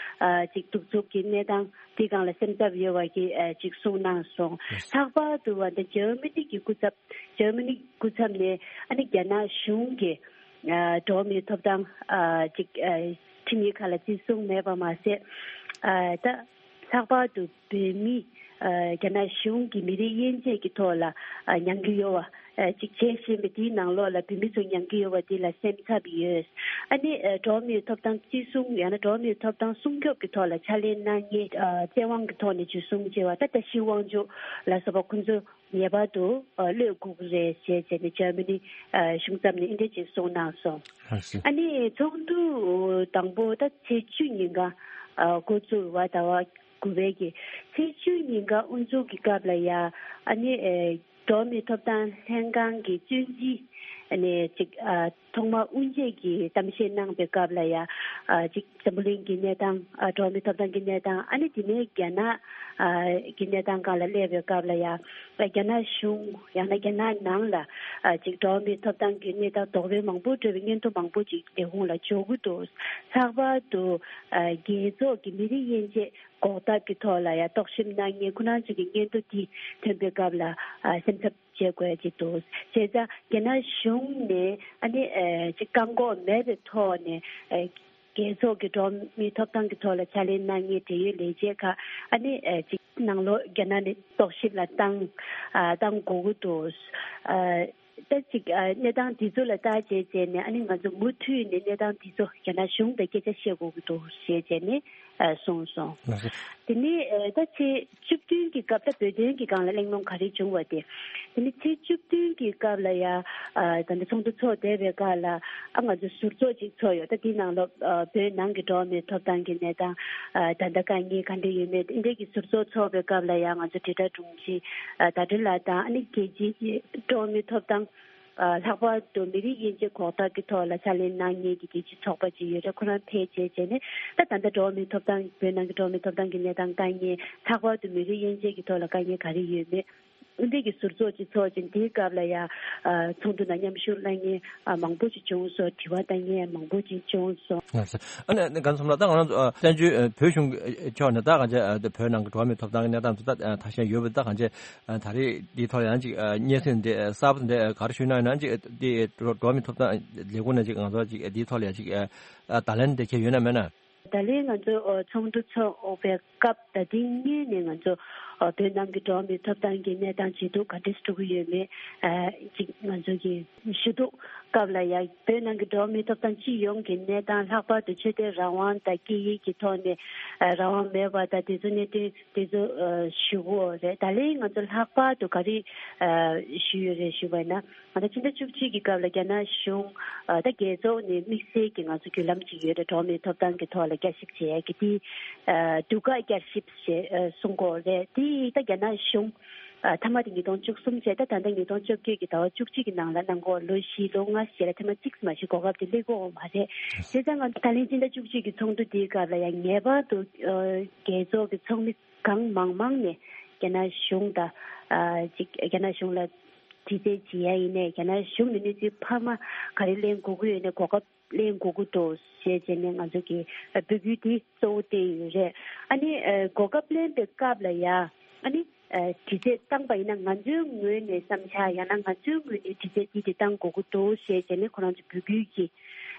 ཨ་ཅིག་གདུག་རྩུབ་ཀྱི་གནས་སྟངས་དེའི་སྒང་ལ་སེམས་འཚབ་ཡོད་པ་གི་ཨ་ཅིག་གསུངས་གནང་སོང་། ལྷག་པར་དུ་བ་འདི་འཇར་མ་ནི་གི་སྐུ་ཚབ། འཇར་མ་ནི་སྐུ་ཚབ་ནས་ཨ་ནི་རྒྱ་ནག་གཞུང་གི་ཨ་འགྲོ་བ་མིའི་ཐོབ་ཐང་ཨ་ཅིག་ཨ་ཁྲིམས་ཡིག་ཁག་ལ་བརྩི་སྲུང་མེད་པ་མ་ཟད། ཨ་ད་ལྷག་པར་དུ་བོད་མི་ཨ་རྒྱ་ནག་གཞུང་གི་མི་རིགས་དབྱེ་འབྱེད་ཀྱི་ཐོག་ལ་ཨ་མྱང་རྒྱུ་ཡོད་པ་ཨ་ཅིག་བྱེད་བཞིན་པ་དེའི་ནང་ལོགས་ལ་བོད་མི་ཚོ་མྱང་རྒྱུ་ཡོད་པ་དེ་ལ་སེམས་འཚབ་ཡོད། ཨ་ནི་ཨ་འགྲོ་བ་མིའི་ཐོབ་ཐང་བརྩི་སྲུང་ཡང་ན་འགྲོ་བ་མིའི་ཐོབ་ཐང་སྲུང་སྐྱོབ་ཀྱི་ཐོག་ལ་ཕྱག་ལས་གནང་མཁན་ཨ་བཙན་དབང་གི་ཐོག་ནས་འཇུ་བཟུང་བྱས་པ་ད་ད་ཤི་དབང་ཕྱུག་ལ་སོགས་པ་ཁོང་ཚོ་ངེས་པར་དུ་ཨ་གློད་དགོས་ཀྱི་རེད་ཅེས་བྱས་ནས་འཇར་མ་ནི་ཨ་གཞུང་ཚབ་ནས་འདི་འདྲ་ཅིག་གསུངས་གནང་སོང་། ལགས་སོ། ཨ་ནི་ཚོགས་འདུ་དང་པོ་ད་ཚེས་བཅུ་ཉིན་ག་ཨ་འགོ་བཙུགས་པ་ཟླ་བ་དགུ་པའི་གི་ཚེས་བཅུ་ཉིན་ག་དབུ་འཛུགས་ཀྱི་སྐབས་ལ་ཡ་ཨ་ནི་ཨེ་འགྲོ་བ་མིའི་ཐོབ་ཐང་ལྷན་ཁང་གི་བཙོན་འཛིན་ ཨ་ནི་ཅིག་ཨ་ཐོག་མ་དབུ་འབྱེད་ཀྱི་གཏམ་བཤད་གནང་པའི་སྐབས་ལ་ཡ། ཨ་ཅིག་འཛམ་བུ་གླིང་གི་གནས་སྟངས། ཨ་འགྲོ་བ་མིའི་ཐོབ་ཐང་གི་གནས་སྟངས། ཨ་ནི་དེ་ནས་རྒྱ་ནག་ཨ་གི་གནས་སྟངས་སྒང་ལ་སླེབས་པའི་སྐབས་ལ་ཡ། རྒྱ་ནག་གཞུང་ཡང་ན་རྒྱ་ནག་ནང་ལ་ཨ་ཅིག་འགྲོ་བ་མིའི་ཐོབ་ཐང་གི་གནས་སྟངས་དོགས་པ་མང་པོ་འཕྲོད་པའི་སྙན་ཐོ་མང་པོ་ཅིག་ལས་ཁུངས་ལ་འབྱོར་གྱི་འདུག། ལྷག་པར་དུ་ཨ་རྒྱལ་ཚོགས་ཀྱི་མི་རིགས་དབྱེ་འབྱེད་འགོག་ཐབས་ཀྱི་ཐོག་ལ་ཡང་རྟོག་ཞིབ་གནང་མཁན་ཁོ་རང་ཚོ་གི་སྙན་ཐོ་དེ་ཐོན་པའི་སྐབས་ལ་ཨ་སེམས་འཚབ་བྱེད་དགོས་ཀྱི་འདུག། བྱས་ཙང་རྒྱ་ནག་གཞུང་ནས་ཨ་ནི་ཨ་ཅིག་བཀག་འགོག་མེད་པའི་ཐོག་ནས་ཨ་རྒྱལ་ཚོགས་ཀྱི་འགྲོ་བ་མིའི་ཐོབ་ཐང་གི་ཐོག་ལ་ཕྱག་ལས་གནང་མཁན་འབྲེལ་ཡོད་ལས་བྱེད་ཁག་ཨ་ནི་ཨ་ཅིག་ནང་ལོགས་རྒྱ་ནག་ནས་རྟོག་ཞིབ་ལ་བཏང་ཨ་བཏང་དགོས་ཀྱི་འདུག། ཨ། ད་ཅིག་ཨ་གནས་སྟངས་འདི་ཚོ་ལ་བརྟག་དཔྱད་བྱས་ནས་ཨ་ནི་ང་ཚོ་མུ་མཐུད་ནས་གནས་སྟངས་འདི་ཚོ་རྒྱ་ནག་གཞུང་དང་སྐད་ཆ་བཤད་དགོས་ཀྱི་འདུག་ཞེས་བྱས་ནས་ཨ་གསུངས་སོང་། ལགས་སོ། དེ་ནས་ཨ་ད་ཚེས་བཅུ་བདུན་གྱི་སྐབས། ད་བོད་དོན་གྱི་སྒང་ལ་གླེང་སློང་ག་རེ་བྱུང་བ་དེ། དེ་ནས་ཚེས་བཅུ་བདུན་གྱི་སྐབས་ལ་ཡ་ཨ་ད་ལྟ་ཚོགས་འདུ་ཚོགས་བསྡད་པའི་སྐབས་ལ་ཨ་ང་ཚོ་ཟུར་ཚོགས་ཅིག་ཚོགས་ཡོད། ད་དེའི་ནང་ལོགས་ཨ་བོད་ནང་གི་འགྲོ་བ་མིའི་ཐོབ་ཐང་གི་གནས་སྟངས་ཨ་ད་ལྟ་དཀའ་ངལ་ག་འདྲ་ཡོད་མེད་འདི་འདྲའི་གི་ཟུར་ཚོགས་ཚོགས་པའི་སྐབས་ལ་ཡ་ང་ཚོ་དྲིལ་བསྒྲགས་དྲུང་ཆེ་ཨ་ཟླ་སྒྲོན་ལགས་དང་ཨ་ནི་རྒྱལ་སྤྱིའི་འགྲོ་བ་མིའི་ཐོབ་ཐང་། ཨ་ལྷག་པར་དུ་མི་རིགས་དབྱེ་འབྱེད་འགོག་ཐབས་ཀྱི་ཐོག་ལ་ཕྱག་ལས་གནང་མཁན་གྱི་རྒྱལ་སྤྱིའི་ཚོགས་པ་ཅིག་ཡོད་རེད། ཁོ་རང་ཕེབས་བྱས་བྱས་ནས་ད་ད་ལྟ་འགྲོ་བ་མིའི་ཐོབ་ཐང་། བོད་ནང་གི་འགྲོ་བ་མིའི་ཐོབ་ཐང་གི་གནས་སྟངས། དཀའ་ངལ། ལྷག་པར་དུ་མི་རིགས་དབྱེ་འབྱེད་ཀྱི་ཐོག་ལ་དཀའ་ངལ་ག་རེ་ཡོད་མེད། འདི་གི་ཟུར་ཚོགས་ཅིག་ཚོགས་ཅིང་། དེའི་སྐབས་ལ་ཡ་ཨ་ཚོགས་འདུ་ནང་མཉམ་ཞུགས་གནང་མཁན་ཨ་མང་པོ་ཅིག་བྱུང་སོང་། དྲི་བ་བཏང་མཁན་མང་པོ་ཅིག་བྱུང་སོང་། ལགས་སོ། ཨ་ནི་ཨ་ནི་རྒན་ཚོགས་གཙོ་ལགས། ད་ང་རང་ཚོ་ཨ་བཙན་བྱོལ་ཨ་བོད་གཞུང་ཕྱོགས་ནས་ད་གང་ཅི་ཨ་བོད་ནང་གི་འགྲོ་བ་མིའི་ཐོབ་ཐང་གི་གནས་སྟངས་ཚོ་ད་ཨ་ཐ་ཤལ་ཡོད་པ། ད་གང་ཅི་ཨ་ད་རེས་འདིའི་ཐོག་ལ་ཡང་ཅིག་ཨ་སྙན་སེང་འདི་གསར་པ་འདི་ག་རེ་ཞུས་ན་ཡང་ཅིག་འདི་འགྲོ་འགྲོ་བ་མིའི་ཐོབ་ཐང་ལས་ཁུངས་ནས་ཅིག་ང་ཚོ་ཅིག་འདིའི་ཐོག་ལ་ཡང་ཅིག་ཨ་བརྡ་ལན་འདི་འཁྱེར་ཡོད་ན་མེད་ན། ད་ལན་ང་ཚོ་ཨ་ཚོགས་འདུ་ཚོགས་པའི་སྐབས་ད་ཐེངས་སྔོན་ནས་ང་ཚོ་ཨ་བོད་ནང་གི་འགྲོ་བ་མིའི་ཐོབ་ཐང་གི་གནས་སྟངས་ཇེ་སྡུག་ག་འདྲས་འགྲོ་གི་ཡོད་མེད་ཨ་ཅིག་ང་ཚོ་གིས་ཞུ་གཏུག་སྐབས་ལ་ཡང་བོད་ནང་གི་འགྲོ་བ་མིའི་ཐོབ་ཐང་སྤྱི་ཡོངས་ཀྱི་གནས་སྟངས། ལྷག་པར་དུ་ཆོས་དད་རང་དབང་དང་སྐད་ཡིག་གི་ཐོག་ནས་ཨ་རང་དབང་མེད་པ་དང་དེ་ཚོ་གནད་དོན་དེ་ཚོ་ཨ་ཞུ་གི་རེད། ད་ལན་ང་ཚོ་ལྷག་པར་དུ་ག་རེ་ཨ་ཞུས་ཡོད་རེད་ཞུས་པ་ཡིན་ན། ང་ཚོ་ཕྱི་ཟླ་བཅུ་གཅིག་གི་སྐབས་ལ་རྒྱ་ནག་གཞུང་ཨ་ད་རྒྱལ་ཚོགས་ནས་དམིགས་བསལ་གྱི་ང་ཚོ་བརྒྱུད་ལམ་ཅིག་ཡོད་རེད། འགྲོ་བ་མིའི་ཐོབ་ཐང་གི་ཐོག་ལ་བསྐྱར་ཞིབ་བྱེད་ཡ་གི་དེ་ཨ་དུས་བཀག་བསྐྱར་ཞིབ་ཞེས་ཨ་གསུང་གི་ཡོད་རེད། དེ་ད་རྒྱ་ནག་གཞུང་ཨ་མཐའ་མ་དེ་ཉིས་སྟོང་བཅུ་གསུམ་བྱས། ད་ད་ལྟ་ཉིས་སྟོང་བཅོ་བརྒྱད་ཀྱི་ཟླ་བ་བཅུ་གཅིག་གི་ནང་ལ་གནང་གི་ཡོད། ལོ་བཞི་ལོ་ལྔ་ཞེ་ལ་ཐེངས་མ་གཅིག་མ་གཏོགས་གོ་སྐབས་དེ་སླེབས་ཀྱི་ཡོད་མ་རེད། བྱས་ཙང་ང་ད་ལན་ཕྱི་ཟླ་བཅུ་གཅིག་གི་ཚོགས་འདུ་དེའི་སྐབས་ལ་ཡང་ངེས་པར་དུ་ཨ་རྒྱལ་ཚོགས་ཀྱི་ཚོགས་མི་གང་མང་མང་ནས་རྒྱ་ནག་གཞུང་དང་ཨ་ཅིག་རྒྱ་ནག་གཞུང་ལ་དྲི་རྩད་བྱེད་ཡ་ཡིན་ནའི། རྒྱ་ནག་གཞུང་ནས་གནས་ཚུལ་འཕར་མ་ག་རེ་ལེན་དགོས་ཀྱི་ཡོད་ནའི་གོ་སྐབས་ལེན་དགོས་ཀྱི་འདུག་ཞེས་བྱས་ནས་ང་ཚོ་གིས་འབོད་སྐུལ་འདི་གཙོ་བོ་བཏོན་ཡོད་རེད། ཨ་ནི་ཨ་གོ་སྐབས་ལེན་པའི་སྐབས་ལ་ཡ་ཨ་ནི་ཨ་དྲི་རྩད་བཏང་པ་ཡིན་ན་ང་ཚོའི་ངོས་ནས་བསམ་འཆར། ཡང་ན་ང་ཚོའི་ངོས་ནས་དྲི་རྩད་འདི་འདི་བཏང་དགོས་ཀྱི་འདུག་ཞེས་བྱས་ནས་ཁོ་རང་ཚོ་འབོད་སྐུལ་གྱི་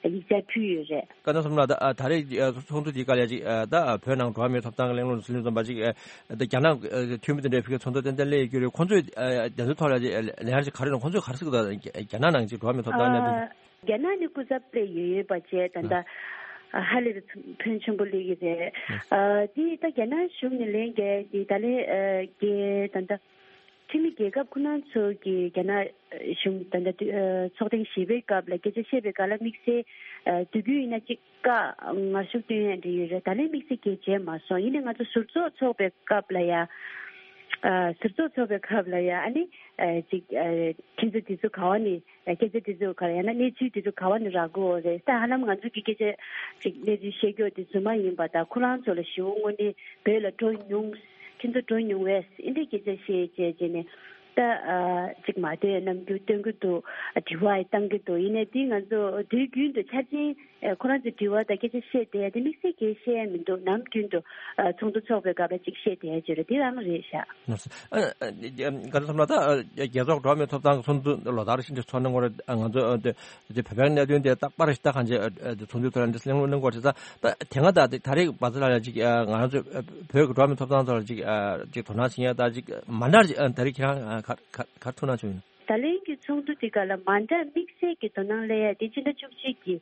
ཡིག་ཆ་ཕུལ་ཡོད་རེད། བཀའ་གནང་སོང་ལ། ད་ཨ་ད་རེས་ཨ་ཚོགས་འདུ་དེའི་སྐབས་ལ་ཅིག་ཨ་ད་ཨ་བོད་ནང་འགྲོ་བ་མིའི་ཐོབ་ཐང་གི་གླེང་སློང་དང་ལྷན་དུ་འཛོམས་པ་ཅིག་ཨ་ད་རྒྱ་ནག་ཨ་འཐུས་མི་དེ་འདྲའི་ཕ་གིའི་ཚོགས་འདུ་ཏན་ཏན་སླེབས་ཡོད་ཀྱི་རེད། ཁོང་ཚོས་ཨ་དེ་ཚོའི་ཐོག་ལ་ཅིག་ཨ་ལན་ཅིག་ག་རེ་གནང་། ཁོང་ཚོས་ག་རེ་ཟེར་གྱི་འདུག། རྒྱ་ནག་ནང་ཅིག་འགྲོ་བ་མིའི་ཐོབ་ཐང་གནད་དོན། ཨ་རྒྱ་ནག་ནས་སྐུ་ཚབ་སླེབས་ཡོད་ཡོད་པ་བྱས། ད་ལྟ་ཨ་ཧ་ལས་པའི་ཕོན་ཆེན་པོ་སླེབས་ཀྱི་རེད། ཨ་དེ་ད་རྒྱ་ནག་གཞུང་ནས་ལན་རྒྱག་དེ་ད་ལན་ཨ་རྒྱ་ད་ལྟ་འཐུས་མི་རྒྱལ་ཁབ་ཁོ་རང་ཚོ་གིས་རྒྱ་ནག་གཞུང་ད་ལྟ་དུས་ཨ་ཚོགས་ཐེངས་བཞི་པའི་སྐབས་ལ་སྐད་ཆ་བཤད་པའི་སྐབས་ལ་དམིགས་བསལ་ཨ་དུས་རྒྱུན་ཡིན་ན་གཅིག་བཀའ་ངར་ཤུགས་བཏོན་ཡ་འདྲ་ཡོད་རེད། ད་ལན་དམིགས་བསལ་གྱི་བྱས་མ་སོང་། ཡིན་ནའི་ང་ཚོ་ཟུར་ཚོགས་ཚོགས་པའི་སྐབས་ལ་ཡ་ཨ་ཟུར་ཚོགས་ཚོགས་པའི་སྐབས་ལ་ཡ་ཨ་ནི་ཨ་ཅིག་ཨ་ཁྱེད་ཚོ་དེ་ཚོ་ག་བ་ནས་སྐད་ཆ་དེ་ཚོ་ག་རེ་ཡང་ན་གནས་ཚུལ་དེ་ཚོ་ག་བ་ནས་རག་གི་ཡོད་རེད། ད་ཧ་ལམ་ང་ཚོ་གི་སྐད་ཆ་ཅིག་གནས་ཚུལ་བཤད་རྒྱུ་དེ་ཚོ་མ་ཡིན་པ་དང་། ཁོ་རང་ཚོ་ལ་ཞེ་པོ་དངོས་གནས་བོད་ལ་འགྲོ་མྱོང་། ཁྱེད་ཚོ་འགྲོ་མྱོང་བས་འདི་འདྲའི་སྐད་ཆ་བཤད་བྱས་བྱས་ནས་ད་ཨ་ཅིག་མ་བསྡད་རྣམ་འགྱུར་སྟོན་གྱི་འདུག། དྲི་བ་བཏང་གི་འདུག། ཡིན་ནའི་འདི་ང་ཚོ་དུས་རྒྱུན་དུ་འཆར་ཅན་ཁོ་རང་ཚོ་དྲི་བ་དང་སྐད་ཆ་བཤད་བསྡད་ཡ་དེ་དམིགས་བསལ་གྱིས་བཤད་ཡ་མི་འདུག། ནམ་རྒྱུན་དུ་ཨ་ཚོགས་འདུ་ཚོགས་པའི་སྐབས་ལ་ཅིག་བཤད་བསྡད་ཡ་ཅིག་རེད། དེ་རང་རེད་ཤག། ཨ་ཨ་ཨ་ག་རེ་ཟེར་ན། ད་ཨ་རྒྱལ་ཚོགས་འགྲོ་བ་མིའི་ཐོབ་ཐང་གི་ཚོགས་འདུ་ལོ་ལྟར་བཞིན་དུ་ཚོགས་གནང་གི་ཡོད་རེད། ཨ་ང་ཚོ་ཨ་དེ་དེ་བོད་པའི་གནད་དོན་དེ་རྟག་པར་ཞིག་ད་གང་ཅི་ཨ་ཨ་དེ་ཚོགས་འདུའི་ཐོག་ལ་འདི་གླེང་སློང་གནང་གི་ཡོད་རེད། ད་ད་དེ་སྔ་ད་དེ་ད་རེས་བར་ཚོ་ལ་ཡ་ཅིག་ཨ་ང་རང་ཚོ་ཨ་བོད་ཀྱི་འགྲོ་བ་མིའི་ཐོབ་ཐང་ཐོག་ལ་ཅིག་ཨ་ཅིག་དོ་སྣང་བྱེད་ཡ་ད་ཅིག་མ་འདྲ་ཅིག་ཨ་ད་རེས་ཁྱེད་རང་ཨ་ག་ག་ག་ཐུགས་སྣང་བྱུང་ཡོད་ན། ད་ལན་གྱི་ཚོགས་འདུ་དེ་ག་ལ་མ་འདྲ་དམིགས་བསལ་གྱི་དོ་སྣང་སླེབས་ཡ་དེ་ཕྱི་ཟླ་བཅུ་གཅིག་གི་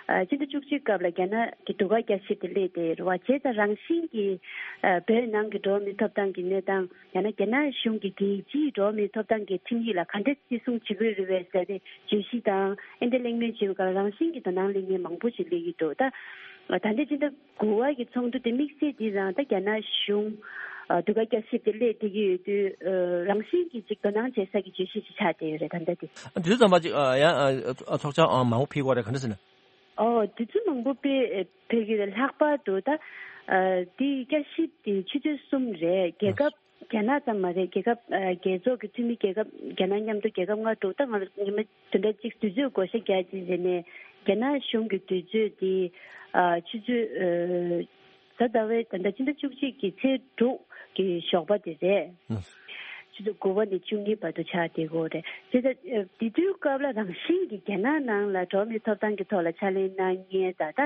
ཨ་ཕྱི་ཟླ་བཅུ་གཅིག་སྐབས་ལ་རྒྱ་ནག་གི་དུས་བཀག་བསྐྱར་ཞིབ་དེ་སླེབས་བསྡད་ཡོད་རེད་བ། བྱས་ཙང་རང་བཞིན་གྱིས་ཨ་བོད་ནང་གི་འགྲོ་བ་མིའི་ཐོབ་ཐང་གི་གནས་སྟངས། ཡང་ན་རྒྱ་ནག་གཞུང་གིས་རྒྱལ་སྤྱིའི་འགྲོ་བ་མིའི་ཐོབ་ཐང་གི་ཁྲིམས་ཡིག་ལ་ག་འདྲ་བརྩི་སྲུང་བྱེད་ཀྱི་ཡོད་རེད་པས་ཟེར་ཏེ་བརྗོད་གཞི་དང་ཨེ་འདྲ་གླེང་མོལ་བྱེད་པའི་སྐབས་ལ་རང་བཞིན་གྱིས་དོ་སྣང་སླེབས་མཁན་མང་པོ་ཞིག་སླེབས་ཀྱི་འདུག། ད་ད་ལྟ་ཕྱི་ཟླ་དགུ་པ་གི་ཚོགས་འདུ་དེ་དམིགས་བསལ་འདི་རང་ད་རྒྱ་ནག་གཞུང་ ཨ། ཟློས་གར་བསྐྱར་ཞིབ་དེ་སླེབས་བསྡད་ཀྱི་ཡོད་དུས། ཨ། རང་བཞིན་གྱིས་ཅིག་དོ་སྣང་བྱེད་ས་ཀྱི་བརྗོད་གཞི་ཅིག་ཆགས་བསྡད་ཡོད་རེད། ད་ལྟ་དེ། ཨ། དེ་ཚོ་ཚང་མ་ཅིག་ཨ། ཡང་ཨ། ཚོགས་བཅར་ཨ། མང་པོ་ཕེབས་ཀྱི་ཡོད་རེད། ག་འདྲ་ཟེར་ན། ཨོ། དེ་ཚོ་མང་པོ་ཕེ། ཕེབས་ཀྱི་རེད། ལྷག་པར་དུ་ད། ཨ། དེའི་བསྐྱར་ཞིབ་དེ་ཆུ་ཚོད་གསུམ་རེད། རྒྱལ་ཁབ་རྒྱ་ནག་ཙམ་མ་རེད། རྒྱལ་ཁབ། ཨ། རྒྱལ་ཚོགས་ཀྱི་འཐུས་མི་རྒྱལ་ཁབ། རྒྱ་ནག་མཉམ་དུ་རྒྱལ་ཁབ་ལྔ་དྲུག་ད་ང་ཉི་མ་བདུན་ཕྲག་གཅིག་དུས་ཚོད་བགོ་བཤའ་རྒྱག་ཅིག་ཟེར་ནས། རྒྱ་ནག་གཞུང་གི་དུས་ཚོད་དེ། ཨ། ཆུ་ཚོད། ཨ། གཟའ་ཟླ་བའི་ད་ལྟ་ཕྱི་ཟླ་བཅུ་གཅིག་གི་ཚེས་དྲུག་གི་ཞོགས་པ་དེ་རེད། ཨ། ཆུ་ཚོད་དགུ་པ་ནས་བཅུ་གཉིས་བར་དུ་ཆགས་བསྡད་ཀྱི་ཡོད་རེད། དེ་ལྟ། ཨ། དེ་དུས་སྐབས་ལ་རང་བཞིན་གྱིས་རྒྱ་ནག་ནང་ལ་འགྲོ་བ་མིའི་ཐོབ་ཐང་གི་ཐོག་ལ་ཕྱག་ལས་གནང་མཁན་ད་ལྟ་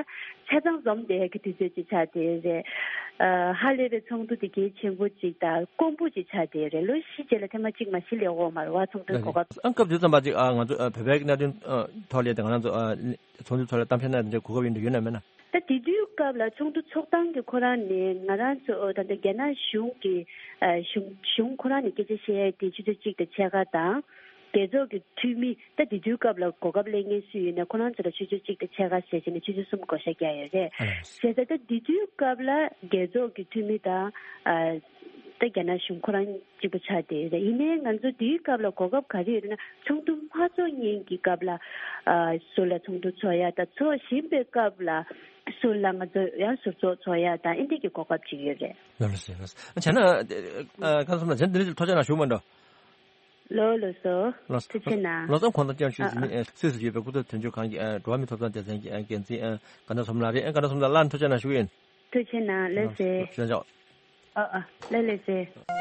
ཆ་ཚང་འཛོམས་བསྡད་ཀྱི་དུས་ཚོད་ཅིག་ཆགས་བསྡད་རེད། ཨ། ཧ་ལས་པའི་ཚོགས་འདུ་དེ་གལ་ཆེན་པོ་ཅིག་དང་དཀོན་པོ་ཅིག་ཆགས་བསྡད་རེད། ལོ་བཞི་རྗེས་ལ་ཐེངས་མ་གཅིག་མ་གཞི་སླེབས་ཀྱི་ཡོད་མ་རེད་པ། ཚོགས་འདུའི་གོ་སྐབས། ཨ། སྐབས་དེ་ཙམ་པ་ཅིག་ཨ། ང་ཚོ་ཨ། བོད་པའི་གནད་དོན་ཨ། ཐོག་ལ་དེ་ང་རང་ཚོ་ཨ། ཚོགས་འདུའི་ཐོག་ལ་གཏམ་བཤད་གནང་ཡག་གོ་སྐབས་ཡོད་འདྲ་ཡོད་ན་མེད་ན། ད་དེ་དུས་སྐབས་ལ་ཚོགས་འདུ་ཚོགས་སྟངས་ཀྱི་ཁོ་རང་ནས་ང་རང་ཚོ་ད་ལྟ་རྒྱ་ནག་གཞུང་གི། ཨ། གཞུང་གཞུང་ཁོ་རང་ནས་སྐད་ཆ་བཤད་ཡག་དེ་ཆུ་ཚོད་གཅིག་དང་ཕྱེད་ཀ་དང་། རྒྱལ་ཚོགས་ཀྱི་འཐུས་མི་ད་དེ་དུས་སྐབས་ལ་གོ་སྐབས་སླེབས་མཁན་སུ་ཡོད་ན་ཁོ་རང་ཚོ་ལ་ཆུ་ཚོད་གཅིག་དང་ཕྱེད་ཀ་བྱས་བྱས་ནས་ཆུ་ཚོད་གསུམ་བགོ་བཤའ་རྒྱག་ཡོད་རེད། ཨ། བྱས་ཙང་ད་དེ་དུས་སྐབས་ལ་རྒྱལ་ཚོགས་ཀྱི་འཐུས་མི་དང་། ཨ། ད་རྒྱ་ནག་གཞུང་ཁོ་རང་གཅིག་པ་ཆགས་བསྡད་ཡོད་རེད། ཡིན་ནའི་ང་ཚོ་དེའི་སྐབས་ལ་གོ་སྐབས་ག་རེ་ཡོད་རེད་ན། ཚོགས་འདུ་མ་ཚོགས་སྔོན་གྱི་སྐབས་ལ། ཨ། ཟུར་ལ་ཚོགས་འདུ་ཚོགས་ཡག་དང་། ཚོགས་བཞིན་པའི་སྐབས་ལ་ཟུར་ལ་ང་ཚོ་ཡང་ཟུར་ཚོགས་ཚོགས་ཡག་དང་། ཨེ་འདྲ་གི་གོ་སྐབས་ཅིག་ཡོད་རེད། ལགས་སོ། ལགས་སོ། བྱས་ན་ཨ། གང་ལ་སོང་ན་བྱས་ན་འདི་འདྲ་ཅིག་ཐུགས་རྗེ་གནང་ཞུ་མ་འགྲོ། ལགས་སོ། ལགས་སོ། ཐུགས་རྗེ་གནང་། ལགས་སོ། ཁོང་དང་བཅར་ཞུས་ཟིན་ནི། ཨ། ཨ། སུད་སི་ཡོད་པའི་སྐུ་ཚབ་དོན་གཅོད་ཁང་གི་ཨ། འགྲོ་བ་མིའི་ཐོབ་ཐང་སྡེ་ཚན་གྱི་ཨ། འགན་འཛིན་ཨ། དགའ་ལྡན་བསོད་ནམས་ལགས་རེད། ཨ། དགའ་ལྡན་བསོད་ནམས་ལགས། སླར་ཐུགས་རྗེ་གནང་ཞུ་གི་ཡིན། ཐུགས་རྗེ་གནང་། ལགས་སོ། ལགས་སོ། ལགས་སོ། ཨ། ཨ། ལགས་ལགས་སོ།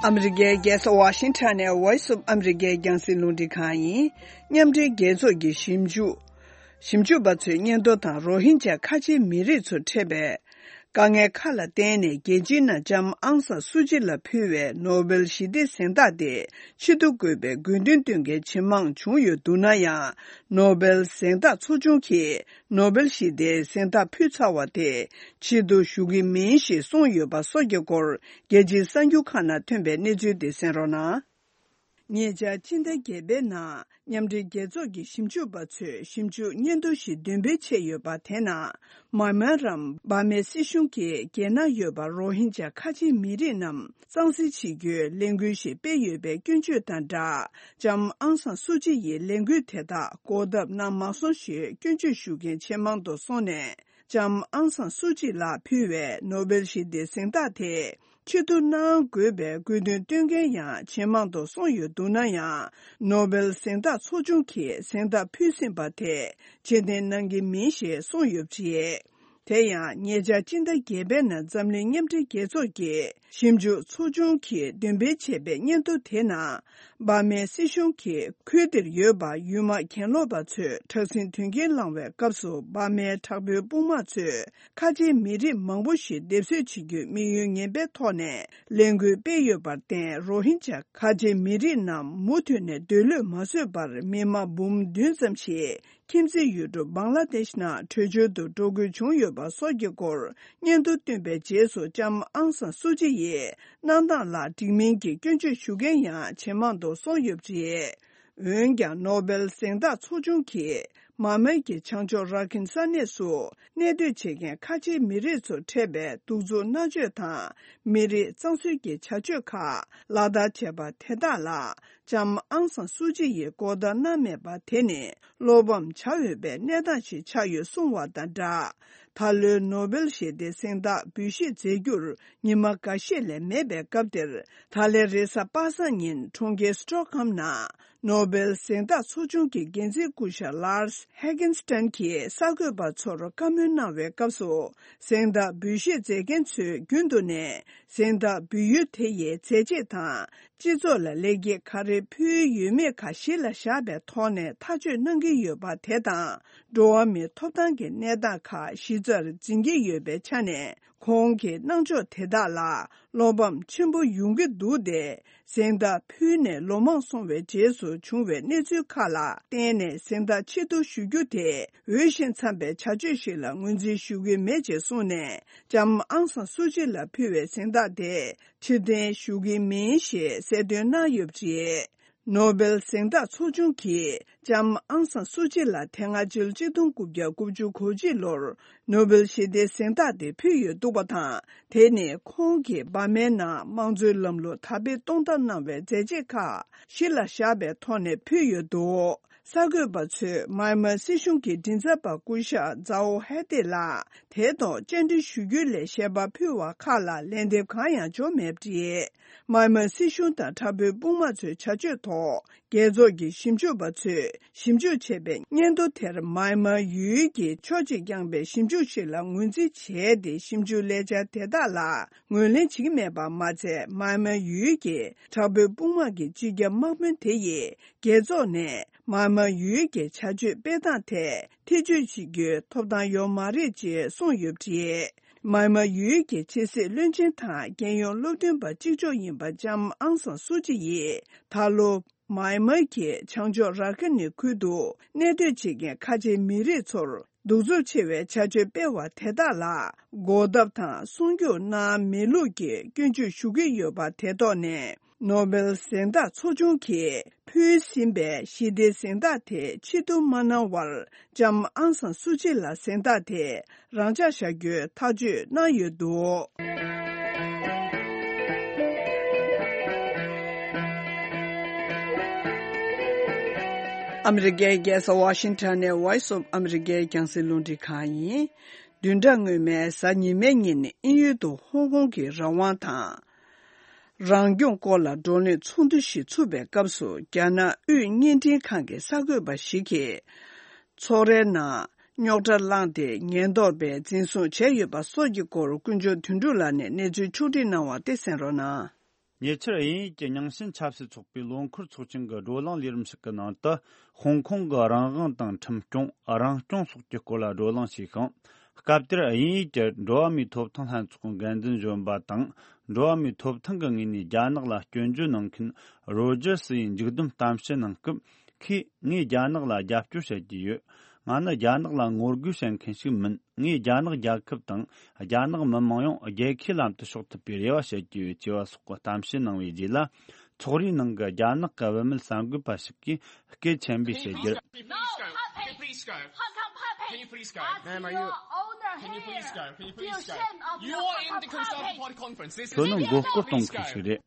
ཨ་མི་རི་ཀའི་རྒྱལ་ས་ཝ་ཤིང་ཊོན་ནས་Voice of America རྒྱང་སྲིང་རླུང་འཕྲིན་ཁང་ཡིན། མཉམ་འབྲེལ་རྒྱལ་ཚོགས་ཀྱི་ཞིབ་འཇུག་ཞིབ་འཇུག་པ་ཚོའི་སྙན་ཐོ་དང་རོ་ཧིན་ཇཱ་ཁ་ཆེའི་མི་རིགས་ཚོར་འཕྲད་པའི་དཀའ་ངལ་ཁག་ལ་བརྟེན་ནས། རྒྱལ་སྤྱིའི་ནང་ལྕམ་ཨང་སང་སུའུ་ཅི་ལ་ཕུལ་བའི་ནོ་སྦེལ་ཞི་བདེའི་གཟེངས་རྟགས་དེ་ཕྱིར་བསྡུ་དགོས་པའི་དགོས་འདུན་བཏོན་མཁན་ཇེ་མང་བྱུང་ཡོད་འདུག་ན་ཡང་། ནོ་སྦེལ་གཟེངས་རྟགས་ཚོགས་ཆུང་གིས་ནོ་སྦེལ་ཞི་བདེའི་གཟེངས་རྟགས་ཕུལ་ཚར་བ་དེ་ཕྱིར་བསྡུ་ཞུ་གི་མིན་ཞེས་གསུངས་ཡོད་པ་སོགས་ཀྱི་སྐོར། རྒྱལ་སྤྱིའི་གསར་འགྱུར་ཁག་ནང་ཐོན་པའི་གནས་ཚུལ་དེ་གསན་རོགས་གནང་། ཉེ་ཆར་སྤྱི་ཟླ་བརྒྱད་པའི་ནང་མཉམ་འབྲེལ་རྒྱལ་ཚོགས་ཀྱི་ཞིབ་འཇུག་པ་ཚོས་ཞིབ་འཇུག་སྙན་ཐོ་ཞིག་འདོན་སྤེལ་བྱས་ཡོད་པ། དེ་ནང་མཱ་མན་རམ་འབར་མའི་སྲིད་གཞུང་གིས་རྒྱལ་ནང་ཡོད་པ་རོ་ཧིན་ཇཱ་ཁ་ཆེའི་མི་རིགས་རྣམས་གཙང་སེལ་བྱེད་རྒྱུའི་ལས་འགུལ་ཞིག་སྤེལ་ཡོད་པའི་སྐྱོན་བརྗོད་དང་སྦྲགས། ལྕམ་ཨང་སང་སུའུ་ཅི་ཡི་ལས་འགུལ་དེ་དག་འགོག་ཐབས་གནང་མ་སོང་ཞེས་སྐྱོན་བརྗོད་ཞུ་མཁན་ཇེ་མང་དུ་སོང་ནས། ལྕམ་ཨང་སང་སུའུ་ཅི་ལགས་ཕུལ་བའི་ནོ་སྦེལ་ཞི་བདེའི་གཟེངས་རྟགས་དེ་ཕྱིར་བསྡུ་གནང་དགོས་པའི་དགོས་འདུན་བཏོན་མཁན་ཡང་ཇེ་མང་དུ་སོང་ཡོད་འདུག་ན་ཡང་། ནོ་སྦེལ་གཟེངས་རྟགས་ཚོགས་ཆུང་གིས་གཟེངས་རྟགས་ཕུལ་ཟིན་པ་དེ་ཕྱིར་འཐེན་གནང་གི་མིན་ཞེས་གསུངས་ཡོད་པ་རེད། དེ་ཡང་ཉེ་ཆར་སྤྱི་ཟླ་བརྒྱད་པའི་ནང་འཛམ་གླིང་མཉམ་འབྲེལ་རྒྱལ་ཚོགས་ཀྱི་ཞིབ་འཇུག་ཚོགས་ཆུང་གིས་འདོན་སྤེལ་བྱས་པའི་སྙན་ཐོ་དེ་ནང་། འབར་མའི་སྲིད་གཞུང་གིས་ཁུལ་དེར་ཡོད་པ་ཡུལ་དམག་གྱེན་ལོག་པ་ཚོས་དྲག་ཟིང་དོན་རྐྱེན་བསླངས་བའི་སྐབས་སུ། འབར་མའི་དྲག་པོའི་དཔུང་དམག་ཚོས་ཁ་ཆེའི་མི་རིགས་མང་པོ་ཞིག་སྡེབ་གསོད་བྱེད་རྒྱུའི་དམིགས་ཡུལ་ངན་པའི་ཐོག་ནས་ལས་འགུལ་སྤེལ་ཡོད་པར་བརྟེན། རོ་ཧིན་ཇཱ་ཁ་ཆེའི་མི་རིགས་རྣམས་མུ་མཐུད་ནས་སྡོད་ལུས་མ་བཟོད་པར། མི་དམངས་འབུམ་བདུན་ཙམ་ཞིག་ཁྱིམ་མཚེས་ཡུལ་གྲུ་བང་ལ་དེཤ་ནང་བྲོས་བྱོལ་དུ་འགྲོ་དགོས་བྱུང་ཡོད་པ་སོགས་ཀྱི་སྐོར་སྙན་ཐོ་བཏོན་པའི་རྗེས་སུ། ལྕམ་ཨང་སང་སུའུ་ཅི་ཡི་གནང་སྟངས་ལ་འགྲིག་མིན་གྱི་སྐྱོན་བརྗོད་ཞུ་མཁན་ཡང་ཇེ་མང་དུ་སོང་ཡོད་པ་རེད། འོན་ཀྱང་། ནོ་སྦེལ་གཟེངས་རྟགས་ཚོགས་ཆུང་གིས་མཱ་མན་གྱི་བྱང་ཕྱོགས་ར་ཁིན་ས་གནས་སུ་གནས་སྡོད་བྱེད་མཁན་ཁ་ཆེའི་མི་རིགས་ཚོར་འཕྲད་པའི་གདུག་རྩུབ་མནར་གཅོད་དང་མི་རིགས་གཙང་བཟོའི་བྱ་སྤྱོད་ཁག་ལག་བསྟར་བྱས་པ་དེ་དག་ལ། ལྕམ་ཨང་སང་སུའུ་ཅི་ཡིས་གོ་བརྡ་གནང་མེད་པ་དེ་ནི་བློ་ཕམ་བྱ་འོས་པའི་གནས་སྟངས་ཤིག་ཆགས་ཡོད་གསུངས་བ་དང་སྦྲགས། ད་ལོའི་ནོ་སྦེལ་ཞི་བདེའི་གཟེངས་རྟགས་འབུལ་བཞེས་མཛད་རྒྱུར་ཉི་མ་འགའ་ཤས་ལས་མེད་པའི་སྐབས་འདིར། ད་ལན་རེས་གཟའ་པ་སངས་ཉིན་གྲོང་ཁྱེར་སི་ཊོག་ཧོམ་ནང་ནོ་སྦེལ་གཟེངས་རྟགས་ཚོགས་ཆུང་གི་འགན་འཛིན་སྐུ་ཞབས་ལཱར་སི་ཧེ་གྷན་སི་ཏན་གྱིས་གསར་འགོད་པ་ཚོར་བཀའ་མོལ་གནང་བའི་སྐབས་སུ། གཟེངས་རྟགས་འབུལ་བཞེས་མཛད་མཁན་ཚོས་རྒྱུན་དུ་ནས་གཟེངས་རྟགས་འབུལ་ཡུལ་དེ་ཡི་མཛད་རྗེས་དང་། སྤྱི་ཚོགས་ལ་ལེགས་སྐྱེས་ག་རེ་ཕུལ་ཡོད་མེད་ཁག་གཞི་ལ་བཞག་པའི་ཐོག་ནས་ཐག་གཅོད་གནང་གི་ཡོད་པ་དེ་དང་། འགྲོ་བ་མིའི་ཐོབ་ཐང་གི་གནས་སྟངས་ཁག་གཞི་རྩར་འཛིན་གྱི་ཡོད་པའི་ཆ་ནས། ཁོང་གི་གནང་ཕྱོགས་དེ་དག་ལ་བློ་ཕམ་ཆེན་པོ་ཡོང་གི་འདུག་སྟེ། གཟེངས་རྟགས་ཕུལ་ནས་ལོ་མང་སོང་བའི་རྗེས་སུ་བྱུང་བའི་གནས་ཚུལ་ཁག་ལ་བརྟེན་ནས་གཟེངས་རྟགས་ཕྱིར་བསྡུ་ཞུ་རྒྱུ་དེ་འོས་ཤིང་འཚམ་པའི་བྱ་སྤྱོད་ཞིག་ལ་ངོས་འཛིན་ཞུ་གི་མེད་ཅེས་གསུངས་ནས། ལྕམ་ཨང་སང་སུའུ་ཅི་ལ་ཕུལ་བའི་གཟེངས་རྟགས་དེ་ཕྱིར་འཐེན་ཞུ་གི་མིན་ཞེས་གསལ་སྟོན་གནང་ཡོད་པ་རེད། ནོ་བེལ་གཟེངས་རྟགས་ཚོགས་ཆུང་གིས་ལྕམ་ཨང་སང་སུའུ་ཅི་ལ་དེ་སྔ་ཕྱི་ལོ་གཅིག་སྟོང་དགུ་བརྒྱ་དགུ་བཅུ་གོ་གཅིག་ལོར་ནོ་བེལ་ཞི་བདེའི་གཟེངས་རྟགས་དེ་ཕུལ་ཡོད་འདུག་པ་དང་། དེ་ནི་ཁོང་གིས་འབར་མའི་ནང་དམངས་གཙོའི་ལམ་ལུགས་དར་སྤེལ་གཏོང་ཐབས་གནང་བའི་མཛད་རྗེས་ཁག་གཞི་ལ་བཞག་པའི་ཐོག་ནས་ཕུལ་ཡོད་འདུག་གསར་འགོད་པ་ཚོས་མཱི་མཱི་སྲིད་གཞུང་གི་མགྲིན་ཚབ་པ་སྐུ་ཞབས་ཛའོ་ཧེ་ཏེ་ལགས་དེའི་ཐོག་བཅར་འདྲི་ཞུ་རྒྱུ་ལས་བཤད་པ་ཕུལ་བ་ཁག་ལ་ལན་འདེབས་གང་ཡང་བྱུང་མེད་པ་རེད། མཱི་མཱི་སྲིད་གཞུང་དང་དྲག་པོའི་དཔུང་དམག་ཚོའི་བྱ་སྤྱོད་ཐོག་རྒྱལ་ཚོགས་ཀྱི་ཞིབ་འཇུག་པ་ཚོས་ཞིབ་འཇུག་བྱས་པའི་སྙན་ཐོ་དེར་མཱི་མཱི་ཡུལ་གྱི་ཕྱོགས་གཅིག་རྐྱང་པའི་ཞིབ་འཇུག་ཞིག་ལ་ངོས་འཛིན་བྱས་ཏེ། ཞིབ་འཇུག་ལས་འཆར་དེ་དག་ལ་ངོས་ལེན་བྱེད་ཀྱི་མེད་པ་མ་ཚད། མཱི་མཱི་ཡུལ་གྱི་དྲག་པོའི་དཔུང་དམག་གི་སྤྱི་ཁྱབ་དམག་དཔོན་དེ་ཡིས་རྒྱལ་ཚོགས་ནས་མཱི་མཱི་ཡུལ་གྱི་བྱ་སྤྱོད་སྤེལ་སྟངས་ཐད་ཐེ་བྱུས་བྱེད་རྒྱུའི་ཐོབ་ཐང་ཡོད་མ་རེད་ཅེས་གསུངས་ཡོད་པ་རེད། མཱི་མཱི་ཡུལ་གྱི་ཕྱི་སྲིད་བློན་ཆེན་དང་རྒྱལ་ཡོངས་སློབ་སྟོན་པ་གཅིག་ལྕོགས་ཡིན་པ་ལྕམ་ཨང་སང་སུའུ་ཅི་ཡིས་ད་ལོ་མཱི་མཱི་གི་བྱང་ཕྱོགས་ར་ཁི་ནི་ཁུལ་དུ་གནས་སྡོད་བྱེད་མཁན་ཁ་ཆེའི་མི་རིགས་ཚོར་གདུག་རྩུབ་ཆེ་བའི་བྱ་སྤྱོད་སྤེལ་བ་དེ་དག་ལ་འགོག་ཐབས་དང་སྲུང་སྐྱོབ་གནང་མེད་ལུགས་ཀྱི་སྐྱོན་བརྗོད་ཞུ་གི་ཡོད་པ་དེ་ཐོག་ནས། ནོ་བེལ་གཟེངས་རྟགས་ཚོགས་ཆུང་གིས་ཕུལ་ཟིན་པའི་ཞི་བདེའི་གཟེངས་རྟགས་དེ་ཕྱིར་བསྡུ་མ་གནང་བར། ལྕམ་ཨང་སང་སུའུ་ཅི་ལ་གཟེངས་རྟགས་དེ་རང་འཇགས་བཞག་རྒྱུའི་ཐག་གཅོད་གནང་ཡོད་འདུག་ཨ་མི་རི་ཀའི་རྒྱལ་ས་ཝ་ཤིང་ཊོན་ནས་Voice of America་རྒྱང་སྲིང་རླུང་འཕྲིན་ཁང་ཡིན། བདུན་ཕྲག་སྔོན་མའི་གཟའ་ཉི་མའི་ཉིན་དབྱིན་ཡུལ་དུ་ཧོང་ཀོང་གི་རང་དབང་དང་། རང་སྐྱོང་སྐོར་ལ་བགྲོ་གླེང་ཚོགས་འདུ་ཞིག་ཚུགས་པའི་སྐབས་སུ། རྒྱ་ནག་དབུས་བརྙན་འཕྲིན་ཁང་གི་གསར་འགོད་པ་ཞིག་གིས། ཚོགས་རའི་ནང་རྙོག་དྲ་བསླངས་ཏེ། ཉེན་རྟོག་པས་འཛིན་བཟུང་བྱས་ཡོད་པ་སོགས་ཀྱི་སྐོར། དཀོན་མཆོག་དོན་གྲུབ་ལགས་ནས་གནས་ཚུལ་ཕྱོགས་སྒྲིག་གནང་བ་དེ་གསན་རོགས་གནང་། ཉེ་ཆར་དབྱིན་ཡུལ་གྱི་རྙིང་ཞེན་ཆབ་སྲིད་ཚོགས་པའི་ལོ་འཁོར་ཚོགས་ཆེན་གྱི་བགྲོ་གླེང་ལས་རིམ་ཞིག་གི་ནང་དུ། ཧོང་ཀོང་གི་རང་དབང་དང་ཁྲིམས་སྐྱོང་། རང་སྐྱོང་སོགས་ཀྱི་སྐོར་ལ་བགྲོ་གླེང་བྱས་ཤིང་། སྐབས་དེར་དབྱིན་ཡུལ་གྱི་འགྲོ་བ་མིའི་ཐོབ་ཐང་ལྷན་ཚོགས་འགན་འཛིན་གཞོན་པ་དང་། འགྲོ་བ་མིའི་ཐོབ་ཐང་གི་ངོས་ནས་རྒྱ་ནག་ལ་སྐྱོན་བརྗོད་གནང་མཁན་རོ་ཇར་སི་ཡིས་མཇུག་བསྡོམས་གཏམ་བཤད་གནང་སྐབས། ཁོས་ངས་རྒྱ་ནག་ལ་རྒྱབ་སྐྱོར་བྱེད་ཀྱི་ཡོད། ང་ནི་རྒྱ་ནག་ལ་ངོ་རྒོལ་བྱེད་མཁན་ཞིག་མིན། ངས་རྒྱ་ནག་རྒྱལ་ཁབ་དང་རྒྱ་ནག་མི་དམངས་ཡོངས་རྒྱལ་ཁའི་ལམ་དུ་ཕྱོགས་ཐུབ་པའི་རེ་བ་བྱེད་ཀྱི་ཡོད་ཅེས་པ་སོགས་ཀྱི་གཏམ་བཤད་གནང་བའི་རྗེས་ལ། ཚོགས་རའི་ནང་གི་རྒྱ་ནག་གི་བུད་མེད་གསར་འགོད་པ་ཞིག་གིས་སྐད་ཆེན་པོས་བཤད་རྒྱུར། Can you please go? Can you please go? Can you please go? Can you please go? Ma'am, are you? Can you please go? Can you please go? You are under here. Do you shame of your Conservative Party conference? This is ཁྱོད་ནི་མགོ་སྐོར་གཏོང་མཁན་ཞིག་རེད།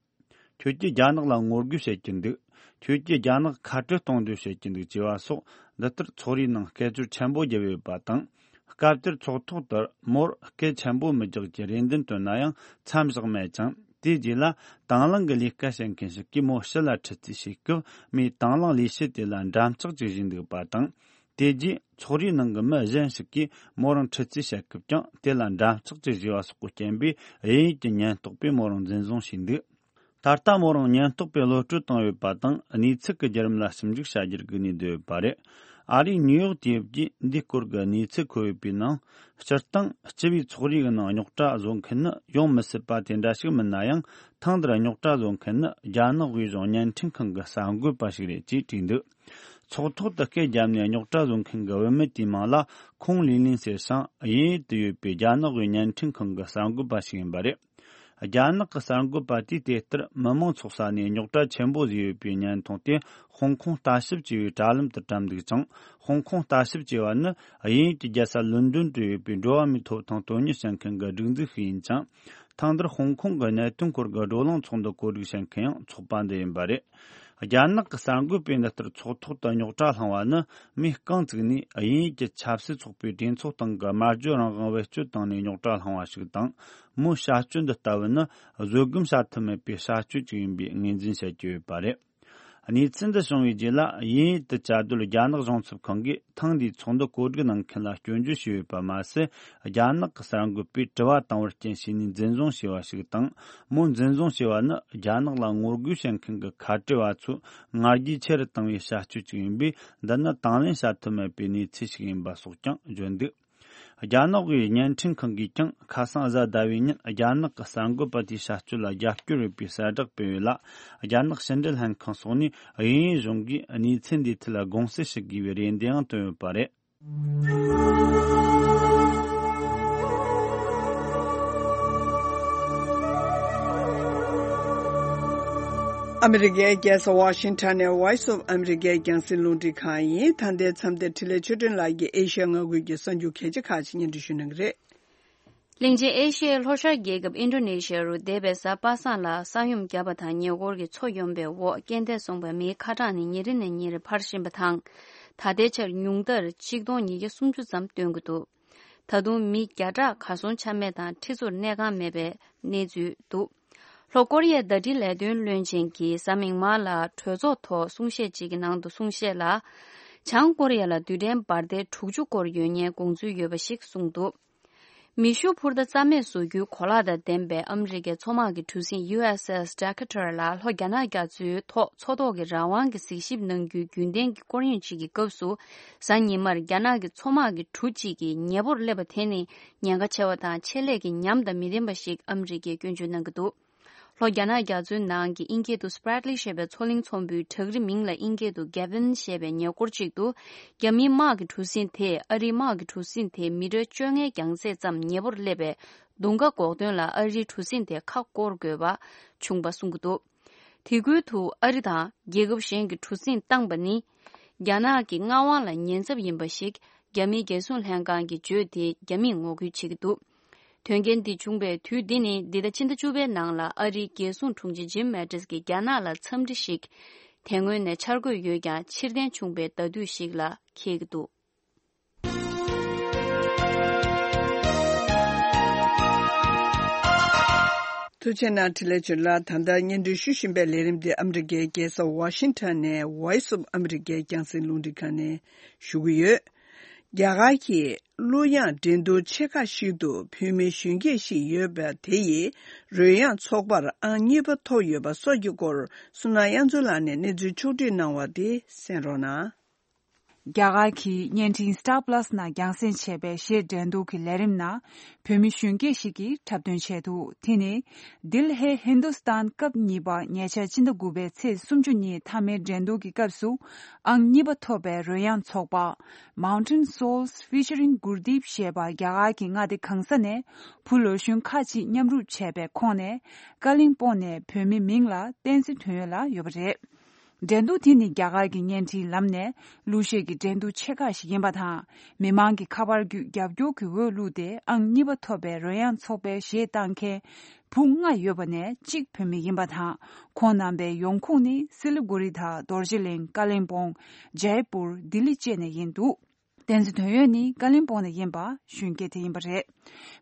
ཁྱོད་ཀྱིས་རྒྱ་ནག་ལ་ངོ་རྒོལ་བྱེད་ཀྱི་འདུག་ཁྱོད་ཀྱིས་རྒྱ་ནག་ཁ་བྲལ་གཏོང་འདོད་བྱེད་ཀྱི་འདུག་ཅེས་པ་སོགས། འདི་ལྟར་ཚོགས་རའི་ནང་སྐད་ཅོར་ཆེན་པོ་བརྒྱབ་ཡོད་པ་དང་། སྐབས་དེར་ཚོགས་ཐོག་ཏུ་མོར་སྐད་ཆེན་པོ་མི་རྒྱག་རྒྱུའི་རེ་འདུན་བཏོན་ན་ཡང་མཚམས་བཞག་མེད་ཅིང་། དེའི་རྗེས་ལ་དང་བླངས་ཀྱི་ལས་ཀ་བྱེད་མཁན་ཞིག་གིས་མོ་ཕྱི་ལ་ཁྲིད་རྩིས་བྱེད་སྐབས། མོས་དང་བླངས་ལས་བྱེད་དེ་ལ་འགྲམ་ལྕག་ཅིག་བཞེས་འདུག་པ་དང་། དེ་རྗེས་ཚོགས་རའི་ནང་གི་མི་གཞན་ཞིག་གིས་མོ་རང་ཁྲིད་རྩིས་བྱེད་སྐབས་ཀྱང་། དེ་ལ་འགྲམ་ལྕག་ཅིག་བཞེས་པ་སོགས་ཀྱི་རྐྱེན་པས། དབྱིན་ཡུལ་གྱི་ཉེན་རྟོག་པས་མོ་རང་འཛིན་བཟུང་བྱས་འདུག་ད་ལྟ་མོ་རང་ཉེན་རྟོག་པས་གློད་བཀྲོལ་བཏང་ཡོད་པ་དང་། གནས་ཚུལ་གྱི་བརྒྱུད་རིམ་ལ་ཞིབ་འཇུག་བྱ་རྒྱུར་སྒུག་ནས་སྡོད་ཡོད་པ་རེད། ཨ་རིའི་ནིའུ་ཡོག་དུས་དེབ་ཀྱིས་འདིའི་སྐོར་གྱི་གནས་ཚུལ་འཁོད་ཡོད་པའི་ནང་། སྤྱིར་བཏང་སྤྱི་པའི་ཚོགས་རའི་ནང་རྙོག་དྲ་བཟོ་མཁན་ནི་ཡོང་མི་སྲིད་པ་དེ་འདྲ་ཞིག་མིན་ན་ཡང་། ཐེངས་འདིར་རྙོག་དྲ་བཟོ་མཁན་ནི་རྒྱ་ནག་དབུས་གཞུང་བརྙན་འཕྲིན་ཁང་གི་གསར་འགོད་པ་ཞིག་རེད་ཅེས་བྲིས་འདུག་ཚོགས་ཐོག་ཏུ་སྐད་བརྒྱབ་ནས་རྙོག་དྲ་བཟོ་མཁན་གྱི་བུད་མེད་དེའི་མིང་ལ་ཁོང་ལི་ལིན་ཟེར་ཞིང་། དབྱིན་ཡུལ་དུ་ཡོད་པའི་རྒྱ་ནག་དབུས་བརྙན་འཕྲིན་ཁང་གི་གསར་འགོད་པ་ཞིག་ཡིན་པ་རེད། རྒྱ་ནག་གི་གསར་འགོད་པ་དེས་དེ་ལྟར་མི་མང་ཚོགས་ས་ནས་རྙོག་དྲ་ཆེན་པོ་བཟོས་ཡོད་པའི་བརྙན་ཐུང་དེ་ཧོང་ཀོང་ལྟ་ཞིབ་ཅེས་པའི་དྲ་ལམ་དུ་བཀྲམ་འདུག་ཅིང་། ཧོང་ཀོང་ལྟ་ཞིབ་ཅེས་པ་ནི་དབྱིན་ཡུལ་གྱི་རྒྱལ་ས་ལོན་ཌོན་དུ་ཡོད་པའི་འགྲོ་བ་མིའི་ཐོབ་ཐང་དོན་གཉེར་བྱེད་མཁན་གྱི་སྒྲིག་འཛུགས་ཤིག་ཡིན་ཅིང་། ཐེངས་འདིར་ཧོང་ཀོང་གི་གནད་དོན་སྐོར་གྱི་བགྲོ་གླེང་ཚོགས་འདུ་གོ་སྒྲིག་བྱེད་མཁན་ཡང་ཚོགས་པ་འདི་ཡིན་པ་རེད། རྒྱ་ནག་གི་གསར་འགོད་པས་འདི་ལྟར་ཚོགས་ཐོག་ཏུ་རྙོག་དྲ་བསླངས་པ་ནི། མིས་རྐང་བཙུགས་ནས་དབྱིན་ཡུལ་གྱི་ཆབ་སྲིད་ཚོགས་པའི་གྲོས་ཚོགས་སྟེང་གི་སྨྲ་བརྗོད་རང་དབང་བེད་སྤྱོད་བཏང་ནས་རྙོག་དྲ་བསླངས་པ་ཞིག་དང་། མོའི་བྱ་སྤྱོད་འདི་ལྟ་བུ་ནི་བཟོད་སྒོམ་བྱ་ཐབས་མེད་པའི་བྱ་སྤྱོད་ཅིག་ཡིན་པའི་ངོས་འཛིན་བྱེད་ཀྱི་ཡོད་པ་རེད། གནས་ཚུལ་འདི་བྱུང་བའི་རྗེས་ལ། དབྱིན་ཡུལ་དུ་བཅའ་སྡོད་རྒྱ་ནག་གཞུང་ཚབ་ཁང་གིས་ཐེངས་འདིའི་ཚོགས་འདུ་གོ་སྒྲིག་གནང་མཁན་ལ་སྐྱོན་བརྗོད་བྱས་ཡོད་པ་མ་ཟད། རྒྱ་ནག་གི་གསར་འགོད་པས་དྲི་བ་བཏང་བར་རྐྱེན་བྱས་ནས་འཛིན་བཟུང་བྱས་པ་ཞིག་དང་། མོ་འཛིན་བཟུང་བྱས་པ་ནི་རྒྱ་ནག་ལ་ངོ་རྒོལ་བྱེད་མཁན་གྱི་ཁ་བྲལ་བ་ཚོའི་ང་རྒྱལ་ཆེ་རུ་བཏང་བའི་བྱ་སྤྱོད་ཅིག་ཡིན་པས། འདི་ནི་དང་ལེན་བྱ་ཐབས་མེད་པའི་གནས་ཚུལ་ཞིག་ཡིན་པ་སོགས་ཀྱང་བརྗོད་འདུག་རྒྱ་ནག་གི་བརྙན་འཕྲིན་ཁང་གིས་ཀྱང་ཁ་སང་གཟའ་ཟླ་བའི་ཉིན་རྒྱ་ནག་གི་གསར་འགོད་པ་དེའི་བྱ་སྤྱོད་ལ་རྒྱབ་སྐྱོར་ཡོད་པའི་གསལ་བསྒྲགས་སྤེལ་ཡོད་ལ། རྒྱ་ནག་ཕྱི་འབྲེལ་ལྷན་ཁང་སོགས་ནས་དབྱིན་ཡུལ་གཞུང་གིས་གནས་ཚུལ་འདིའི་ཐད་ལ་དགོངས་སེལ་ཞུ་དགོས་པའི་རེ་འདུན་ཡང་བཏོན་ཡོད་པ་རེད། ཨ་མི་རི་ཀའི་རྒྱལ་ས་ཝ་ཤིང་ཊོན་ནས་Voice of America རྒྱང་སྲིང་རླུང་འཕྲིན་ཁང་ཡིན། ད་ལྟའི་མཚམས་དེར་འཕྲིན་ལས་ཆོས་སྒྲོན་ལགས་ཀྱིས་ཨེ་ཤ་ཡ་མངའ་ཁུལ་གྱི་གསར་འགྱུར་གལ་ཆེ་ཁག་ཅིག་སྙན་སྒྲོན་ཞུ་གནང་གི་རེད། གླིང་ཆེན་ཨེ་ཤི་ཡའི་ལྷོ་ཤར་རྒྱལ་ཁབ་ཨིན་ཌོ་ནེ་ཤི་ཡ་རུ་འདས་པའི་གཟའ་པ་སངས་ལ་ས་ཡོམ་བརྒྱབ་པ་དང་ཉེ་འཁོར་གྱི་མཚོ་ཡོམ་པའི་འོག་རྐྱེན་འདས་སོང་བའི་མིའི་ཁ་གྲངས་ནི་ཉིན་རེ་ནས་ཉིན་རེར་འཕར་བཞིན་པ་དང་། ད་ལྟའི་ཆར་ཉུང་མཐར་ཆིག་སྟོང་ཉིས་བརྒྱ་སུམ་ཅུ་ཙམ་བཏོན་གྱི་འདུག་ད་དུང་མི་བརྒྱ་ཕྲག་གར་སོང་ཆ་མེད་དང་ཁྲི་ཚོར་གནས་ཁང་མེད་པའི་གནས་ཚུལ་འདུག་ལྷོ་ཀོ་རི་ཡའི་ཟླ་སྒྲིལ་ལས་དོན་བློན་ཆེན་གྱིས་གཟའ་མིག་དམར་ལ་གྲོས་ཚོགས་ཐོག་གསུང་བཤད་ཅིག་གི་ནང་དུ་གསུང་བཤད་ལ། བྱང་ཀོ་རི་ཡ་ལ་རྡུལ་ཕྲན་འབར་མདེལ་དྲུག་ཅུ་སྐོར་ཡོད་མཁན་དགོངས་ཚུལ་ཡོད་པ་ཞིག་གསུངས་འདུག་མེ་ཤུགས་འཕུར་མདའ་རྩ་མེད་བཟོ་རྒྱུའི་གོ་ལག་དང་ལྡན་པའི་ཨ་མི་རི་ཀའི་མཚོ་དམག་གི་གྲུ་གཟིངས་ཡུ་ཨེས་ཨེས་Decatur ལ་ལྷོ་རྒྱ་ནག་རྒྱ་མཚོའི་ཐོག་མཚོ་ཐོག་གི་རང་དབང་གི་གཟིགས་ཞིབ་གནང་རྒྱུའི་རྒྱུན་ལྡན་གྱི་སྐོར་གཡེང་ཅིག་གི་སྐབས་སུ། གཟའ་ཉི་མར་རྒྱ་ནག་གི་མཚོ་དམག་གི་གྲུ་གཅིག་གིས་ཉེ་པོར་སླེབས་པ་དེ་ནི་ཉེན་ཁ་ཆེ་བ་དང་ཆེད་ལས་ཀྱི་ཉམས་དང་མི་ལྡན་པ་ཞིག་ཨ་མི་རི་ཀས་སྐྱོན་བརྗོད་གནང་གི་འདུག་ལྷོ་རྒྱ་ནག་རྒྱ་མཚོའི་ནང་གི་ཨིན་སྐད་དུ་Spratly ཞེས་པའི་མཚོ་གླིང་ཚོམ་བུའི་བྲག་རི་མིང་ལ་ཨིན་སྐད་དུ་Gavin ཞེས་པའི་ཉེ་འཁོར་ཅིག་ཏུ། རྒྱ་མིའི་དམག་གི་གྲུ་གཟིངས་དེས་ཨ་རིའི་དམག་གི་གྲུ་གཟིངས་དེ་མི་ཊར་བཅོ་ལྔའི་རྒྱང་ཚད་ཙམ་ཉེ་པོར་སླེབས་པས་རྡུང་ཁ་འགོག་དོན་ལ་ཨ་རིའི་གྲུ་གཟིངས་དེ་ཁ་སྐོར་དགོས་པ་བྱུང་བ་གསུང་གི་འདུག་དེ་ཁུལ་དུ་ཨ་རི་དང་རྒྱལ་ཁབ་གཞན་གྱི་གྲུ་གཟིངས་བཏང་པ་ནི། རྒྱ་ནག་གི་མངའ་དབང་ལ་ཉེན་ཚབས་ཡིན་པ་ཞིག་རྒྱ་མིའི་རྒྱལ་སྲུང་ལྷན་ཁང་གིས་བརྗོད་དེ་རྒྱ་མིས་ངོ་རྒོལ་བྱེད་ཀྱི་འདུག་དོན་རྐྱེན་འདི་བྱུང་བའི་དུས་འདི་ནི་འདི་ཟླ་ཕྱི་ཟླ་བཅུ་པའི་ནང་ལ་ཨ་རིའི་རྒྱལ་སྲུང་དྲུང་ཆེ་ཇིམ་མེ་ཏིས་ཀྱིས་རྒྱ་ནག་ལ་འཚམས་འདྲི་ཞིག་དེ་སྔོན་ནས་འཆར་འགོད་ཡོད་ཀྱང་ཕྱིར་འཐེན་བྱུང་བའི་ཟླ་དུས་ཤིག་ལ་འཁེལ་གྱི་འདུག་ཐུགས་རྗེ་གནང་། འཕྲིན་ལས་ཆོས་ལགས། ད་ལྟ་སྙན་སྒྲོན་ཞུ་བཞིན་པའི་ལས་རིམ་འདི་ཨ་མི་རི་ཀའི་རྒྱལ་ས་ཝ་ཤིང་ཊོན་ནས་Voice of America རྒྱང་སྲིང་རླུང་འཕྲིན་ཁང་ནས་ཞུ་གི་ཡོད། རྒྱ་གར་གྱི་གླུ་དབྱངས་འགྲན་བསྡུར་ཆེ་ཁག་ཞིག་ཏུ་བོད་མི་གཞོན་སྐྱེས་ཤིག་ཡོད་པ་དེ་ཡིས་རོལ་དབྱངས་ཚོགས་པར་ཨང་གཉིས་པ་ཐོབ་ཡོད་པ་སོགས་ཀྱི་སྐོར་བསོད་ནམས་དབྱངས་མཚོ་ལགས་ནས་གནས་ཚུལ་ཕྱོགས་བསྒྲིགས་གནང་བ་དེ་གསན་རོགས་གནང་། རྒྱ་གར་གྱི་བརྙན་འཕྲིན་Star Plus ནང་རྒྱང་སྲིང་བྱས་པའི་གཞས་འགྲན་བསྡུར་གྱི་ལས་རིམ་ནང་བོད་མི་གཞོན་སྐྱེས་ཤིག་གིས་འཁྲབ་སྟོན་བྱས་འདུག་དེ་ནི་Dil Hai Hindustan སྐབས་གཉིས་པ་ཉེ་ཆར་ཕྱི་ཟླ་དགུ་པའི་ཚེས་སུམ་ཅུ་ཉིན་མཐའ་མའི་འགྲན་བསྡུར་གྱི་སྐབས་སུ་ཨང་གཉིས་པ་ཐོབ་པའི་རོལ་དབྱངས་ཚོགས་པ་Mountain Souls featuring Gurdeep ཞེས་པ་རྒྱ་གར་གྱི་མངའ་སྡེ་གང་ས་ནས་བུ་ལོ་གཞོན་ཁག་ཅིག་མཉམ་རུབ་བྱས་པའི་ཁོངས་ནས་ཀ་ལིང་སྤོང་ནས་བོད་མི་མིང་ལ་བསྟན་འཛིན་དོན་ཡོད་ལགས་ཡོད་པ་རེད། འགྲན་བསྡུར་དེ་ནི་རྒྱ་གར་གྱི་བརྙན་འཕྲིན་ལམ་ནས་གླུ་གཞས་ཀྱི་འགྲན་བསྡུར་ཆེ་ཁག་ཞིག་ཡིན་པ་དང་། མི་མང་གི་ཁ་པར་བརྒྱུད་རྒྱབ་སྐྱོར་གྱི་འོས་བླུགས་ཏེ་ཨང་གཉིས་པ་ཐོབ་པའི་རོལ་དབྱངས་ཚོགས་པའི་གཞས་བཏང་མཁན་བུ་ལྔ་ཡོད་པ་ནས་གཅིག་བོད་མི་ཡིན་པ་དང་། ཁོང་རྣམ་པའི་ཡོང་ཁུངས་ནི་སི་ལི་གུ་རི་དང་རྡོ་རྗེ་གླིང་། ཀ་ལིང་སྤོང་། ཇའི་པུར། ལྡི་ལི་བཅས་ནས་ཡིན་འདུག་བསྟན་འཛིན་དོན་ཡོད་ནི་ཀ་ལིང་སྤོང་ནས་ཡིན་པ་གཞོན་སྐྱེས་དེ་ཡིན་པ་རེད།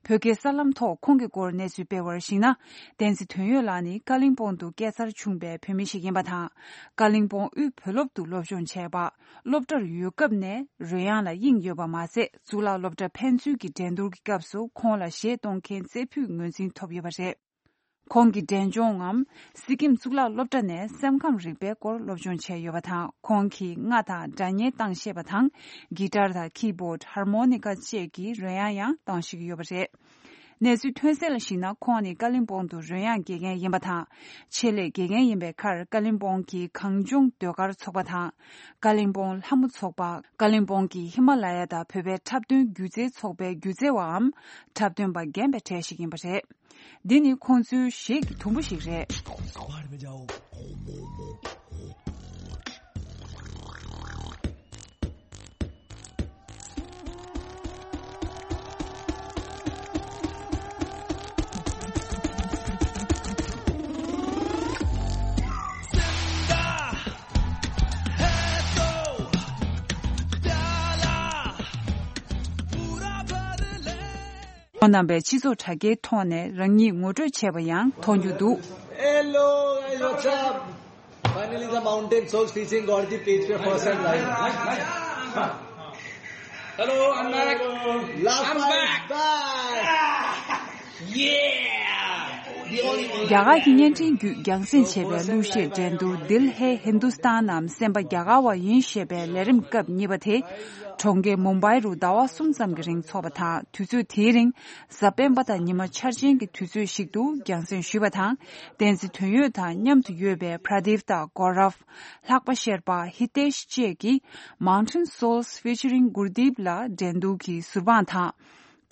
བོད་སྐད་གསར་ལམ་ཐོག་ཁོང་གི་སྐོར་གནས་ཚུལ་སྤེལ་བར་གཞིགས་ན། བསྟན་འཛིན་དོན་ཡོད་ལགས་ནི་ཀ་ལིང་སྤོང་དུ་སྐྱེས་འཚར་བྱུང་བའི་བོད་མི་ཞིག་ཡིན་པ་དང་། ཀ་ལིང་སྤོང་དབུས་བོད་སློབ་ཏུ་སློབ་སྦྱོང་བྱས་པ། སློབ་གྲྭར་ཡོད་སྐབས་ནས་རོལ་དབྱངས་ལ་དབྱིངས་ཡོད་པ་མ་ཟད། གཙུག་ལག་སློབ་གྲྭ་ཕན་ཚུན་གྱི་འགྲན་བསྡུར་གྱི་སྐབས་སུ་ཁོང་ལ་གཞས་གཏོང་མཁན་རྩེ་ཕུད་ངོས་འཛིན་ཐོབ་ཡོད་པ་རེད། ཁོང་གིས་འབྲས་ལྗོངས་ངམ་སི་ཀིམ་གཙུག་ལག་སློབ་གྲྭ་ནས་སེམས་ཁམས་རིག་པའི་སྐོར་སློབ་སྦྱོང་བྱས་ཡོད་པ་དང་། ཁོང་གིས་རྔ་དང་སྒྲ་སྙན་བཏང་ཤེས་པ་དང་། གྷི་ཊར་དང་ཁི་བྷོཌ། ཧར་མོ་ནི་ཀ་བཅས་ཀྱི་རོལ་དབྱངས་ཡང་བཏང་ཤེས་ཀྱི་ཡོད་པ་རེད། གནས་ཚུལ་ཐོན་གསལ་ལ་གཞིགས་ན། ཁོང་ནི་ཀ་ལིང་སྤོང་དུ་རོལ་དབྱངས་དགེ་རྒན་ཡིན་པ་དང་། ཆེད་ལས་དགེ་རྒན་ཡིན་པའི་ཁར་ཀ་ལིང་སྤོང་གི་གངས་ལྗོངས་ཟློས་གར་ཚོགས་པ་དང་། ཀ་ལིང་སྤོང་ལྷ་མོ་ཚོགས་པ། ཀ་ལིང་སྤོང་གི་ཧི་མ་ལ་ཡ་དང་བོད་པའི་འཁྲབ་སྟོན་སྒྱུ་རྩལ་ཚོགས་པའི་སྒྱུ་རྩལ་བའམ་འཁྲབ་སྟོན་པ་རྒན་པའི་གྲས་ཤིག་ཡིན་པ་རེད། འདི་ནི་ཁོང་ཚོའི་གཞས་ཀྱི་དུམ་བུ་ཞིག་རེད། ཁོང་རྣམ་པས་སྤྱི་ཚོགས་དྲ་རྒྱའི་ཐོག་ནས་རང་ཉིད་ངོ་སྤྲོད་བྱས་པ་ཡང་མཐོང་རྒྱུ་འདུག Hello, guys, what's up? Finally, the Mountain Souls featuring Gordon page पे first time live. Hello, I'm back. Last I'm time back. Back. Yeah. རྒྱ་གར་གྱི་བརྙན་འཕྲིན་བརྒྱུད་རྒྱང་སྲིང་བྱས་པའི་གླུ་གཞས་འགྲན་བསྡུར་Dil Hai Hindustan ནམ་སེམས་པ་རྒྱ་གར་བ་ཡིན་ཞེས་པའི་ལས་རིམ་སྐབས་གཉིས་པ་དེ། གྲོང་ཁྱེར་མུམ་བྷའི་རུ་ཟླ་བ་གསུམ་ཙམ་གྱི་རིང་འཚོགས་པ་དང་། དུས་ཚོད་དེའི་རིང་གཟའ་སྤེན་པ་དང་ཉི་མ་འཆར་ཅན་གྱི་དུས་ཚོད་ཞིག་ཏུ་རྒྱང་སྲིང་ཞུས་པ་དང་། བསྟན་འཛིན་དོན་ཡོད་དང་མཉམ་དུ་ཡོད་པའི་Pradeep དང་Gaurav། ལྷག་པ་ཤེར་པ། Hitesh བཅས་ཀྱིས་Mountain Souls featuring Gurdeep ལ་འགྲན་བསྡུར་གྱི་ཟུར་དཔང་དང་།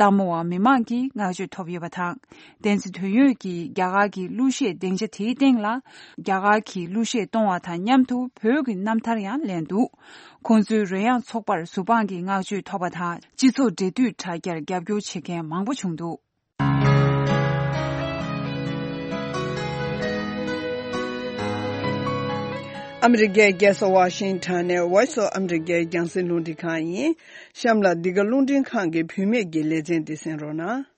ལྟད་མོ་བ་མི་མང་གིས་བསྔགས་བརྗོད་ཐོབ་ཡོད་པ་དང་། བསྟན་འཛིན་དོན་ཡོད་ཀྱིས་རྒྱ་གར་གྱི་གླུ་གཞས་སྡིངས་ཆ་དེའི་སྟེང་ལ་རྒྱ་གར་གྱི་གླུ་གཞས་གཏོང་བ་དང་མཉམ་དུ་བོད་ཀྱི་རྣམ་ཐར་ཡང་ལེན་འདུག་ཁོང་ཚོའི་རོལ་དབྱངས་ཚོགས་པར་ཟུར་དཔང་གིས་བསྔགས་བརྗོད་ཐོབ་པ་དང་། སྤྱི་ཚོགས་འབྲེལ་མཐུད་དྲ་རྒྱར་རྒྱབ་སྐྱོར་བྱེད་མཁན་མང་པོ་བྱུང་འདུག་ཨ་མི་རི་ཀའི་རྒྱལ་ས་ཝ་ཤིང་ཊོན་ནས་Voice of America རྒྱང་སྲིང་རླུང་འཕྲིན་ཁང་ཡིན། གཤམ་ལ་འདི་ག་རླུང་འཕྲིན་ཁང་གི་བུད་མེད་ཀྱི་ལེ་ཚན་འདི་གསན་རོགས་གནང་།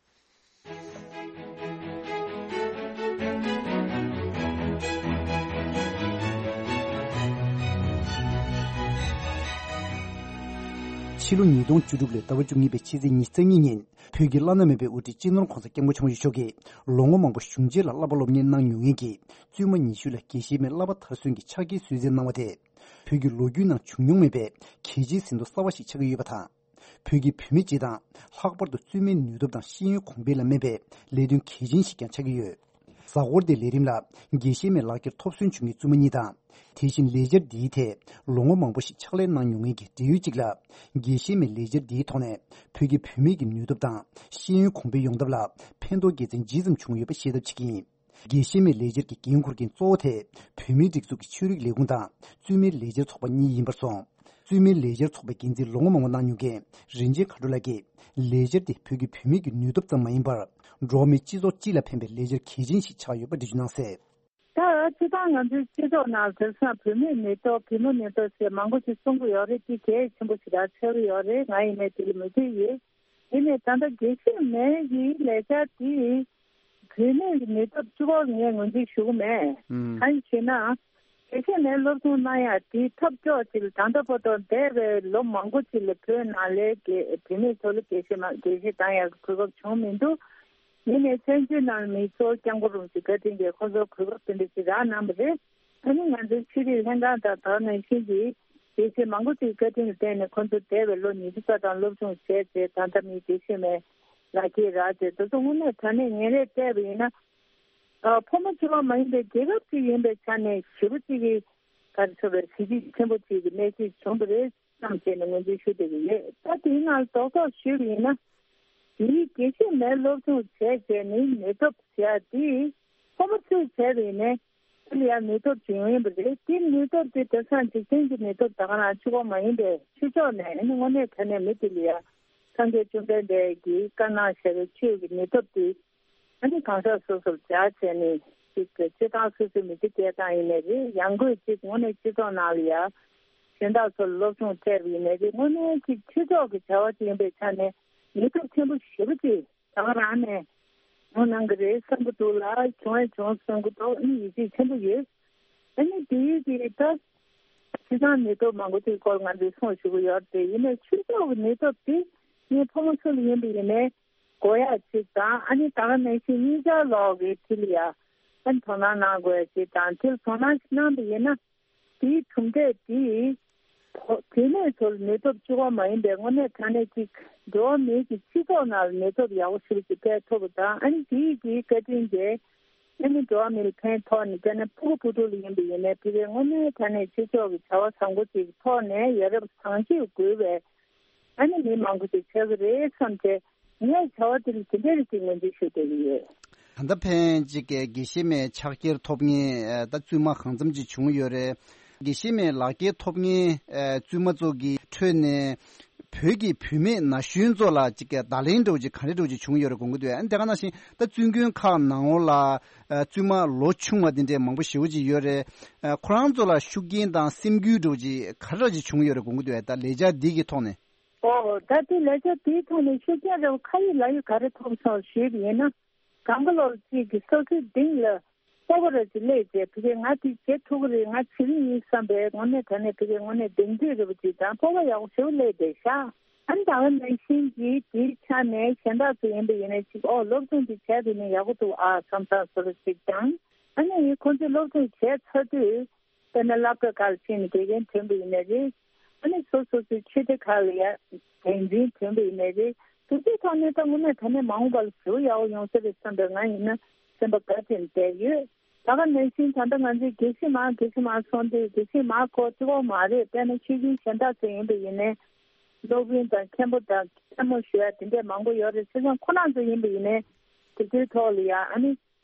ཕྱི་ལོ་ཉིས་སྟོང་བཅུ་དྲུག་ལོའི་ཟླ་བ་བཅུ་གཉིས་པའི་ཕྱི་ཚེས་ཉི་ཤུ་རྩ་གཉིས་ཉིན། བོད་ཀྱི་བླ་ན་མེད་པའི་དབུ་ཁྲིད་སྤྱི་ནོར་༧གོང་ས་༧སྐྱབས་མགོན་ཆེན་པོ་མཆོག་གིས་ལོ་ངོ་མང་པོ་གཞུང་ཆེན་ལ་བསླབ་པ་སློབ་གཉེར་གནང་མྱོང་མཁན་གྱི་བཙུན་མ་ཉི་ཤུ་ལ་དགེ་བཤེས་མའི་བསླབ་པ་མཐར་སོན་གྱི་ཕྱག་འཁྱེར་གསོལ་སྩལ་གནང་བ་དེ། བོད་ཀྱི་ལོ་རྒྱུས་ནང་བྱུང་མྱོང་མེད་པའི་གལ་ཆེའི་ཟིན་ཐོ་གསར་བ་ཞིག་ཆགས་ཀྱི་ཡོད་པ་དང་། བོད་ཀྱི་བུད་མེད་སྤྱི་དང་། ལྷག་པར་དུ་བཙུན་མའི་ནུས་སྟོབས་དང་ཤེས་ཡོན་གོང་འཕེལ་ལ་སྨན་པའི་ལས་དོན་གལ་ཆེན་ཞིག་ཀྱང་ཆགས་ཀྱི་ཡོད། གཟའ་འཁོར་འདིའི་ལས་རིམ་ལ་དགེ་བཤེས་མའི་ལག་འཁྱེར་ཐོབ་སོན་བྱུང་མཁན་བཙུན་མ་གཉིས་དང་། དེ་བཞིན་ལས་འཆར་འདིའི་ཐད་ལོ་ངོ་མང་པོ་ཞིག་ཕྱག་ལས་གནང་མྱོང་མཁན་གྱི་འབྲེལ་ཡོད་ཅིག་ལ། དགེ་བཤེས་མའི་ལས་འཆར་འདིའི་ཐོག་ནས་བོད་ཀྱི་བུད་མེད་ཀྱི་ནུས་སྟོབས་དང་ཤེས་ཡོན་གོང་འཕེལ་ཡོང་ཐབས་ལ་ཕན་ཐོགས་དགེ་མཚན་ཇི་ཙམ་བྱུང་ཡོད་པ་ཤེས་ཐབས་བྱེད་ཀྱི་ཡིན། དགེ་བཤེས་མའི་ལས་འཆར་གྱི་འགན་འཁུར་མཁན་གཙོ་བོ་དེ་བོད་མིའི་སྒྲིག་འཛུགས་ཀྱི་ཆོས་རིག་ལས་ཁུངས་དང་བཙུན་མའི་ལས་འཆར་ཚོགས་པ་གཉིས་ཡིན་པར་སོང་། བཙུན་མའི་ལས་འཆར་ཚོགས་པའི་འགན་འཛིན་ལོ་ངོ་མང་པོ་གནང་མྱོང་མཁན་རིན་ཆེན་མཁའ་འགྲོ་ལགས་ཀྱིས། ལས་འཆར་དེ་བོད་ཀྱི་བུད་མེད་ཀྱི་ནུས་སྟོབས་ཙམ་མ་ཡིན་པར། འགྲོ་བ་མིའི་སྤྱི་ཚོགས་སྤྱི་ལ་ཕན་པའི་ལས་འཆར་གལ་ཆེན་ཞིག་ཆགས་ཡོད་པ་འགྲེལ་བརྗོད་གནང་གསལ། ད་སྤྱིར་བཏང་ང་ཚོའི་སྤྱི་ཚོགས་ནང་དེང་སང་བུད་མེད་ནུས་སྟོབས། བུ་མོ་ནུས་སྟོབས་ཞེས་མང་པོ་ཞིག་གསུང་གི་ཡོད་རེད། དེ་གལ་ཆེན་པོ་ཞིག་རང་ཆགས་ཀྱི་ཡོད་རེད། ང་ཡིན་ནའི་དེ་ལ་མོས་མཐུན་ཡོད། ཡིན་ནའི་ད་ལྟ་དགེ་བཤེས་མའི་གི་ལས་འཆར་དེ་བུད་མེད་ཀྱི་ནུས་སྟོབས་གཅིག་པོ་ངས་ངོས་འཛིན་ཞུ་གི་མེད། ཨང་། གང་ཡིན་ཞེ་ན། དགེ་བཤེས་མའི་སློབ་སྦྱོང་གནང་ཡག་དེ་ཐབས་སྐྱོ་ཅིག་ལ། ད་ལྟ་བར་དུ་འདས་པའི་ལོ་མང་པོ་ཅིག་ལ་བོད་ནང་ལའི་དགེ་བུད་མེད་ཚོ་ལ་དགེ་བཤེས་མ་དགེ་བཤེས་གཏང་ཡག་གི་གོ་སྐབས་བྱུང་མི་འདུག་ཡིན་ནའི་བཙན་བྱོལ་ནང་མི་གཙོ་བོ་སྐྱབས་མགོན་རིན་པོ་ཆེ་བཀའ་དྲིན་གྱིས་ཁོ་ཚོར་གོ་སྐབས་དེ་འདྲ་ཞིག་རག་གནང་བ་རེད། ཨ་ནི་ང་ཚོའི་ཆོས་རིག་ལྷན་ཁང་དང་དེ་ནང་བཞིན་གྱི་དགེ་བཤེས་མང་པོ་ཅིག་བཀའ་དྲིན་ལ་བརྟེན་ནས་ཁོ་ཚོ་འདས་པའི་ལོ་ཉི་ཤུ་རྩ་གྲངས་སློབ་སྦྱོང་བྱས་རྗེས་ད་ལྟ་མི་དགེ་བཤེས་མའི་ལག་འཁྱེར་རག་རྗེས། དེ་ཚོ་དངོས་གནས་དྲང་གནས་ངན་རེ་བལྟས་པ་ཡིན་ན། ཨ། ཕོ་མོ་གཅིག་པ་མ་ཡིན་པའི་རྒྱལ་ཁབ་ཅིག་ཡིན་པའི་ཆ་ནས་ཞེ་པོ་ཅིག་གི་ག་རེ་ཟེར་བའི་གཟི་བརྗིད་ཆེན་པོ་ཅིག་གི་གནས་ཤིག་བྱུང་བ་རེད་བསམ་བྱས་ནས་ངོས་འཛིན་ཞུ་བསྡད་ཀྱི་ཡོད། ད་དེའི་ནང་རྡོག་རྡོག་ཞུས་པ་ཡིན་ན། དེའི་དགེ་བཤེས་མའི་སློབ་སྦྱོང་བྱས་རྗེས་ནི་ནུས་སྟོབས་ཟེར་ཡ་དེ་ཕོ་མོ་ཚོས་བྱས་པ་ཡིན་ནའི་དེ་ལ་ཡང་ནུས་སྟོབས་ཅིག་ཡོང་ཡིན་པ་རེད། དེ་ནུས་སྟོབས་དེ་དེང་སང་འཇིག་རྟེན་གྱི་ནུས་སྟོབས་ད་ག་རང་གཅིག་པོ་མ་ཡིན་པའི་ཕྱི་ཕྱོགས་ནས་ཨ་ནི་དངོས་གནས་དྲང་གནས་མི་དེ་ལ་ཡང་སངས་རྒྱས་བཅོམ་ལྡན་འདས་ཀྱིས་བཀའ་གནང་བཞག་པའི་ཆོས་ཀྱི་ནུས་སྟོབས་དེ། ཨ་ནི་གང་ཟག་སོ་སོར་སྦྱར་བྱས་ནས་ཅིག་སྤྱིར་བཏང་སོ་སོའི་མི་ཚེ་སྐྱེལ་སྟངས་ཡིན་ནའི་རེད། ཡང་སྒོས་ཅིག་དངོས་གནས་སྤྱི་ཚོགས་ནང་ལ་ཡང་གཞན་དག་ཚོར་སློབ་སྦྱོང་སྤྲད་པ་ཡིན་ནའི་རེད། དངོས་གནས་ཅིག་སྤྱི་ཚོགས་ཀྱི་བྱ་བ་ཅིག་ཡིན་པའི་ཆ་ནས་ནུས་སྟོབས་ཆེན་པོ་ཞེ་པོ་ཅིག་ད་ག་རང་ནས་ཡོང་གནང་གི་རེད་བསམ་གྱི་འདུག་ལ། བྱུང་ཡང་བྱུང་བསམ་གྱི་འདུག་ཨ་ནི་ཡིད་ཆེས་ཆེན་པོ་ཡོད། ཨ་ནི་དེའི་དེ་ད་སྤྱིར་བཏང་ནུས་སྟོབས་མང་པོ་ཅིག་སྐོར་ང་ཚོས་གསུངས་ཞུ་གི་ཡོད་རེད། ཡིན་ནའི་སྤྱི་ཚོགས་ཀྱི་ནུས་སྟོབས་དེ་ངས་ཕོ་མོ་ཚོ་ལ་ཡིན་པ་ཡིན་ནའི། དགོས་ཡག་ཅིག་དང་། ཨ་ནི་ད་ག་ནང་བཞིན་གཉིས་ཆར་ལོག་གི་དེ་ལ་ཡ་ཨ་ནི་དོ་སྣང་གནང་དགོས་ཡག་ཅིག་དང་། དེ་ལ་དོ་སྣང་ཞིག་གནང་པ་ཡིན་ན། དེའི་གྲུབ་འབྲས་དེ་བོད་མི་ཚོར་ནུས་སྟོབས་གཅིག་པོ་མ་ཡིན་པའི་དངོས་གནས་དྲང་གནས་ཅིག་འགྲོ་བ་མིའི་གི་སྤྱི་ཚོགས་ནང་ལ་ནུས་སྟོབས་ཡག་པོ་ཞིག་ཅིག་སྤེལ་ཐུབ་པ་དང་། ཨ་ནི་དེའི་གི་བཀའ་དྲིན་གྱིས་ཨ་ནི་འགྲོ་བ་མི་ལ་ཕན་ཐོགས་ནས། དཔེར་ན་ཕྲུ་གུ་བུ་ཕྲུག་ལ་ཡིན་པ་ཡིན་ནའི་ཕ་གིའི་དངོས་གནས་དྲང་གནས་སྤྱི་ཚོགས་ཀྱི་བྱ་བ་བཟང་པོ་ཅིག་ཐོག་ནས་ཡ་རབས་བཟང་སྤྱོད་དགོས་པའི། ཨ་ནི་མི་མང་པོ་ཞིག་ཆགས་ཀྱི་རེད་བསམ་བྱས་ངས་བྱ་བ་དེ་ལ་དེ་འདྲ་རེ་ཞིག་ངོས་འཛིན་ཞུ་བསྡད་ཀྱི་ཡོད། ད་ལྟ་ཕན་ཅིག་གི་དགེ་བཤེས་མའི་ཕྱག་འཁྱེར་ཐོབ་མཁན་ད་བཙུན་མ་གང་འཚམ་ཅིག་བྱུང་ཡོད་རེད། དགེ་བཤེས་མའི་ལག་འཁྱེར་ཐོབ་མཁན་བཙུན་མ་ཚོ་གི་ཁྲོད་ནས་བོད་ཀྱི་བུད་མེད་ན་གཞོན་ཚོ་ལ་ཅིག་གི་བརྡ་ལན་འདྲ་བོ་ཅིག་ག་རེ་འདྲ་བོ་ཅིག་བྱུང་ཡོད་རེད་དགོངས་ཀྱི་འདུག་ཨ་ནི་དེ་ག་ནང་བཞིན་ད་བཙུན་དགོན་ཁག་ནང་ལོགས་ལ་བཙུན་མ་ལོ་ཆུང་བ་དེ་འདྲའི་མང་པོ་ཞེ་པོ་ཅིག་ཡོད་རེད། ཁོ་རང་ཚོ་ལ་ཤུགས་རྐྱེན་དང་སེམས་འགུལ་འདྲ་བོ་ཅིག་ག་རེ་འདྲ་ཅིག་བྱུང་ཡོད་རེད་དགོངས་ཀྱི་འདུག་ད་ལས་འཆར་འདི་གི་ཐོག་ནས། ཨོ། ད་ལྟའི་ལས་འཆར་དེའི་ཐོག་ནས་ཤུགས་རྐྱེན་རེ་བ་ཁ་ཡིག་ལག་ཡིག་ག་རེ་ཐོབ་སོང་ཞུས་པ་ཡིན་ན། གང་ག་ལོར་གཅིག་གི་སོ་སོའི་གདིང་ལ་སྤོབས་པ་རེ་ཅིག་སླེབས་རྗེས་ཕ་གིར་ང་དེ་བྱེད་ཐུབ་ཀྱི་རེད། ང་བྱེད་ཀྱི་ཡིན་བསམ་པའི་དངོས་གནས་དྲང་གནས་ཕ་གིར་དངོས་གནས་གདེང་ཚོད་རེ་བ་ཅིག་དང་སྤོབས་པ་ཡག་པོ་ཞེ་པོ་སླེབས་བསྡད་ཤག་ཨ་ནི་ད་ག་ནང་བཞིན་གྱི་དེའི་ཆ་ནས་གཞན་དག་ཚོ་ཡིན་པ་ཡིན་ན་ཅིག་ཨོ་སློབ་སྦྱོང་དེ་བྱས་པ་ཡིན་ན་ཡག་པོ་འདུག་ཨ་བསམ་བསམ་བཟོ་འདྲ་ཅིག་དང་། ཨ་ནི་ཁོང་ཚོས་སློབ་སྦྱོང་བྱས་ཚར་དུས་དཔེར་ན་སློབ་གྲྭ་ཁག་ལ་ཕྱིན་ནས་དགེ་རྒན་ཐོན་པ་ཡིན་ན་རེད། ཨ་ནི་སོ་སོ་སོའི་ཆོས་སྡེ་ཁག་ལ་ཡ་འགན་འཛིན་ཐོན་པ་ཡིན་ན་རེད། དེ་ཚོའི་ཐོག་ནས་ད་དངོས་གནས་དྲང་གནས་མ་འོངས་པ་ལ་ཞེ་པོ་ཡག་པོ་ཡོང་ས་རེད་བསམ་པའི་ང་ཡིན་ན་སེམས་པ་དགའ་བྱས་ནས་བསྡད་ཡོད། ད་ག་ནང་བཞིན་ད་ལྟ་ང་ཚོས་དགེ་བཤེས་མང་དགེ་བཤེས་མང་སོང་དུས་དགེ་བཤེས་མང་ཁོ་གཅིག་པོ་མ་རེད། དཔེར་ན་ཆོས་བརྒྱུད་གཞན་དག་ཚོ་ཡིན་པ་ཡིན་ནའི་སློབ་དཔོན་དང་མཁན་པོ་དང་མཁན་མོ་ཞུ་ཡ་དེ་འདྲས་མང་པོ་ཡོད་རེད། བྱས་ཙང་ཁོ་རང་ཚོ་ཡིན་པ་ཡིན་ནའི་དེ་ཚོའི་ཐོག་ལ་ཡ་ཨ་ནི་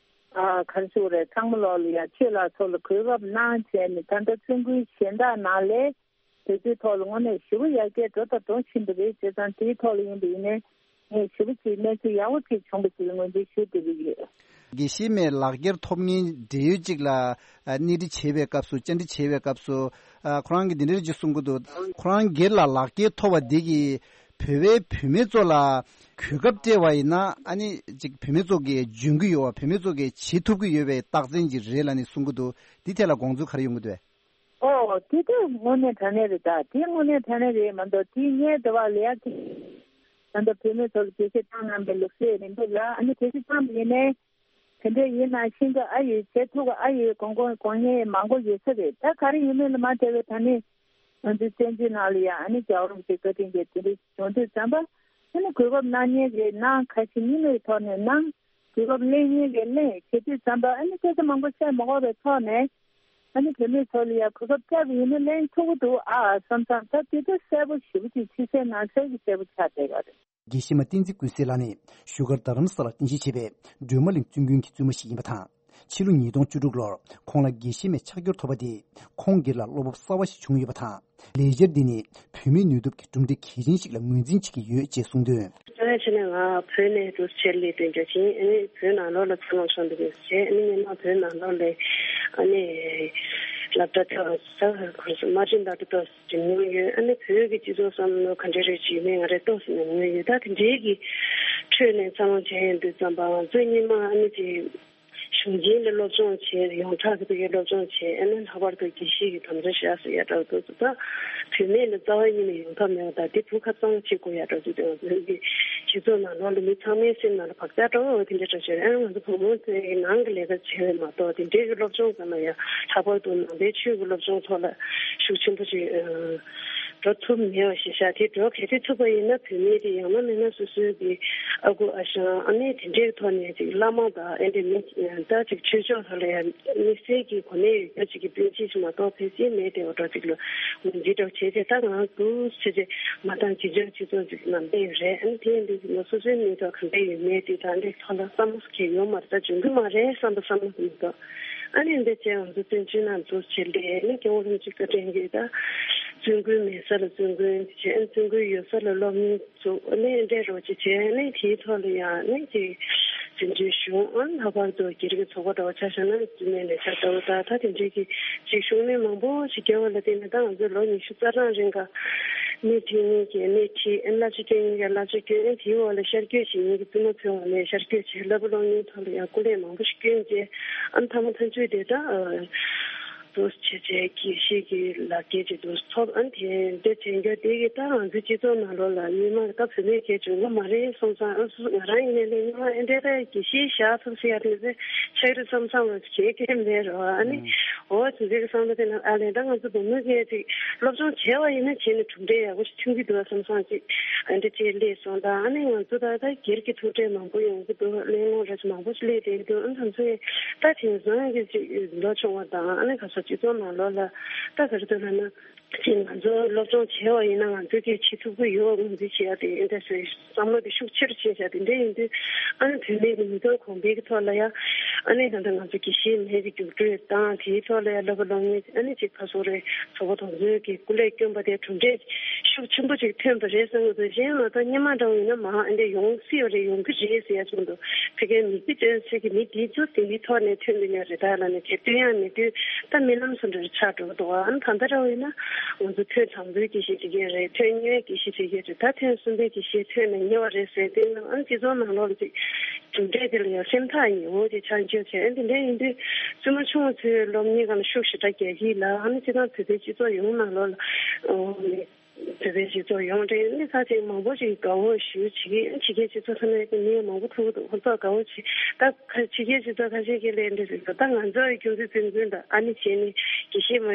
ཨ་ག་རེ་ཞུ་དགོས་རེད། ཚང་མ་ལོག་ལ་ཡ་ཆོས་ལ་སོགས་ལ་གོ་སྐབས་གནང་བྱས་ནས་ད་ལྟ་བཙུན་དགོན་གཞན་དག་ནང་ལས་དེ་ཚོའི་ཐོག་ལ་དངོས་གནས་ཞེ་པོ་ཡར་རྒྱས་འགྲོ་དང་འགྲོ་བཞིན་པ་རེད། བྱས་ཙང་དེའི་ཐོག་ལ་ཡིན་པ་ཡིན་ནའི་ངས་ཞེ་པོ་ཅིག་གནས་ཚུལ་ཡག་པོ་ཅིག་བྱུང་བ་ཞིག་ལ་ངོས་འཛིན་ཞུ་བསྡད་ཀྱི་ཡོད། དགེ་བཤེས་མའི་ལག་འཁྱེར་ཐོབ་མཁན་འབྲེལ་ཡོད་ཅིག་ལ་ཨ་སྣེ་ཁྲིད་བྱེད་པའི་སྐབས་སུ་བཅར་འདྲི་བྱེད་པའི་སྐབས་སུ་ཨ་ཁོ་རང་གིས་འདི་འདྲ་ཅིག་གསུང་གི་འདུག་ཁོ་རང་སྒེར་ལ་ལག་འཁྱེར་ཐོབ་པ་འདི་གིས་བོད་པའི་བུད་མེད་ཚོ་ལ་གོ་སྐབས་སྤྲད་པ་ཡིན་ན་ཨ་ནི་ཅིག་བུད་མེད་ཚོ་གིས་འཇོན་གྱི་ཡོད་པ། བུད་མེད་ཚོ་གིས་བྱེད་ཐུབ་ཀྱི་ཡོད་པའི་རྟགས་མཚན་ཅིག་རེད་ལབ་ནས་གསུང་གི་འདུག་འདི་ཐད་ལ་དགོངས་ཚུལ་ག་རེ་ཡོང་གི་འདུག་ཨོ། དེ་ལྟར་དངོས་གནས་དྲང་གནས་རེད། ད་དེ་དངོས་གནས་དྲང་གནས་རེད་མ་གཏོགས་དེ་ངས་འདི་བ་ལས་ཡག་གི་ད་ལྟ་བུད་མེད་ཚོ་ལ་དགེ་བཤེས་བཏང་གནང་པའི་ལུགས་སྲོལ་མི་འདུག་ལ། ཨ་ནི་དགེ་བཤེས་བཏང་པ་ཡིན་ནའི་དེ་འདྲ་ཡིན་ན་ཤེས་ཀྱི་ཨ་ཡོད། བྱེད་ཐུབ་ཀྱི་ཨ་ཡོད། དགོངས་དགོངས་དགོངས་ངེས་མང་པོ་ཡོད་ས་རེད། ད་ག་རེ་ཡིན་མིན་ལ་མ་བལྟས་པའི་ད་ནི་ང་ཚོའི་བཙན་བྱོལ་ནང་ལ་ཡང་ཨ་ནི་རྒྱལ་བ་རིན་པོ་ཆེའི་བཀའ་དྲིན་གྱིས་དེ་འདྲ་བྱུང་དུས་ཙམ་པ་ཨ་ནི་གོ་སྐབས་གནང་མཁན་རེད། གནང་། ཁ་ཞིག་མི་མེད་ཐོག་ནས་གནང་། དུས་རབས་གླེང་ཉན་གྱི་གླེང་བྱེད་དུས་ཙམ་པ་ཨ་ནི་སྐད་ཆ་མང་པོ་བཤད་མ་དགོས་པའི་ཐོག་ནས་ཨ་ནི་བུད་མེད་ཚོ་ལ་ཡང་གོ་སྐབས་བསྐྱལ་བ་ཡིན་ན་གླེང་ཐུབ་ཀྱི་འདུག་ཨ་བསམ་བསམ། ད་དེ་ཚོ་གསལ་པོ་ཞེ་པོ་ཅིག་ཕྱི་གསལ་ནང་གསལ་གྱི་གསལ་པོ་ཆགས་བསྡད་ཡོད་རེད། དགེ་བཤེས་མ་བསྟན་འཛིན་ཀུན་གསལ་ལགས་ནི་བཞུགས་སྒར་རྡ་རམ་ས་ལར་རྟེན་གཞི་བྱས་པའི་སྒྲོལ་མ་གླིང་བཙུན་དགོན་གྱི་བཙུན་མ་ཞིག་ཡིན་པ་དང་། ཕྱི་ལོ་ཉིས་སྟོང་བཅུ་དྲུག་ལོར་ཁོང་ལ་དགེ་བཤེས་མའི་ཕྱག་འཁྱེར་ཐོབ་པ་དེས་ཁོང་སྒེར་ལ་བློ་སྤོབས་གསར་བ་ཞིག་བྱུང་ཡོད་པ་དང་། ལས་འཆར་འདི་ནི་བུད་མེད་ནུས་སྟོབས་ཀྱི་གྲུབ་འབྲས་གལ་ཆེན་ཞིག་ལ་ངོས་འཛིན་བྱེད་ཀྱི་ཡོད་ཅེས་གསུངས་དོན། ད་ཕྱི་ནས་ང་བོད་ནས་འདུག་ཕྱིར་སླེབས་དོན་རྒྱུ་ཅིག་ཨ་ནི་བོད་ནང་ལོགས་ལ་འཚར་ལོངས་བྱུང་འདུག་ཟེར། ཨ་ནི་སྔོན་མ་བོད་ནང་ལོགས་ལ་ཨ་ནི་སློབ་གྲྭ་ཏོག་ཙམ་ཁོར་སོ་མ་ཊིན་ཌོག་ཊར་ཏོག་ཙམ་འགྲིམ་མྱོང་ཡོད། ཨ་ནི་བོད་ཀྱི་སྤྱི་ཚོགས་བསམ་བློ་ག་འདྲ་རེ་ཅིག་ཡོད་མེད་ང་རང་ཏོག་ཙམ་ཉམས་མྱོང་ཡོད། ད་དེ་འདྲའི་གི་ཁྲོད་ནས་འཚར་ལོངས་བྱས་ཡོང་དུས་ཙམ་པ་ང་ཚོ་སྔོན་མ་ཨ་ནི་ཅིག་གཞུང་ཆེན་ལ་སློབ་སྦྱོང་བྱས། ཡོངས་གྲགས་ཀྱི་ཕ་གིའི་སློབ་སྦྱོང་བྱས། ཨ་ནི་ལྷག་པར་དུ་དགེ་བཤེས་ཀྱི་དམ་བཅའ་བཞག་ཟེར་ཡ་འདྲ་བོ་འདུག་ད་བུད་མེད་ལ་རྩ་བ་ཉིད་ནས་ཡོང་ཐབས་མེད་པ་དང་། དེ་བུ་ཁ་གཙང་མ་བྱེད་དགོས་ཡ་འདྲ་བོ་འདུག་དེ་ང་ཚོའི་གི་སྤྱི་ཚོགས་ནང་ལོགས་ལ་མི་ཚང་མའི་སེམས་ནང་ལ་བག་ཆགས་འདྲ་བོ་དེ་འདྲ་འདྲ་བྱས། ཨ་ནི་ང་ཚོ་བུ་མོ་ཚོའི་གི་ནང་གི་ལས་ཀ་བྱས་པ་མ་གཏོགས་དེ་འདྲའི་གི་སློབ་སྦྱོང་ཟེར་ན་ཡ་ལྷག་པར་དུ་ནང་པའི་ཆོས་ཀྱི་སློབ་སྦྱོང་ཐོག་ལ་ཤུགས་ཆེན་པོ་ཞིག་འགྲོ་ཐུབ་མེད་པ་ཞིག་ཤག་དེ་འགྲོ་གལ་ཏེ་ཐུབ་པ་ཡིན་ན་བུད་མེད་དེ་ཡང་ན་མིན་ན་སོ་སོའི་གི་ཨ་ཁུ་ཨ་ཞང་ཨ་མའི་དེ་འདྲའི་ཐོག་ནས་ཅིག་བླ་མ་དང་ཨེ་འདྲ་མི་ད་ཅིག་ཆོས་ཕྱོགས་ཐོག་ལ་ཡང་དམིགས་བསལ་གྱི་གོ་གནས་ཡོད་རྒྱུ་ཅིག་གི་སྤུན་མཆེད་ཅིག་མ་གཏོགས་ཕལ་ཆེར་མེད་དེ། འོ་འདྲ་ཅིག་ལ་ངོས་འཛིན་འདྲ་བྱས་ཏེ། ད་ང་འདུག་ཟེར་ཏེ་མ་བཏང་། བྱེད་ཆོག་སྤྱི་ཚོགས་ཅིག་ནང་བསྡད་ཡོད་རེད། ཨ་ནི་དེ་ཡིན་དུས་ང་སོ་སོའི་མི་ཐོག་ག་འདྲ་ཡོད་མེད་དེ་ད་འདྲའི་ཐོག་ལ་བསམ་བློ་གང་ཡོང་མ་རེད། ད་འཇོན་གི་མ་རེད་བསམ་པ་བསམ་བློ་མི་འདུག་ཨ་ནི་འདི་བྱས་ང་ཚོ་བཙན་བྱོལ་ནང་འདུག་བྱས་ཏེ། ཨ་ནི་སྐྱབས་མགོན་རིན་པོ་ཆེ་བཀའ་དྲིན་གྱིས་ད་བཙུན་དགོན་མེད་ས་ལ་བཙུན་དགོན་བྱས། ཨ་ནི་བཙུན་དགོན་ཡོད་ས་ལ་སློབ་གཉེར་བཙུགས། ཨ་ནི་འདྲ་རོགས་ཅིག་བྱས། ཨ་ནི་དེའི་ཐོག་ལ་ཡང་ཨ་ནི་ཅིག་བཙན་བྱོལ་གཞུང་། ཨ་ནི་ལྷག་པར་དུ་སྒེར་གྱི་ཚོགས་པ་འདྲ་བོ་ཆ་བཞག་ན་བཙུན་མའི་ལས་འཆར་ལྟ་བུ་དང་། ད་དེ་འདྲའི་གི་ཅིག་ཤུགས་སྣོན་མང་པོ་ཞིག་བརྒྱབ་པ་ལ་བརྟེན་ནས་ད་ང་ཚོས་ལོ་ཉི་ཤུ་རྩ་གྲངས་རིང་ག་སྣེ་ཁྲིད་མཁན་གྱི་སྣེ་ཁྲིད། ཨ་ནི་བསླབ་བྱ་སྐྱོན་མཁན་གྱི་བསླབ་བྱ་སྐྱོན། ཨ་ནི་དེའི་འོག་ལ་ཤར་བསྐྱོད་བྱེད་མཁན་གྱི་བཙུན་མ་ཚོའི་འོག་ནས་ཤར་བསྐྱོད་བྱས། བསླབ་པ་སློབ་གཉེར་ཐོག་ལ་ཡང་སྐུ་ལས་མང་པོ་ཞིག་བསྐྱོན་བྱས། ཨ་ནི་མཐའ་མ་མཐའ་མཇུག་དེ་ད་ཨ་འདུག་བྱས་བྱས་དགེ་བཤེས་ཀྱི་ལག་འཁྱེར་ཅིག་འདུག་ཐོབ། ཨ་ནི་དེ་འདྲ་བྱེད་རྒྱུ་དེ་གིས་ད་ང་ཚོའི་སྤྱི་ཚོགས་ནང་ལོགས་ལ་སྔོན་མ་ད་བུད་མེད་གལ་བྱུང་གི་མ་རེད་བསམ་སོང་། ཨ་སོ་སོ་ང་རང་ཡིན་ནའི་ལས་སྔོན་མ་ཨེ་འདྲ་ད་དགེ་བཤེས་བཞག་ཐུབ་ཟེར་ཡ་དེ་ཚོ་ཆགས་རེད་བསམ་བསམ་ལ་བྱེད་མཁན་མེད་རོ། ཨ་ནི་ཨོ་དེ་འདྲའི་བསམ་བློ་དེ་ནང་ཨ་ལས་ད་ང་ཚོ་བུ་མོ་གས་ཅིག་སློབ་སྦྱོང་བྱས་པ་ཡིན་ན་བྱས་ནས་གྲུབ་འབྲས་ཡག་པོ་ཞིག་ཐོན་གྱི་འདུག་བསམ་སོང་། ཅིག་ཨ་འདྲ་ཅིག་སླེབས་སོང་། ད་ཨ་ནི་ང་ཚོ་ད་ད་སྒེར་གྱི་ཐུགས་འཕྲད་མང་པོ་ཡོང་གི་འདུག་གླེང་སློང་རེ་མང་པོ་ཞིག་སླེབས་བསྡད་ཀྱི་འདུག་ཨ་ནི་ང་ཚོ་ད་དེང་སང་གི་ཅིག་ལོ་ཆུང་བ་དང་ཨ་ནི་ག་ས་སྤྱི་ཚོགས་ནང་ལོགས་ལ་ད་ག་རེ་འདུག་ལབ་ན། ཅིག་ང་ཚོ་སློབ་སྦྱོང་བྱས་པ་ཡིན་ན་ང་ཚོས་ཀྱིས་བྱེད་ཐུབ་ཀྱི་ཡོད་པ་ངོས་འཛིན་བྱེད་ཡ་དེ་ཨེ་འདྲ་ཟེར་བསམ་བློ་དེ་ཤུགས་ཆེ་རུ་ཕྱིན་བཞག་དེ་འདྲ་ཡིན་དུས་ཨ་ནི་བུད་མེད་ཀྱི་མི་དོན་གོང་འཕེལ་གྱི་ཐོག་ལ་ཡ་ཨ་ནི་ད་ལྟ་ང་ཚོ་དགེ་བཤེས་མའི་གི་རྒྱུགས་སྤྲོད་དང་དེའི་ཐོག་ལ་ཡ་བསླབ་པ་སློབ་གཉེར་ཨ་ནི་ཅིག་ཕར་ཚུར་རེ་ཚོགས་པ་དེ་ཚོས་ཀྱི་སྐུ་ལས་བསྐྱོན་པ་དེ་གྲུབ་འབྲས་ཤུགས་ཆེན་པོ་ཅིག་ཐོན་པ་རེད་བསམ་གྱི་འདུག་གཞན་ང་ཚོ་སྔོན་མ་འདྲ་བོ་ཡིན་ན་མང་ཨེ་འདྲ་ཡོང་སྲིད་པ་རེད། ཡོང་གི་རེད་ཟེར་ཡ་བྱུང་འདུག་ཕ་གིའི་མིག་དཔེ་སྟོན་སའི་གི་མི་དེ་ཚོ་དེ་འདྲའི་ཐོག་ནས་ཐོན་གྱི་ཡོད་རེད། ད་ལབ་ནས་དེ་སྟོན་ཡ་མེད་དུས་ད་རྨི་ལམ་བཟོ་འདྲ་རེ་ཆགས་འགྲོ་གི་འདུག་ཨ་ནི་ད་ལྟ་ར་བས་ན་ང་ཚོ་ཐོན་དང་པོའི་དགེ་བཤེས་དེ་གས་རེད། ཐོན་གཉིས་པའི་དགེ་བཤེས་དེ་གས་རེད། ད་ཐོན་གསུམ་པའི་དགེ་བཤེས་ཐོན་ནས་ཉེ་བ་རེད་ཟེར་དུས་ཨ་ནི་སྤྱི་ཚོགས་ནང་ལོགས་ལ་ཅིག་གྲུབ་འབྲས་དེ་ལ་ཡང་སེམས་ཐག་ཉེ་བོ་དེ་ཆགས་འགྱོ་བྱས། ཨ་ནི་དེ་འདྲ་ཡིན་དུས་བཙུན་མ་ཆུང་བ་ཚོའི་སློབ་གཉེར་སྒང་ལ་ཤུགས་ཞེ་དྲག་རྒྱག་གི་ལ། ཨ་ནི་སྤྱིར་བཏང་བོད་པའི་སྤྱི་ཚོགས་ཡོངས་ནང་ལོགས་ལ། བོད་པའི་སྤྱི་ཚོགས་ཡོངས་རེད། ཨ་ནི་ས་ཆེན་མང་པོ་ཞིག་དགའ་བོ་ཞུ་བྱེད་ཀྱི་ཨ་ནི་ཕྱི་རྒྱལ་སྤྱི་ཚོགས་ཚང་མས་ཀྱི་མི་མང་པོ་ཐུག་གི་འདུག་ཁོ་ཚོ་དགའ་བོ་བྱེད། ད་ཁ་ཕྱི་རྒྱལ་སྤྱི་ཚོགས་ཁ་ཤས་ཀྱིས་ལས་འདྲ་ཟེར་འདུག་ད་ང་ཚོ་ཁྱོད་ཚོའི་འཛིན་སྐྱོང་དང་ཨ་ནི་བྱས་ནས་དགེ་བཤེས་མ་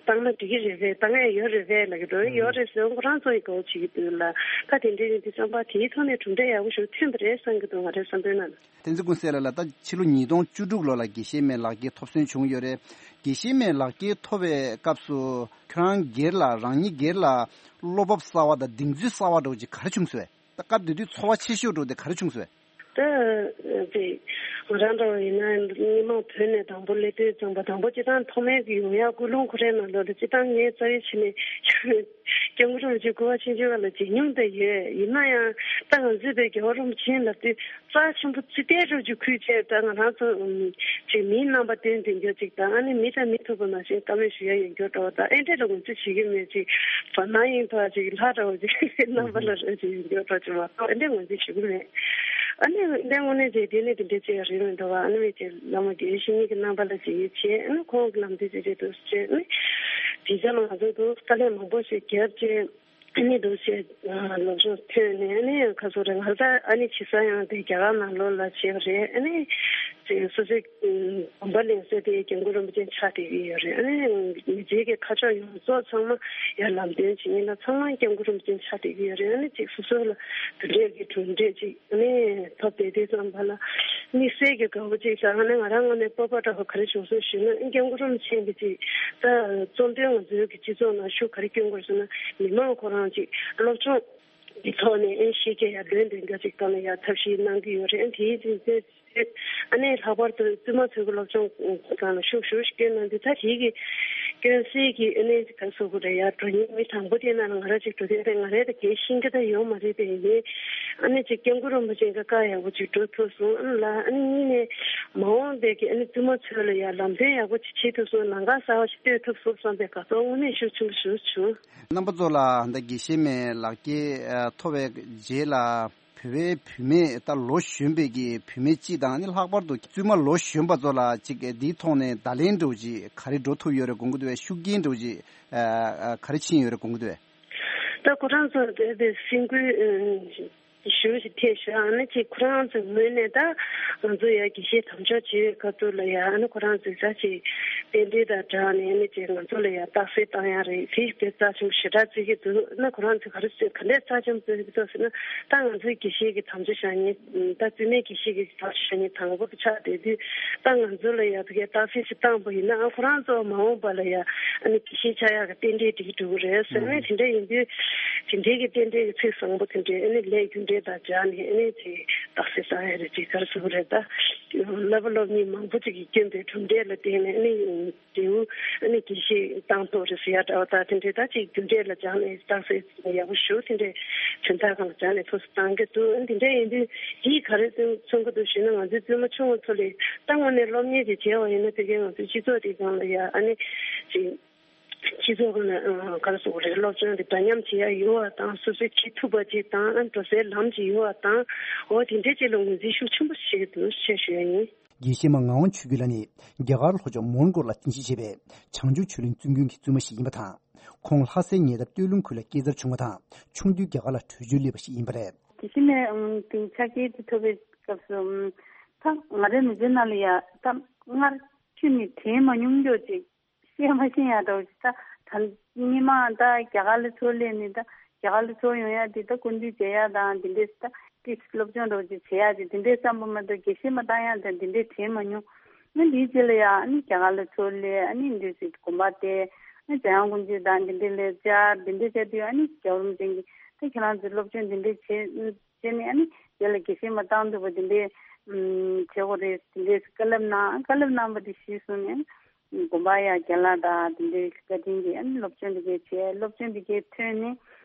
བཏང་ན་འགྲིག་གི་རེད་པས། བཏང་ཡ་ཡོད་རེད་པས་ལབ་ཀྱི་འདུག་ཡོད་རེད་ཟེར་ཁོ་རང་ཚོ་ཡིས་དགའ་བོ་བྱེད་ཀྱི་འདུག་ལ། ད་དེ་འདྲའི་རིགས་འདི་བསམ་པ་དེའི་ཐོག་ནས་གྲུབ་འབྲས་ཡག་པོ་ཞིག་ཐོན་པ་རེད་བསམ་གྱི་འདུག་ང་རའི་བསམ་དོན་ནང་ལ། བསྟན་འཛིན་ཀུན་གསལ་ལགས་ལ། ད་ཕྱི་ལོ་ཉིས་སྟོང་བཅུ་དྲུག་ལོ་ལ་དགེ་བཤེས་མའི་ལག་འཁྱེར་ཐོབ་སོན་བྱུང་ཡོད་རེད། དགེ་བཤེས་མའི་ལག་འཁྱེར་ཐོབ་པའི་སྐབས་སུ་ཁྱོད་རང་སྒེར་ལ་རང་ཉིད་སྒེར་ལ་བློ་སྤོབས་གསར་བ་དང་གདེང་ཚོད་གསར་བ་འདྲ་བོ་ཅིག་ག་རེ་བྱུང་སོང་། ད་སྐབས་དེ་དུས་ཚོར་བ་ཆེ་ཤོས་འདྲ་བོ་དེ་ག་རེ་བྱུང་སོང་། ད་དེ་ང་རང་འདྲ་བོ་ཡིན་ན་སྔོན་མ་བོད་ནས་དང་པོ་སླེབས་དུས་ཙམ་པ་དང་པོ་སྤྱིར་བཏང་ཐོག་མའི་གི་ཡོང་ཡག་ཀུན་སློང་ཁོ་རའི་ནང་ལོགས་ལ་སྤྱིར་བཏང་ངས་རྩ་བའི་ཆ་ནས་སྐྱབས་མགོན་རིན་པོ་ཆེ་སྐུ་པར་ཆེན་ཆེ་བ་ལ་མཇལ་མྱོང་དེ་ཡོད། ཡིན་ན་ཡང་ད་ང་ཚོས་པའི་རྒྱལ་བ་རིན་པོ་ཆེ་ལབ་དུས་རྩ་ཆེན་པོ་ཙི་ཏའི་རུ་ཅིག་ཁུལ་བྱས། ད་ང་རང་ཚོ་ཨུམ་ཅིག་མིའི་རྣམ་པ་སྟོན་བསྡད་རྒྱུ་ཅིག་དང་། ཨ་ནི་མི་དང་མི་ཐུག་པ་ནང་བཞིན་བཀའ་མོལ་ཞུ་ཡ་ཡོད་རྒྱུ་འདྲ་བོ་དང་། ཨེ་འདྲས་ལ་ངོས་འཛིན་བྱེད་ཀྱི་མེད་ཅིག་བར་སྣང་ཡིན་པ་ཅིག་ལྷ་འདྲ་བོ་ཅིག་རྣམ་པ་ལ་རུ་ཅིག་ཡོད་རྒྱུ་འདྲ་བོ་ཅིག་མ་གཏོགས་ཨེ་འདྲས་ངོས་འཛིན་ཞུ་གི་མེད། ཨ་ནི་ཨེ་འདྲས་དངོས་གནས་བྱས་དེ་ནི་དེ་འདྲས་ཅིག་རེད་མི་འདུག་བ། ཨ་ནི་མི་ཅིག་བླ་མ་དགེ་བའི་བཤེས་གཉེན་གྱི་རྣམ་པ་ལ་ཅིག་ཡིད་ཆེས། ཨ་ནི་ཁོང་གི་ལམ་སྟོན་ཅིག་བྱེད་དུ་བྱས། ཨ་ནི་དེ་ཚོ་ལ་ང་ཚོ་དུ་དཀའ་ལས་མང་པོ་ཞིག་བརྒྱབ་བྱས། ཨ་ནི་འདུག་བྱས་སློབ་སྦྱོང་ཐོན་ནས། ཨ་ནི་ཁ་སོ་རེ་ང་ད་ཨ་ནི་ཆེ་ས་ཡང་དེ་རྒྱ་གར་ནང་ལོགས་ལ་བྱས་པ་རེད། ཨ་ནི་དེ་སོ་སོའི་དགོན་པ་ལེན་ས་དེ་སྐྱབས་མགོན་རིན་པོ་ཆེ་ཕྱག་བྲིས་ཀྱི་ཡོད་རེད། ཨ་ནི་མི་ཚེ་གི་ཁ་ཕྱོགས་ཡོངས་རྫོགས་ཚང་མ་ཡར་ལམ་སྟོན་བྱེད་མཁན་ལ་ཚང་མ་སྐྱབས་མགོན་རིན་པོ་ཆེ་ཕྱག་བྲིས་ཀྱི་ཡོད་རེད། ཨ་ནི་ཅིག་སོ་སོ་ལ་དེ་འདྲས་ཀྱི་གྲུབ་འབྲས་ཅིག་ནས་ཐོབ་བསྡད་དུས་ཙམ་པ་ལ་དམིགས་བསལ་གྱི་དགའ་བོ་གཅིག་བྱུང་། ཨ་ནི་ང་རང་ངོས་ནས་སྤོབས་པ་འདྲ་བོ་ག་རེ་བྱུང་སོང་ཞུས་ན། སྐྱབས་མགོན་རིན་པོ་ཆེ་གིས་ཅིག་ད་གཙོ་དོན་ང་ཚོའི་གི་སྤྱི་ཚོགས་ནང་ཤུགས་ག་རེ་སྐྱོན་དགོས་ཟེར་ན། མི་མང་ཁོ་རང་ཅིག་སློབ་སྦྱོང་གི་ཐོག་ནས་ཨེ་ཤེས་རྒྱ་ཡར་ལོན་དེ་འདྲ་ཅིག་བཏང་ན་ཡ་ཐབས་ཤེས་གནང་གི་ཡོད་རེད། དེའི་རྗེས་ཨ་ནི་ལྷག་པར་དུ་བཙུན་མ་ཚོའི་གི་སློབ་སྦྱོང་སྒང་ལ་ཤུགས་ཞེ་པོ་ཞིག་བསྐྱོན་གནང་དུས། ད་དེའི་གི་སྐྱོན་སེལ་གྱི་ཨ་ནི་ག་རེ་ཟེར་དགོས་རེད། ཡ་འགྲོ་མཁན་མི་དང་པོ་དེ་ནང་ལ་ང་རང་ཅིག་འགྲོ་དུས་ང་རང་ད་གལ་ཤེས་ཀྱི་ད་ཡོད་མ་རེད་པས། ཡིན་ནའི་ཨ་ནི་ཅིག་སྐྱབས་མགོན་རིན་པོ་ཆེ་གི་བཀའ་ཡག་པོ་ཅིག་སྒྲུབ་ཐུབ་སོང་ཨ་ལ། ཨ་ནི་གཉིས་ནས་མ་འོངས་པའི་གི་ཨ་ནི་བཙུན་མ་ཚོ་ལ་ཡ་ལམ་སྟོན་ཡག་པོ་ཅིག་བྱེད་ཐུབ་སོང་། ལམ་ཁ་གསར་པ་ཞིག་གཏོད་ཐུབ་སོང་བསམ་པའི་དགའ་ཚོར་དངོས་གནས་ཤུགས་ཆེན་པོ་ཞིག་བྱུང་། རྣམ་པ་ཚོ་ལ་ད་དགེ་བཤེས་མའི་ལག་འཁྱེར་ཐོབ་པའི་རྗེས་ལ་བོད་པའི་བུད་མེད་ད་ལོ་གཞོན་པའི་གི་བུད་མེད་སྤྱི་དང་། ཨ་ནི་ལྷག་པར་དུ་བཙུན་མ་ལོ་གཞོན་པ་ཚོ་ལ་ཅིག་འདིའི་ཐོག་ནས་བརྡ་ལན་འདྲ་བོ་ཅིག་ག་རེ་འགྲོ་ཐུབ་ཡོད་རེད་དགོངས་ཀྱི་འདུག་བས། ཤུགས་རྐྱེན་འདྲ་བོ་ཅིག་ག་རེ་ཕྱིན་ཡོད་རེད་དགོངས་ཀྱི་འདུག་བས། ད་ཁོ་རང་ཚོ་དེ་དེ་སེམས་འགུལ་ཞུ་ཞིག་ཐེབས་ཤག་ཨ་ནི་ཅིག་ཁོ་རང་ཚོའི་ངོས་ནས་ད་ང་ཚོ་ཡ་དགེ་བཤེས་དམ་འཇོག་བྱེད་པའི་སྐབས་དུ་ལ་ཡ། ཨ་ནི་ཁོ་རང་ཚོས་ད་ཅིག་རྟེན་འབྲེལ་དང་སྦྲགས་ནས་ཨ་ནི་ཅིག་ང་ཚོ་ལ་ཡ་རྟགས་གསལ་བཏང་ཡ་རེད། དེ་དཔེ་རྩ་ཆེན་པོ་ཞེ་དྲག་བརྩི་གི་འདུག་ཨ་ནི་ཁོ་རང་ཚོས་ག་རེ་ཟེར་ག་འདྲས་རྩ་ཆེན་པོ་བརྩི་གི་འདུག་ཟེར་ན། ད་ང་ཚོའི་དགེ་བཤེས་ཀྱི་དམ་བཅའ་བཞག་མཁན་ད་བཙུན་མའི་དགེ་བཤེས་ཀྱི་དམ་བཅའ་བཞག་མཁན་དང་པོ་ཆགས་བསྡད་དུས། ད་ང་ཚོ་ལ་ཡ་ཕ་གིའི་རྟགས་གསལ་ཞིག་བཏང་པ་ཡིན་ན། ཨ་ཁོ་རང་ཚོ་མ་འོངས་པ་ལ་ཡ་ཨ་ནི་དགེ་བཤེས་ཆགས་ཡག་གི་རྟེན་འབྲེལ་འགྲིག་འགྲོ་གི་རེད་ཟེར་ནས། དེ་འདྲ་ཡིན་དུས་དེ་འདྲའི་གི་རྟེན་འབྲེལ་གྱི་ཚིག་བཟང་པོ་དེ་འདྲའི་ཨ་ནི་ལས་རྒྱུ་འབྲས་དང་སྦྱར་ནས་ཨ་ནི་ཅིག་རྟགས་གསལ་བཏང་ཡ་རེད། ཅིག་ག་རེ་ཟེར་དགོས་རེད། ད་བསླབ་པ་སློབ་གཉེར་མང་པོ་ཅིག་གིས་བསྐྱོན་པའི་གྲུབ་འབྲས་ལ་བརྟེན་ནས་ཨ་ནི་འབྲས་བུ་ཨ་ནི་དགེ་བཤེས་བཏང་ཐུབ་རེད་ཟེར་ཡ་འདྲ་བ། ད་དེ་འདྲའི་ད་ཅིག་རྒྱུ་འབྲས་ལ་སྦྱར་ནས་རྟགས་གསལ་ཡག་པོ་ཞུ། དེ་འདྲའི་དོན་དག་སྒང་ལ་སྦྱར་ནས་ཐུགས་སུ་བཏང་གི་འདུག་དེ་འདྲ་ཡིན་དུས་འདིས་ག་རེ་མཚོན་གྱི་འདུག་ཞུས་ན། ང་ཚོའི་བཙུན་མ་ཆུང་བ་ཚོ་ལ་ད་དངོས་གནས་སློབ་གཉེར་དེ་བྱས་པ་ཡིན་ན། དེ་གའི་ང་ཚོའི་སྤྱི་ཚོགས་དེ་སྒང་ལ་ཡ་ཨ་ནི་ཅིག་སྤྱི་ཚོགས་ཀྱི་ནང་ག་རེ་ཟེར་དགོས་རེད། སློབ་སྦྱོང་དེ་འདྲ་མཉམ་བྱེད་ཡ་ཡོད་པ་དང་། སོ་སོའི་བྱེད་ཐུབ་པ་ཅིག་དང་། ཨ་ནི་འགྲོ་སའི་ལམ་ཅིག་ཡོད་པ་དང་། འོ་དེ་འདྲའི་ཅིག་ལ་ངོས་འཛིན་ཤུགས་ཆེན་པོ་བྱེད་ཀྱི་འདུག་ཅེས་ཞུ་ཡ་ཡིན། དགེ་བཤེས་མ་ངག་དབང་ཆོས་སྐྱིད་ལགས་ནི་རྒྱ་གར་ལྷོ་ཕྱོགས་མོན་གྷོ་ལ་རྟེན་གཞི་བྱས་པའི་བྱང་ཆུབ་ཆོས་གླིང་བཙུན་དགོན་གྱི་བཙུན་མ་ཞིག་ཡིན་པ་དང་། ཁོང་ལྷ་སའི་ཉེ་འདབས་སྟོད་ལུང་ཁུལ་ལ་སྐྱེས་འཚར་བྱུང་བ་དང་། ཆུང་དུས་རྒྱ་གར་ལ་བྲོས་བྱོལ་སླེབས་པ་ཞིག་ཡིན་པ་རེད། དེ་བཞིན་ནས་ཨང་དེ་ཕྱག་འཁྱེར་དེ་ཐོབ་པའི་སྐབས་སུ་ཨང་ད་ང་རའི་མི་ཚེ་ནང་ལ་ཡ་ད་སྔར་ཁྱོན་ནས་དྲན་མ་མྱོང་རྒྱུ་ཅིག་བཤད་མ་ཤེས་ཡ་འདྲ་བོ་ཞིག་ད་ད་སྔོན་མ་ད་རྒྱ་གར་ལ་འཚོ་སླེབས་ནས་ད་རྒྱ་གར་ལ་འཚོ་ཡོང་ཡ་དེ་ད་སྐུ་མདུན་མཇལ་ཡ་དང་དེ་འདྲས་ད་ཏིས་སློབ་སྦྱོང་འདྲ་བོ་ཅིག་བྱེད་ཡ་དེ་དེ་འདྲས་བསམ་པ་མ་གཏོགས་དགེ་བཤེས་མ་བཏང་ཡ་དང་དེ་འདྲས་དྲན་མ་མྱོང་། ང་འདིའི་རྗེས་ལ་ཡ་ཨ་ནི་རྒྱ་གར་ལ་འཚོ་སླེབས། ཨ་ནི་འདི་ཞིག་དགོན་པ་དེ་ཨ་ནི་འཇམ་དབྱངས་སྐུ་མཆེད་དང་དེ་འདྲས་ལ་བཅར། དེ་འདྲས་བྱས་དུས་ཨ་ནི་རྒྱལ་བ་རིན་པོ་ཆེ་གིས་ད་ཁྱེད་རང་ཚོས་སློབ་སྦྱོང་དེ་འདྲས་བྱེད་བྱས་ནས་ཨ་ནི་རྗེས་ལ་དགེ་བཤེས་མ་བཏང་ཐུབ་པ་དེ་འདྲས་ཨུམ་བྱེད་དགོས་རེད། དེ་འདྲས་བཀའ་སློབ་གནང་། བཀའ་སློབ་གནང་བ་དེ་གཞི་བཟུང་ནས་དགོན་པ་ཡ་རྒན་ལགས་དང་དེ་འདྲའི་བཀའ་དྲིན་གྱིས་ཨ་ནི་སློབ་སྦྱོང་དེ་གའི་བྱས། སློབ་སྦྱོང་དེ་གའི་ཐོན་ནས་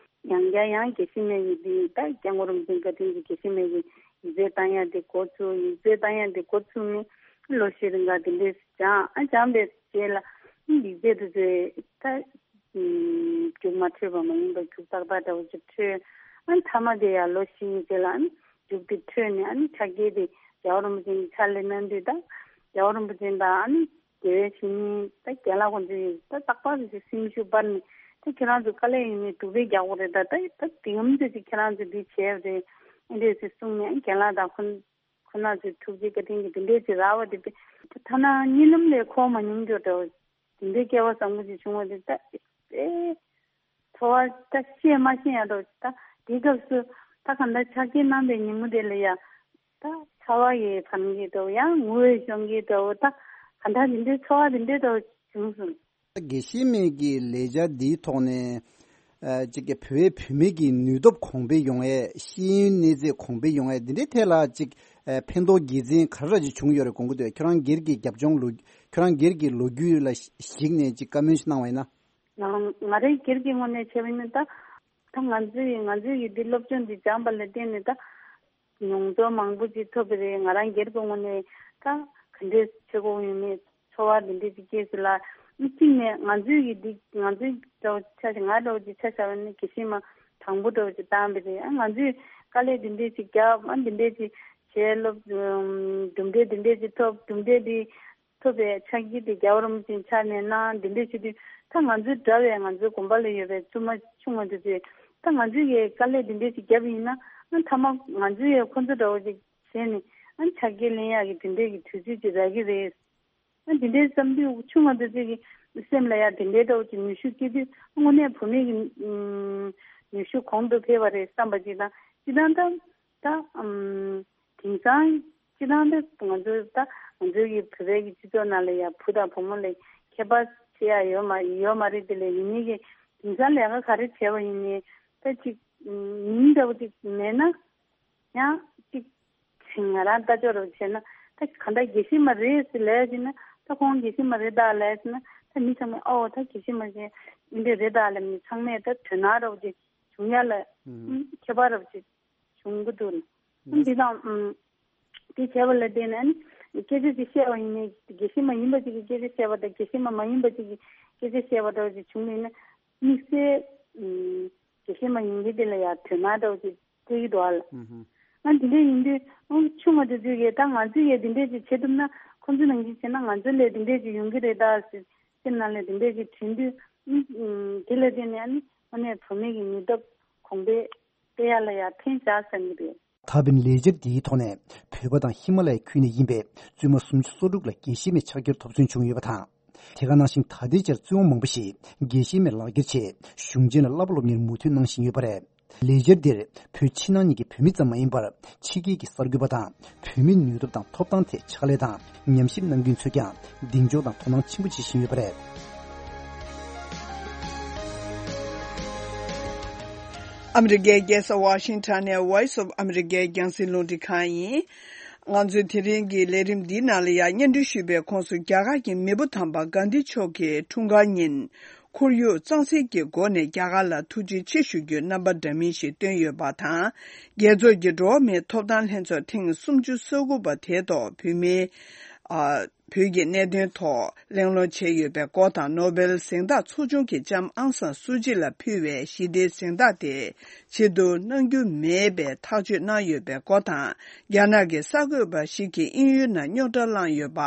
ཡང་བསྐྱར་ཡང་དགེ་བཤེས་མའི་ཡིག་དེ་ད་སྐྱབས་མགོན་རིན་པོ་ཆེའི་བཀའ་དྲིན་གྱིས་དགེ་བཤེས་མའི་ཡིག་ཡིག་ཚད་བཏང་ཡ་དེ་འགོ་ཚུགས། ཡིག་ཚད་བཏང་ཡ་དེ་འགོ་ཚུགས་ནས་ལོ་བཞི་རིང་ག་དེ་འདྲའི་སྦྱངས། ཨ་སྦྱངས་པའི་རྗེས་ལ་ཡིག་ཚད་དེ་ཚོ་ད་རྒྱུགས་མ་འཕྲོད་པ་མ་ཡིན་པར་རྒྱུགས་ཏག་ཏག་འདྲ་བོ་ཅིག་འཕྲོད། ཨ་མཐའ་མ་དེ་ཡང་ལོ་བཞིའི་རྗེས་ལ་ཨ་རྒྱུགས་དེ་འཕྲོད་ནས་ཨ་ནི་ཕྱག་འཁྱེར་དེ་རྒྱལ་བ་རིན་པོ་ཆེ་ཕྱག་ལས་གནང་དུས་ད་རྒྱལ་བ་རིན་པོ་ཆེ་དང་ཨ་ནི་དགེ་བའི་བཤེས་གཉེན་ད་རྒན་ལགས་ཁོང་ཚོས་ད་རྟག་པར་དེ་སེམས་ཤུགས་སྤར་ནས་ ད་ཁྱེད་རང་ཚོ་དཀའ་ལས་ཡིན་ནའི་སྡུག་པའི་རྒྱག་དགོས་རེད། ད་ད་ད་དེ་འམ་ཚོད་ཅིག་ཁྱེད་རང་ཚོས་འདི་བྱས་རེད། ཨེ་འདྲས་ཅིག་གསུངས་ནས་རྒན་ལགས་དང་ཁོ་ཁོ་ན་ཚོས་ཐུགས་རྗེ་བཀའ་དྲིན་གྱིས་དེ་འདྲས་ཅིག་རག་པ་དེ་དཔེ་ཐ་ན་གཉིད་ལམ་ལས་འཁོར་མ་མྱོང་རྒྱུ་འདྲ་བོ། དེ་འདྲའི་སྐལ་བ་བཟང་པོ་ཅིག་བྱུང་བ་དེ་ད་ཨེ། ཚོར་བ་ད་བཤད་མ་ཤེས་ཡ་འདྲ་བོ་ཅིག་ད་དེའི་སྐབས་སུ་ད་གང་ལྟར་ཕྱག་འཁྱེར་གནང་པའི་ཉིན་མོ་དེ་ལ་ཡ། ད་ཚ་བ་ཡི་བར་གྱི་འདྲ་བོ་ཡང་ངུ་བའི་གཞོན་སྐྱེས་འདྲ་བོ་ད་ག་འདྲ་མི་འདྲའི་ཚོར་བ་དེ་འདྲའི་འདྲ་བོ་བྱུང་སོང་། དགེ་བཤེས་མའི་གི་ལས་འཆར་འདིའི་ཐོག་ནས་ཨ་ཅིག་གི་བོད་བོད་མི་གི་ནུས་སྟོབས་གོང་འཕེལ་ཡོང་ཡས། ཤེས་ཡོན་གནས་ཚད་གོང་འཕེལ་ཡོང་ཡས། འདི་འདྲའི་ཐད་ལ་ཅིག་ཨ་ཕན་ཐོགས་དགེ་མཚན་ག་རེ་ཅིག་བྱུང་ཡོད་རེད་དགོངས་ཀྱི་འདུག་ཁྱོད་རང་སྒེར་གྱི་རྒྱབ་ལྗོངས་ལོ། ཁྱོད་རང་སྒེར་གྱི་ལོ་རྒྱུས་ལ་གཞིགས་ནས་ཅིག་བཀའ་མོལ་ཞིག་གནང་བ་ཡིན་ན། ང་ང་རའི་སྒེར་གྱི་ངོས་ནས་བྱས་པ་ཡིན་ན་ད། ད་ང་ཚོའི་ང་ཚོའི་ཡི་འདི་སློབ་སྦྱོང་འདི་སྦྱངས་པ་ལ་བརྟེན་ནས་ད་མྱོང་ཚོར་མང་པོ་ཅིག་ཐོབ་པ་རེད། ང་རང་སྒེར་གྱི་ངོས་ནས་ད་ག་འདྲས་བྱེད་དགོས་ཡོད་མེད་ཚོར་བ་འདི་འདྲས་ཅིག་སྐྱེས་སོང་ལ། གཅིག་ནས་ང་ཚོའི་ཡི་འདི་ང་ཚོའི་འདྲ་བོ་ཆ་བཞག་ང་འདྲ་བོ་ཅིག་ཆ་བཞག་པ་ནི་དགེ་བཤེས་མ་དང་པོ་འདྲ་བོ་ཅིག་བཏང་པ་རེད། ཨ་ང་ཚོས་དཀའ་ལས་འདི་འདྲས་ཅིག་བརྒྱབ། ཨ་འདི་འདྲས་ཅིག་བྱས། སློབ་གྲུབ་འབྲས་འདི་འདྲས་ཅིག་ཐོབ། གྲུབ་འབྲས་འདི་ཐོབ་པའི་ཕྱག་འཁྱེར་དེ་རྒྱལ་བ་རིན་པོ་ཆེའི་ཕྱག་ནས་གནང་། འདི་འདྲས་བྱེད་དུས་ད་ང་ཚོའི་འདྲ་བའི་ང་ཚོའི་དགོན་པ་ལ་ཡོད་པའི་བཙུན་མ་ཆུང་བ་འདི་ཚོས་ད་ང་ཚོའི་གི་དཀའ་ལས་འདི་འདྲས་ཞིག་བརྒྱབ་ཡིན་ན། ཨ་མཐའ་མ་ང་ཚོའི་ཡ་ཁོ་ཚོ་འདྲ་བོ་ཅིག་བྱས་ནས་ཨ་ཕྱག་འཁྱེར་ལེན་ཡག་གི་དེ་འདྲས་ཀྱི་དུས་ཚོད་ཅིག་རག་གི་རེད། ཨ་འདི་འདྲས་བསམ་དུས་ཆུང་བ་འདི་ཚོའི་གི་སེམས་ལ་ཡ་དེ་འདྲས་འདྲ་བོ་ཅིག་ནུས་ཤུགས་སྐྱེ་དུས་དངོས་གནས་བུད་མེད་ཀྱི་ཨུམ་ནུས་ཤུགས་གོང་དུ་འཕེལ་བ་རེད་བསམ་པ་ཅིག་དང་། སྤྱིར་བཏང་ད་ད་ཨུམ། དེང་སང་སྤྱིར་བཏང་འདི་ང་ཚོའི་ད་ང་ཚོའི་གི་བོད་པའི་གི་སྤྱི་ཚོགས་ནང་ལ་ཡང་བུ་དང་བུ་མོ་ལ་ཁྱད་པར་ཕྱེ་ཡ་ཡོད་མ་ཡོད་མ་རེད། དེ་ལས་ཡིན་ནའི་གི་དེང་སང་ལས་ཀ་ག་རེ་བྱས་པ་ཡིན་ནའི་ད་ཅིག་མིང་འདྲ་བོ་ཅིག་མེད་ན་ཡང་ཅིག་ང་རང་ལྟ་ཕྱོགས་རུ་བྱས་ན་ད་ག་འདྲ་དགེ་བཤེས་མ་རེད་ཟེར་ལབ་ཡ་ཅིག་ན། ད་ཁོང་དགེ་བཤེས་མ་རེད་ད་ལབ་ཡ་ཅིག་ན་ད་མི་ཚང་མས་ཨོ་ད་དགེ་བཤེས་མ་ཞིག་འདི་འདྲ་རེད་ད་ལབ་ནས་ཚང་མས་ད་དོ་སྣང་འདྲ་བོ་ཅིག་བྱུང་ཡ་ལ་ཨུམ། ཁྱད་པར་རབ་ཅིག་བྱུང་གི་འདུག་ཨུམ། འདི་དང་ཨུམ། དེ་བྱས་པ་ལ་བརྟེན་ནས་ཨ་ནི་སྐད་ཆ་ཅིག་བཤད་པ་ཡིན་ནའི་དགེ་བཤེས་མ་ཡིན་པ་ཅིག་གིས་སྐད་ཆ་བཤད་པ་དང་དགེ་བཤེས་མ་མ་ཡིན་པ་ཅིག་གིས་སྐད་ཆ་བཤད་པ་འདྲ་བོ་ཅིག་བྱུང་བ་ཡིན་ན་དམིགས་བསལ་ཨུམ། དགེ་བཤེས་མ་ཡིན་མཁན་དེ་ལ་ཡང་དོ་སྣང་འདྲ་བོ་ཅིག་སྤྲད་ཀྱི་འདུག་ཨ་ལ། ཨུམ། ཨ་འདི་འདྲ་ཡིན་དུས་ཨ་ཆུང་བ་དེ་ཚོས་ཀྱིས་ད་ང་ཚོས་ཀྱིས་འདི་འདྲ་ཅིག་བྱེད་ཐུབ་ན་ཁོང་ཚོ་ནང་བཞིན་བྱས་ན་ང་ཚོ་ལ་འདི་འདྲ་ཅིག་ཡོང་གི་རེད་ད་ཟེར། སེམས་ནང་ལ་དེ་འདྲས་ཅིག་དྲན་དུས་ཨུམ། དེ་ལ་བརྟེན་ནས་ཨ་ནི་དངོས་གནས་བུད་མེད་ཀྱི་ནུས་སྟོབས་གོང་འཕེལ་སྤེལ་ཡ་ལ་ཡང་ཕན་བཞག་བསམ་གྱི་རེད། ད་ཕན་ལས་འཆར་འདིའི་ཐོག་ནས་བོད་པ་དང་ཧི་མ་ལ་ཡའི་ཁུལ་ནས་ཡིན་པའི་བཙུན་མ་སུམ་ཅུ་སོ་དྲུག་ལ་དགེ་བཤེས་མའི་ཕྱག་འཁྱེར་ཐོབ་ཚུལ་བྱུང་ཡོད་པ་དང་། དེ་ག་ནང་བཞིན་ད་ལྟའི་ཆར་བཙུན་མ་མང་པོ་ཞིག་དགེ་བཤེས་མའི་ལག་འཁྱེར་ཆེད་གཞུང་ཆེན་ལ་བསླབ་པ་སློབ་གཉེར་མུ་མཐུད་གནང་བཞིན་ཡོད་པ་རེད། ལས་འཆར་འདིར་བོད་ཕྱི་ནང་གཉིས་ཀྱི་བོད་མི་ཙམ་མ་ཡིན་པར་ཕྱི་རྒྱལ་གྱི་གསར་འགོད་པ་དང་བོད་མིའི་ནུས་སྟོབས་དང་ཐོབ་ཐང་ཐད་ཕྱག་ལས་དང་ཉམས་ཞིབ་གནང་མཁན་ཚོས་ཀྱང་གདེང་འཇོག་དང་དོ་སྣང་ཆེན་པོ་བྱེད་བཞིན་ཡོད་པ་རེད། ཨ་མི་རི་ཀའི་རྒྱལ་ས་ཝ་ཤིང་ཊོན་ནས་Voice of America རྒྱང་སྲིང་རླུང་འཕྲིན་ཁང་ཡིན། ང་ཚོའི་དེ་རིང་གི་ལས་རིམ་འདིའི་ནང་ལ་ཡང་སྙན་སྒྲོན་ཞུས་པའི་ཁོངས་སུ་རྒྱ་གར་གྱི་མེས་པོ་དམ་པ་གྷན་དྷི་མཆོག་གི་འཁྲུངས་སྐར་ཉིན། ཁོར་ཡུག་གཙང་སེལ་གྱི་སྒོ་ནས་རྒྱ་གར་ལ་ཐུགས་རྗེ་ཆེ་ཞུ་རྒྱུའི་རྣམ་པ་འདྲ་མིན་ཞིག་བཏོན་ཡོད་པ་དང་། རྒྱལ་ཚོགས་ཀྱི་འགྲོ་བ་མིའི་ཐོབ་ཐང་ལྷན་ཚོགས་ཐེངས་སུམ་ཅུ་སོ་དགུ་པ་དེའི་ཐོག་བོད་མིའི་ཨ། བོད་ཀྱི་གནད་དོན་ཐོག་གླེང་སློང་བྱས་ཡོད་པའི་སྐོར་དང་། ནོ་བེལ་གཟེངས་རྟགས་ཚོགས་ཆུང་གི་ལྕམ་ཨང་སང་སུ་ཅི་ལ་ཕུལ་བའི་ཞི་བདེའི་གཟེངས་རྟགས་དེ་ཕྱིར་བསྡུ་གནང་རྒྱུ་མེད་པའི་ཐག་གཅོད་གནང་ཡོད་པའི་སྐོར་དང་། རྒྱ་ནག་གི་གསར་འགོད་པ་ཞིག་གིས་དབྱིན་ཡུལ་ནང་རྙོག་དྲ་བསླངས་ཡོད་པ།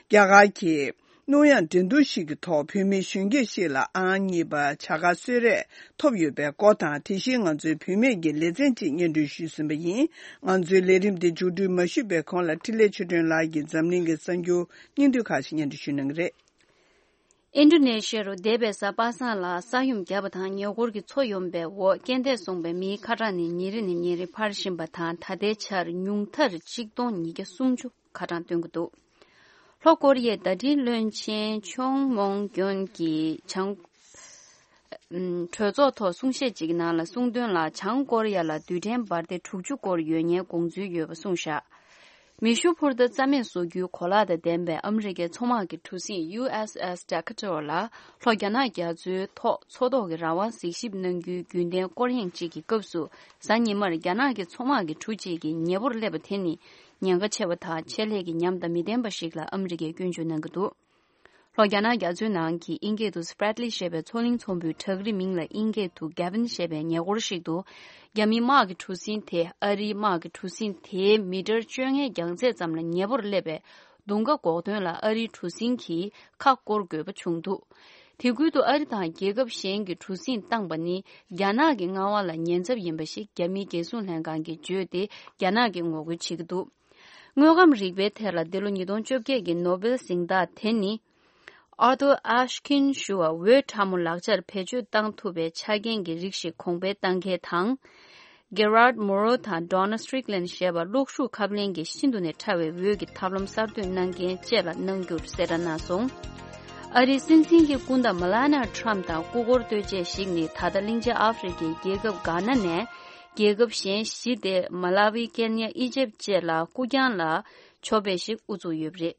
རྒྱ་གར་གྱི་གནོད་ཡངས་འགྲན་བསྡུར་ཞིག་གི་ཐོག་བོད་མི་གཞོན་སྐྱེས་ཤིག་ལ་ཨང་གཉིས་པ་བྱ་དགའ་གསོལ་རས་ཐོབ་ཡོད་པའི་སྐོར་དང་། དེ་བཞིན་ང་ཚོའི་བུད་མེད་ཀྱི་ལེ་ཚན་གཅིག་སྙན་སྒྲོན་ཞུས་ཟིན་པ་ཡིན། ང་ཚོའི་ལས་རིམ་འདི་མཇུག་སྒྲིལ་མ་ཞུས་པའི་གོང་ལ་འཕྲིན་ལས་ཆོས་སྒྲོན་ལགས་ཀྱིས་འཛམ་གླིང་གི་གསར་འགྱུར་སྙིང་བསྡུས་ཁག་ཅིག་སྙན་སྒྲོན་ཞུ་གནང་གི་རེད། ཨིན་ཌོ་ནེ་ཤི་ཡ་རུ་འདས་པའི་གཟའ་པ་སངས་ལ་ས་ཡོམ་བརྒྱབ་པ་དང་ཉེ་འཁོར་གྱི་མཚོ་ཡོམ་པའི་འོག་རྐྱེན་འདས་སོང་པའི་མིའི་ཁ་གྲངས་ནི་ཉིན་རེ་ནས་ཉིན་རེ་འཕར་བཞིན་པ་དང་། ད་ལྟའི་ཆར་ཉུང་མཐར་ཆིག་སྟོང་ཉིས་བརྒྱ་སུམ་ཅུ་ཁ་གྲངས་བཏོན་གྱི་འདུག་ལྷོ་ཀོ་རི་ཡའི་བརྡ་འཕྲིན་བློན་ཆེན་ཆོང་མོང་གྱོན་གྱིས་བྱང་། ཨུམ། གྲོས་ཚོགས་ཐོག་གསུང་བཤད་ཅིག་ནང་ལ་གསུངས་དོན་ལ། བྱང་ཀོ་རི་ཡ་ལ་རྡུལ་ཕྲན་འབར་མདེལ་དྲུག་ཅུ་སྐོར་ཡོད་མཁན་དགོངས་ཚུལ་ཡོད་པ་གསུངས་བཞག་མེ་ཤུགས་འཕུར་མདའ་རྩ་མེད་བཟོ་རྒྱུའི་གོ་ལག་དང་ལྡན་པའི་ཨ་མི་རི་ཀའི་མཚོ་དམག་གི་གྲུ་གཟིངས་ཡུ་ཨེས་ཨེས་Decatur ལ་ལྷོ་རྒྱ་ནག་རྒྱ་མཚོའི་ཐོག་མཚོ་ཐོག་གི་རང་དབང་གཟིགས་ཞིབ་གནང་རྒྱུའི་རྒྱུན་ལྡན་སྐོར་གཡེང་ཅིག་གི་སྐབས་སུ། གཟའ་ཉི་མར་རྒྱ་ནག་གི་མཚོ་དམག་གི་གྲུ་གཅིག་གིས་ཉེ་པོར་སླེབས་པ་དེ་ནི་ཉེན་ཁ་ཆེ་བ་དང་ཆེད་ལས་ཀྱི་ཉམས་དང་མི་ལྡན་པ་ཞིག་ལ་ཨ་མི་རི་ཀས་སྐྱོན་བརྗོད་གནང་གི་འདུག་ལྷོ་རྒྱ་ནག་རྒྱ་མཚོའི་ནང་གི་ཨིན་སྐད་དུ་Spratly ཞེས་པའི་མཚོ་གླིང་ཚོམ་བུའི་བྲག་རི་མིང་ལ་ཨིན་སྐད་དུ་Gavin ཞེས་པའི་ཉེ་འཁོར་ཞིག་ཏུ། རྒྱ་མིའི་དམག་གི་གྲུ་གཟིངས་དེ་ཨ་རིའི་དམག་གི་གྲུ་གཟིངས་དེའི་མི་ཊར་བཅོ་ལྔའི་རྒྱང་ཚད་ཙམ་ལ་ཉེ་པོར་སླེབས་པས། མདུང་ཁ་འགོག་དོན་ལ་ཨ་རིའི་གྲུ་གཟིངས་ཀྱིས་ཁ་སྐོར་དགོས་པ་བྱུང་འདུག་དེ་ཁུལ་དུ་ཨ་རི་དང་རྒྱལ་ཁབ་གཞན་གྱིས་གྲུ་གཟིངས་བཏང་པ་ནི་རྒྱ་ནག་གི་མངའ་དབང་ལ་ཉེན་ཚབས་ཡིན་པ་ཞིག་རྒྱ་མིའི་རྒྱལ་སྲུང་ལྷན་ཁང་གིས་བརྗོད་དེ། རྒྱ་ནག་གིས་ངོ་རྒོལ་བྱེད་ཀྱི་འདུག་དངོས་ཁམས་རིག་པའི་ཐད་ལ་འདི་ལོ་ཉིས་སྟོང་བཅོ་བརྒྱད་ཀྱི་ནོ་སྦེལ་གཟེངས་རྟགས་དེ་ནི། Arthur Ashkin ཞུ་བ་འོད་ཕྲ་མོ་ལག་ཆར་བེད་སྤྱོད་བཏང་ཐུབ་པའི་ཆ་རྐྱེན་གྱི་རིགས་ཤིག་གོང་འཕེལ་བཏང་མཁན་དང་། Gerard Mourou དང་Donna Strickland ཞེས་པ་གློག་ཤུགས་ཁབ་ལེན་གྱི་ཤིན་ཏུ་ནས་ཕྲ་བའི་འོད་ཀྱི་ཐབས་ལམ་གསར་གཏོད་གནང་མཁན་བཅས་ལ་གནང་རྒྱུར་གསལ་བསྒྲགས་གནང་སོང་། ཨ་རིའི་སྲིད་འཛིན་གྱི་སྐུ་ཟླ་Melania Trump དང་སྐུ་འཁོར་ལྟོས་བཅས་ཤིག་ནི་ད་ལྟ་གླིང་ཆེན་ཨ་ཧྥེ་རི་ཁའི་རྒྱལ་ཁབ་གྷ་ན་ནས་རྒྱལ་ཁབ་གཞན་བཞི་སྟེ། མ་ལ་ཝི། ཀེན་ཡ། ཨི་ཇེབ་བཅས་ལ་སྐུ་རྐྱང་ལ་ཆོ་པེ་ཞིག་དབུ་བཙུགས་ཡོད་པ་རེད།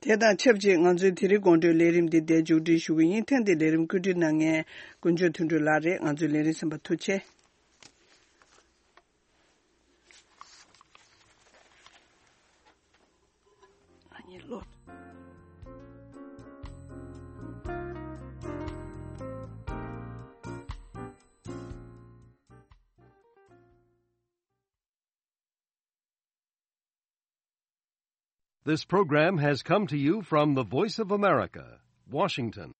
དེ་དང་ཆབས་ཅིག་ང་ཚོའི་དེ་རིང་དགོང་དྲོའི་ལས་རིམ་འདི་འདིར་མཇུག་སྒྲིལ་ཞུ་གི་ཡིན། ཐེངས་འདིའི་ལས་རིམ་བཀོད་སྒྲིག་གནང་མཁན་དཀོན་མཆོག་དོན་གྲུབ་ལགས་རེད། ང་ཚོའི་ལས་རིམ་གསན་པར་ཐུགས་རྗེ་ཆེ། This program has come to you from the Voice of America, Washington.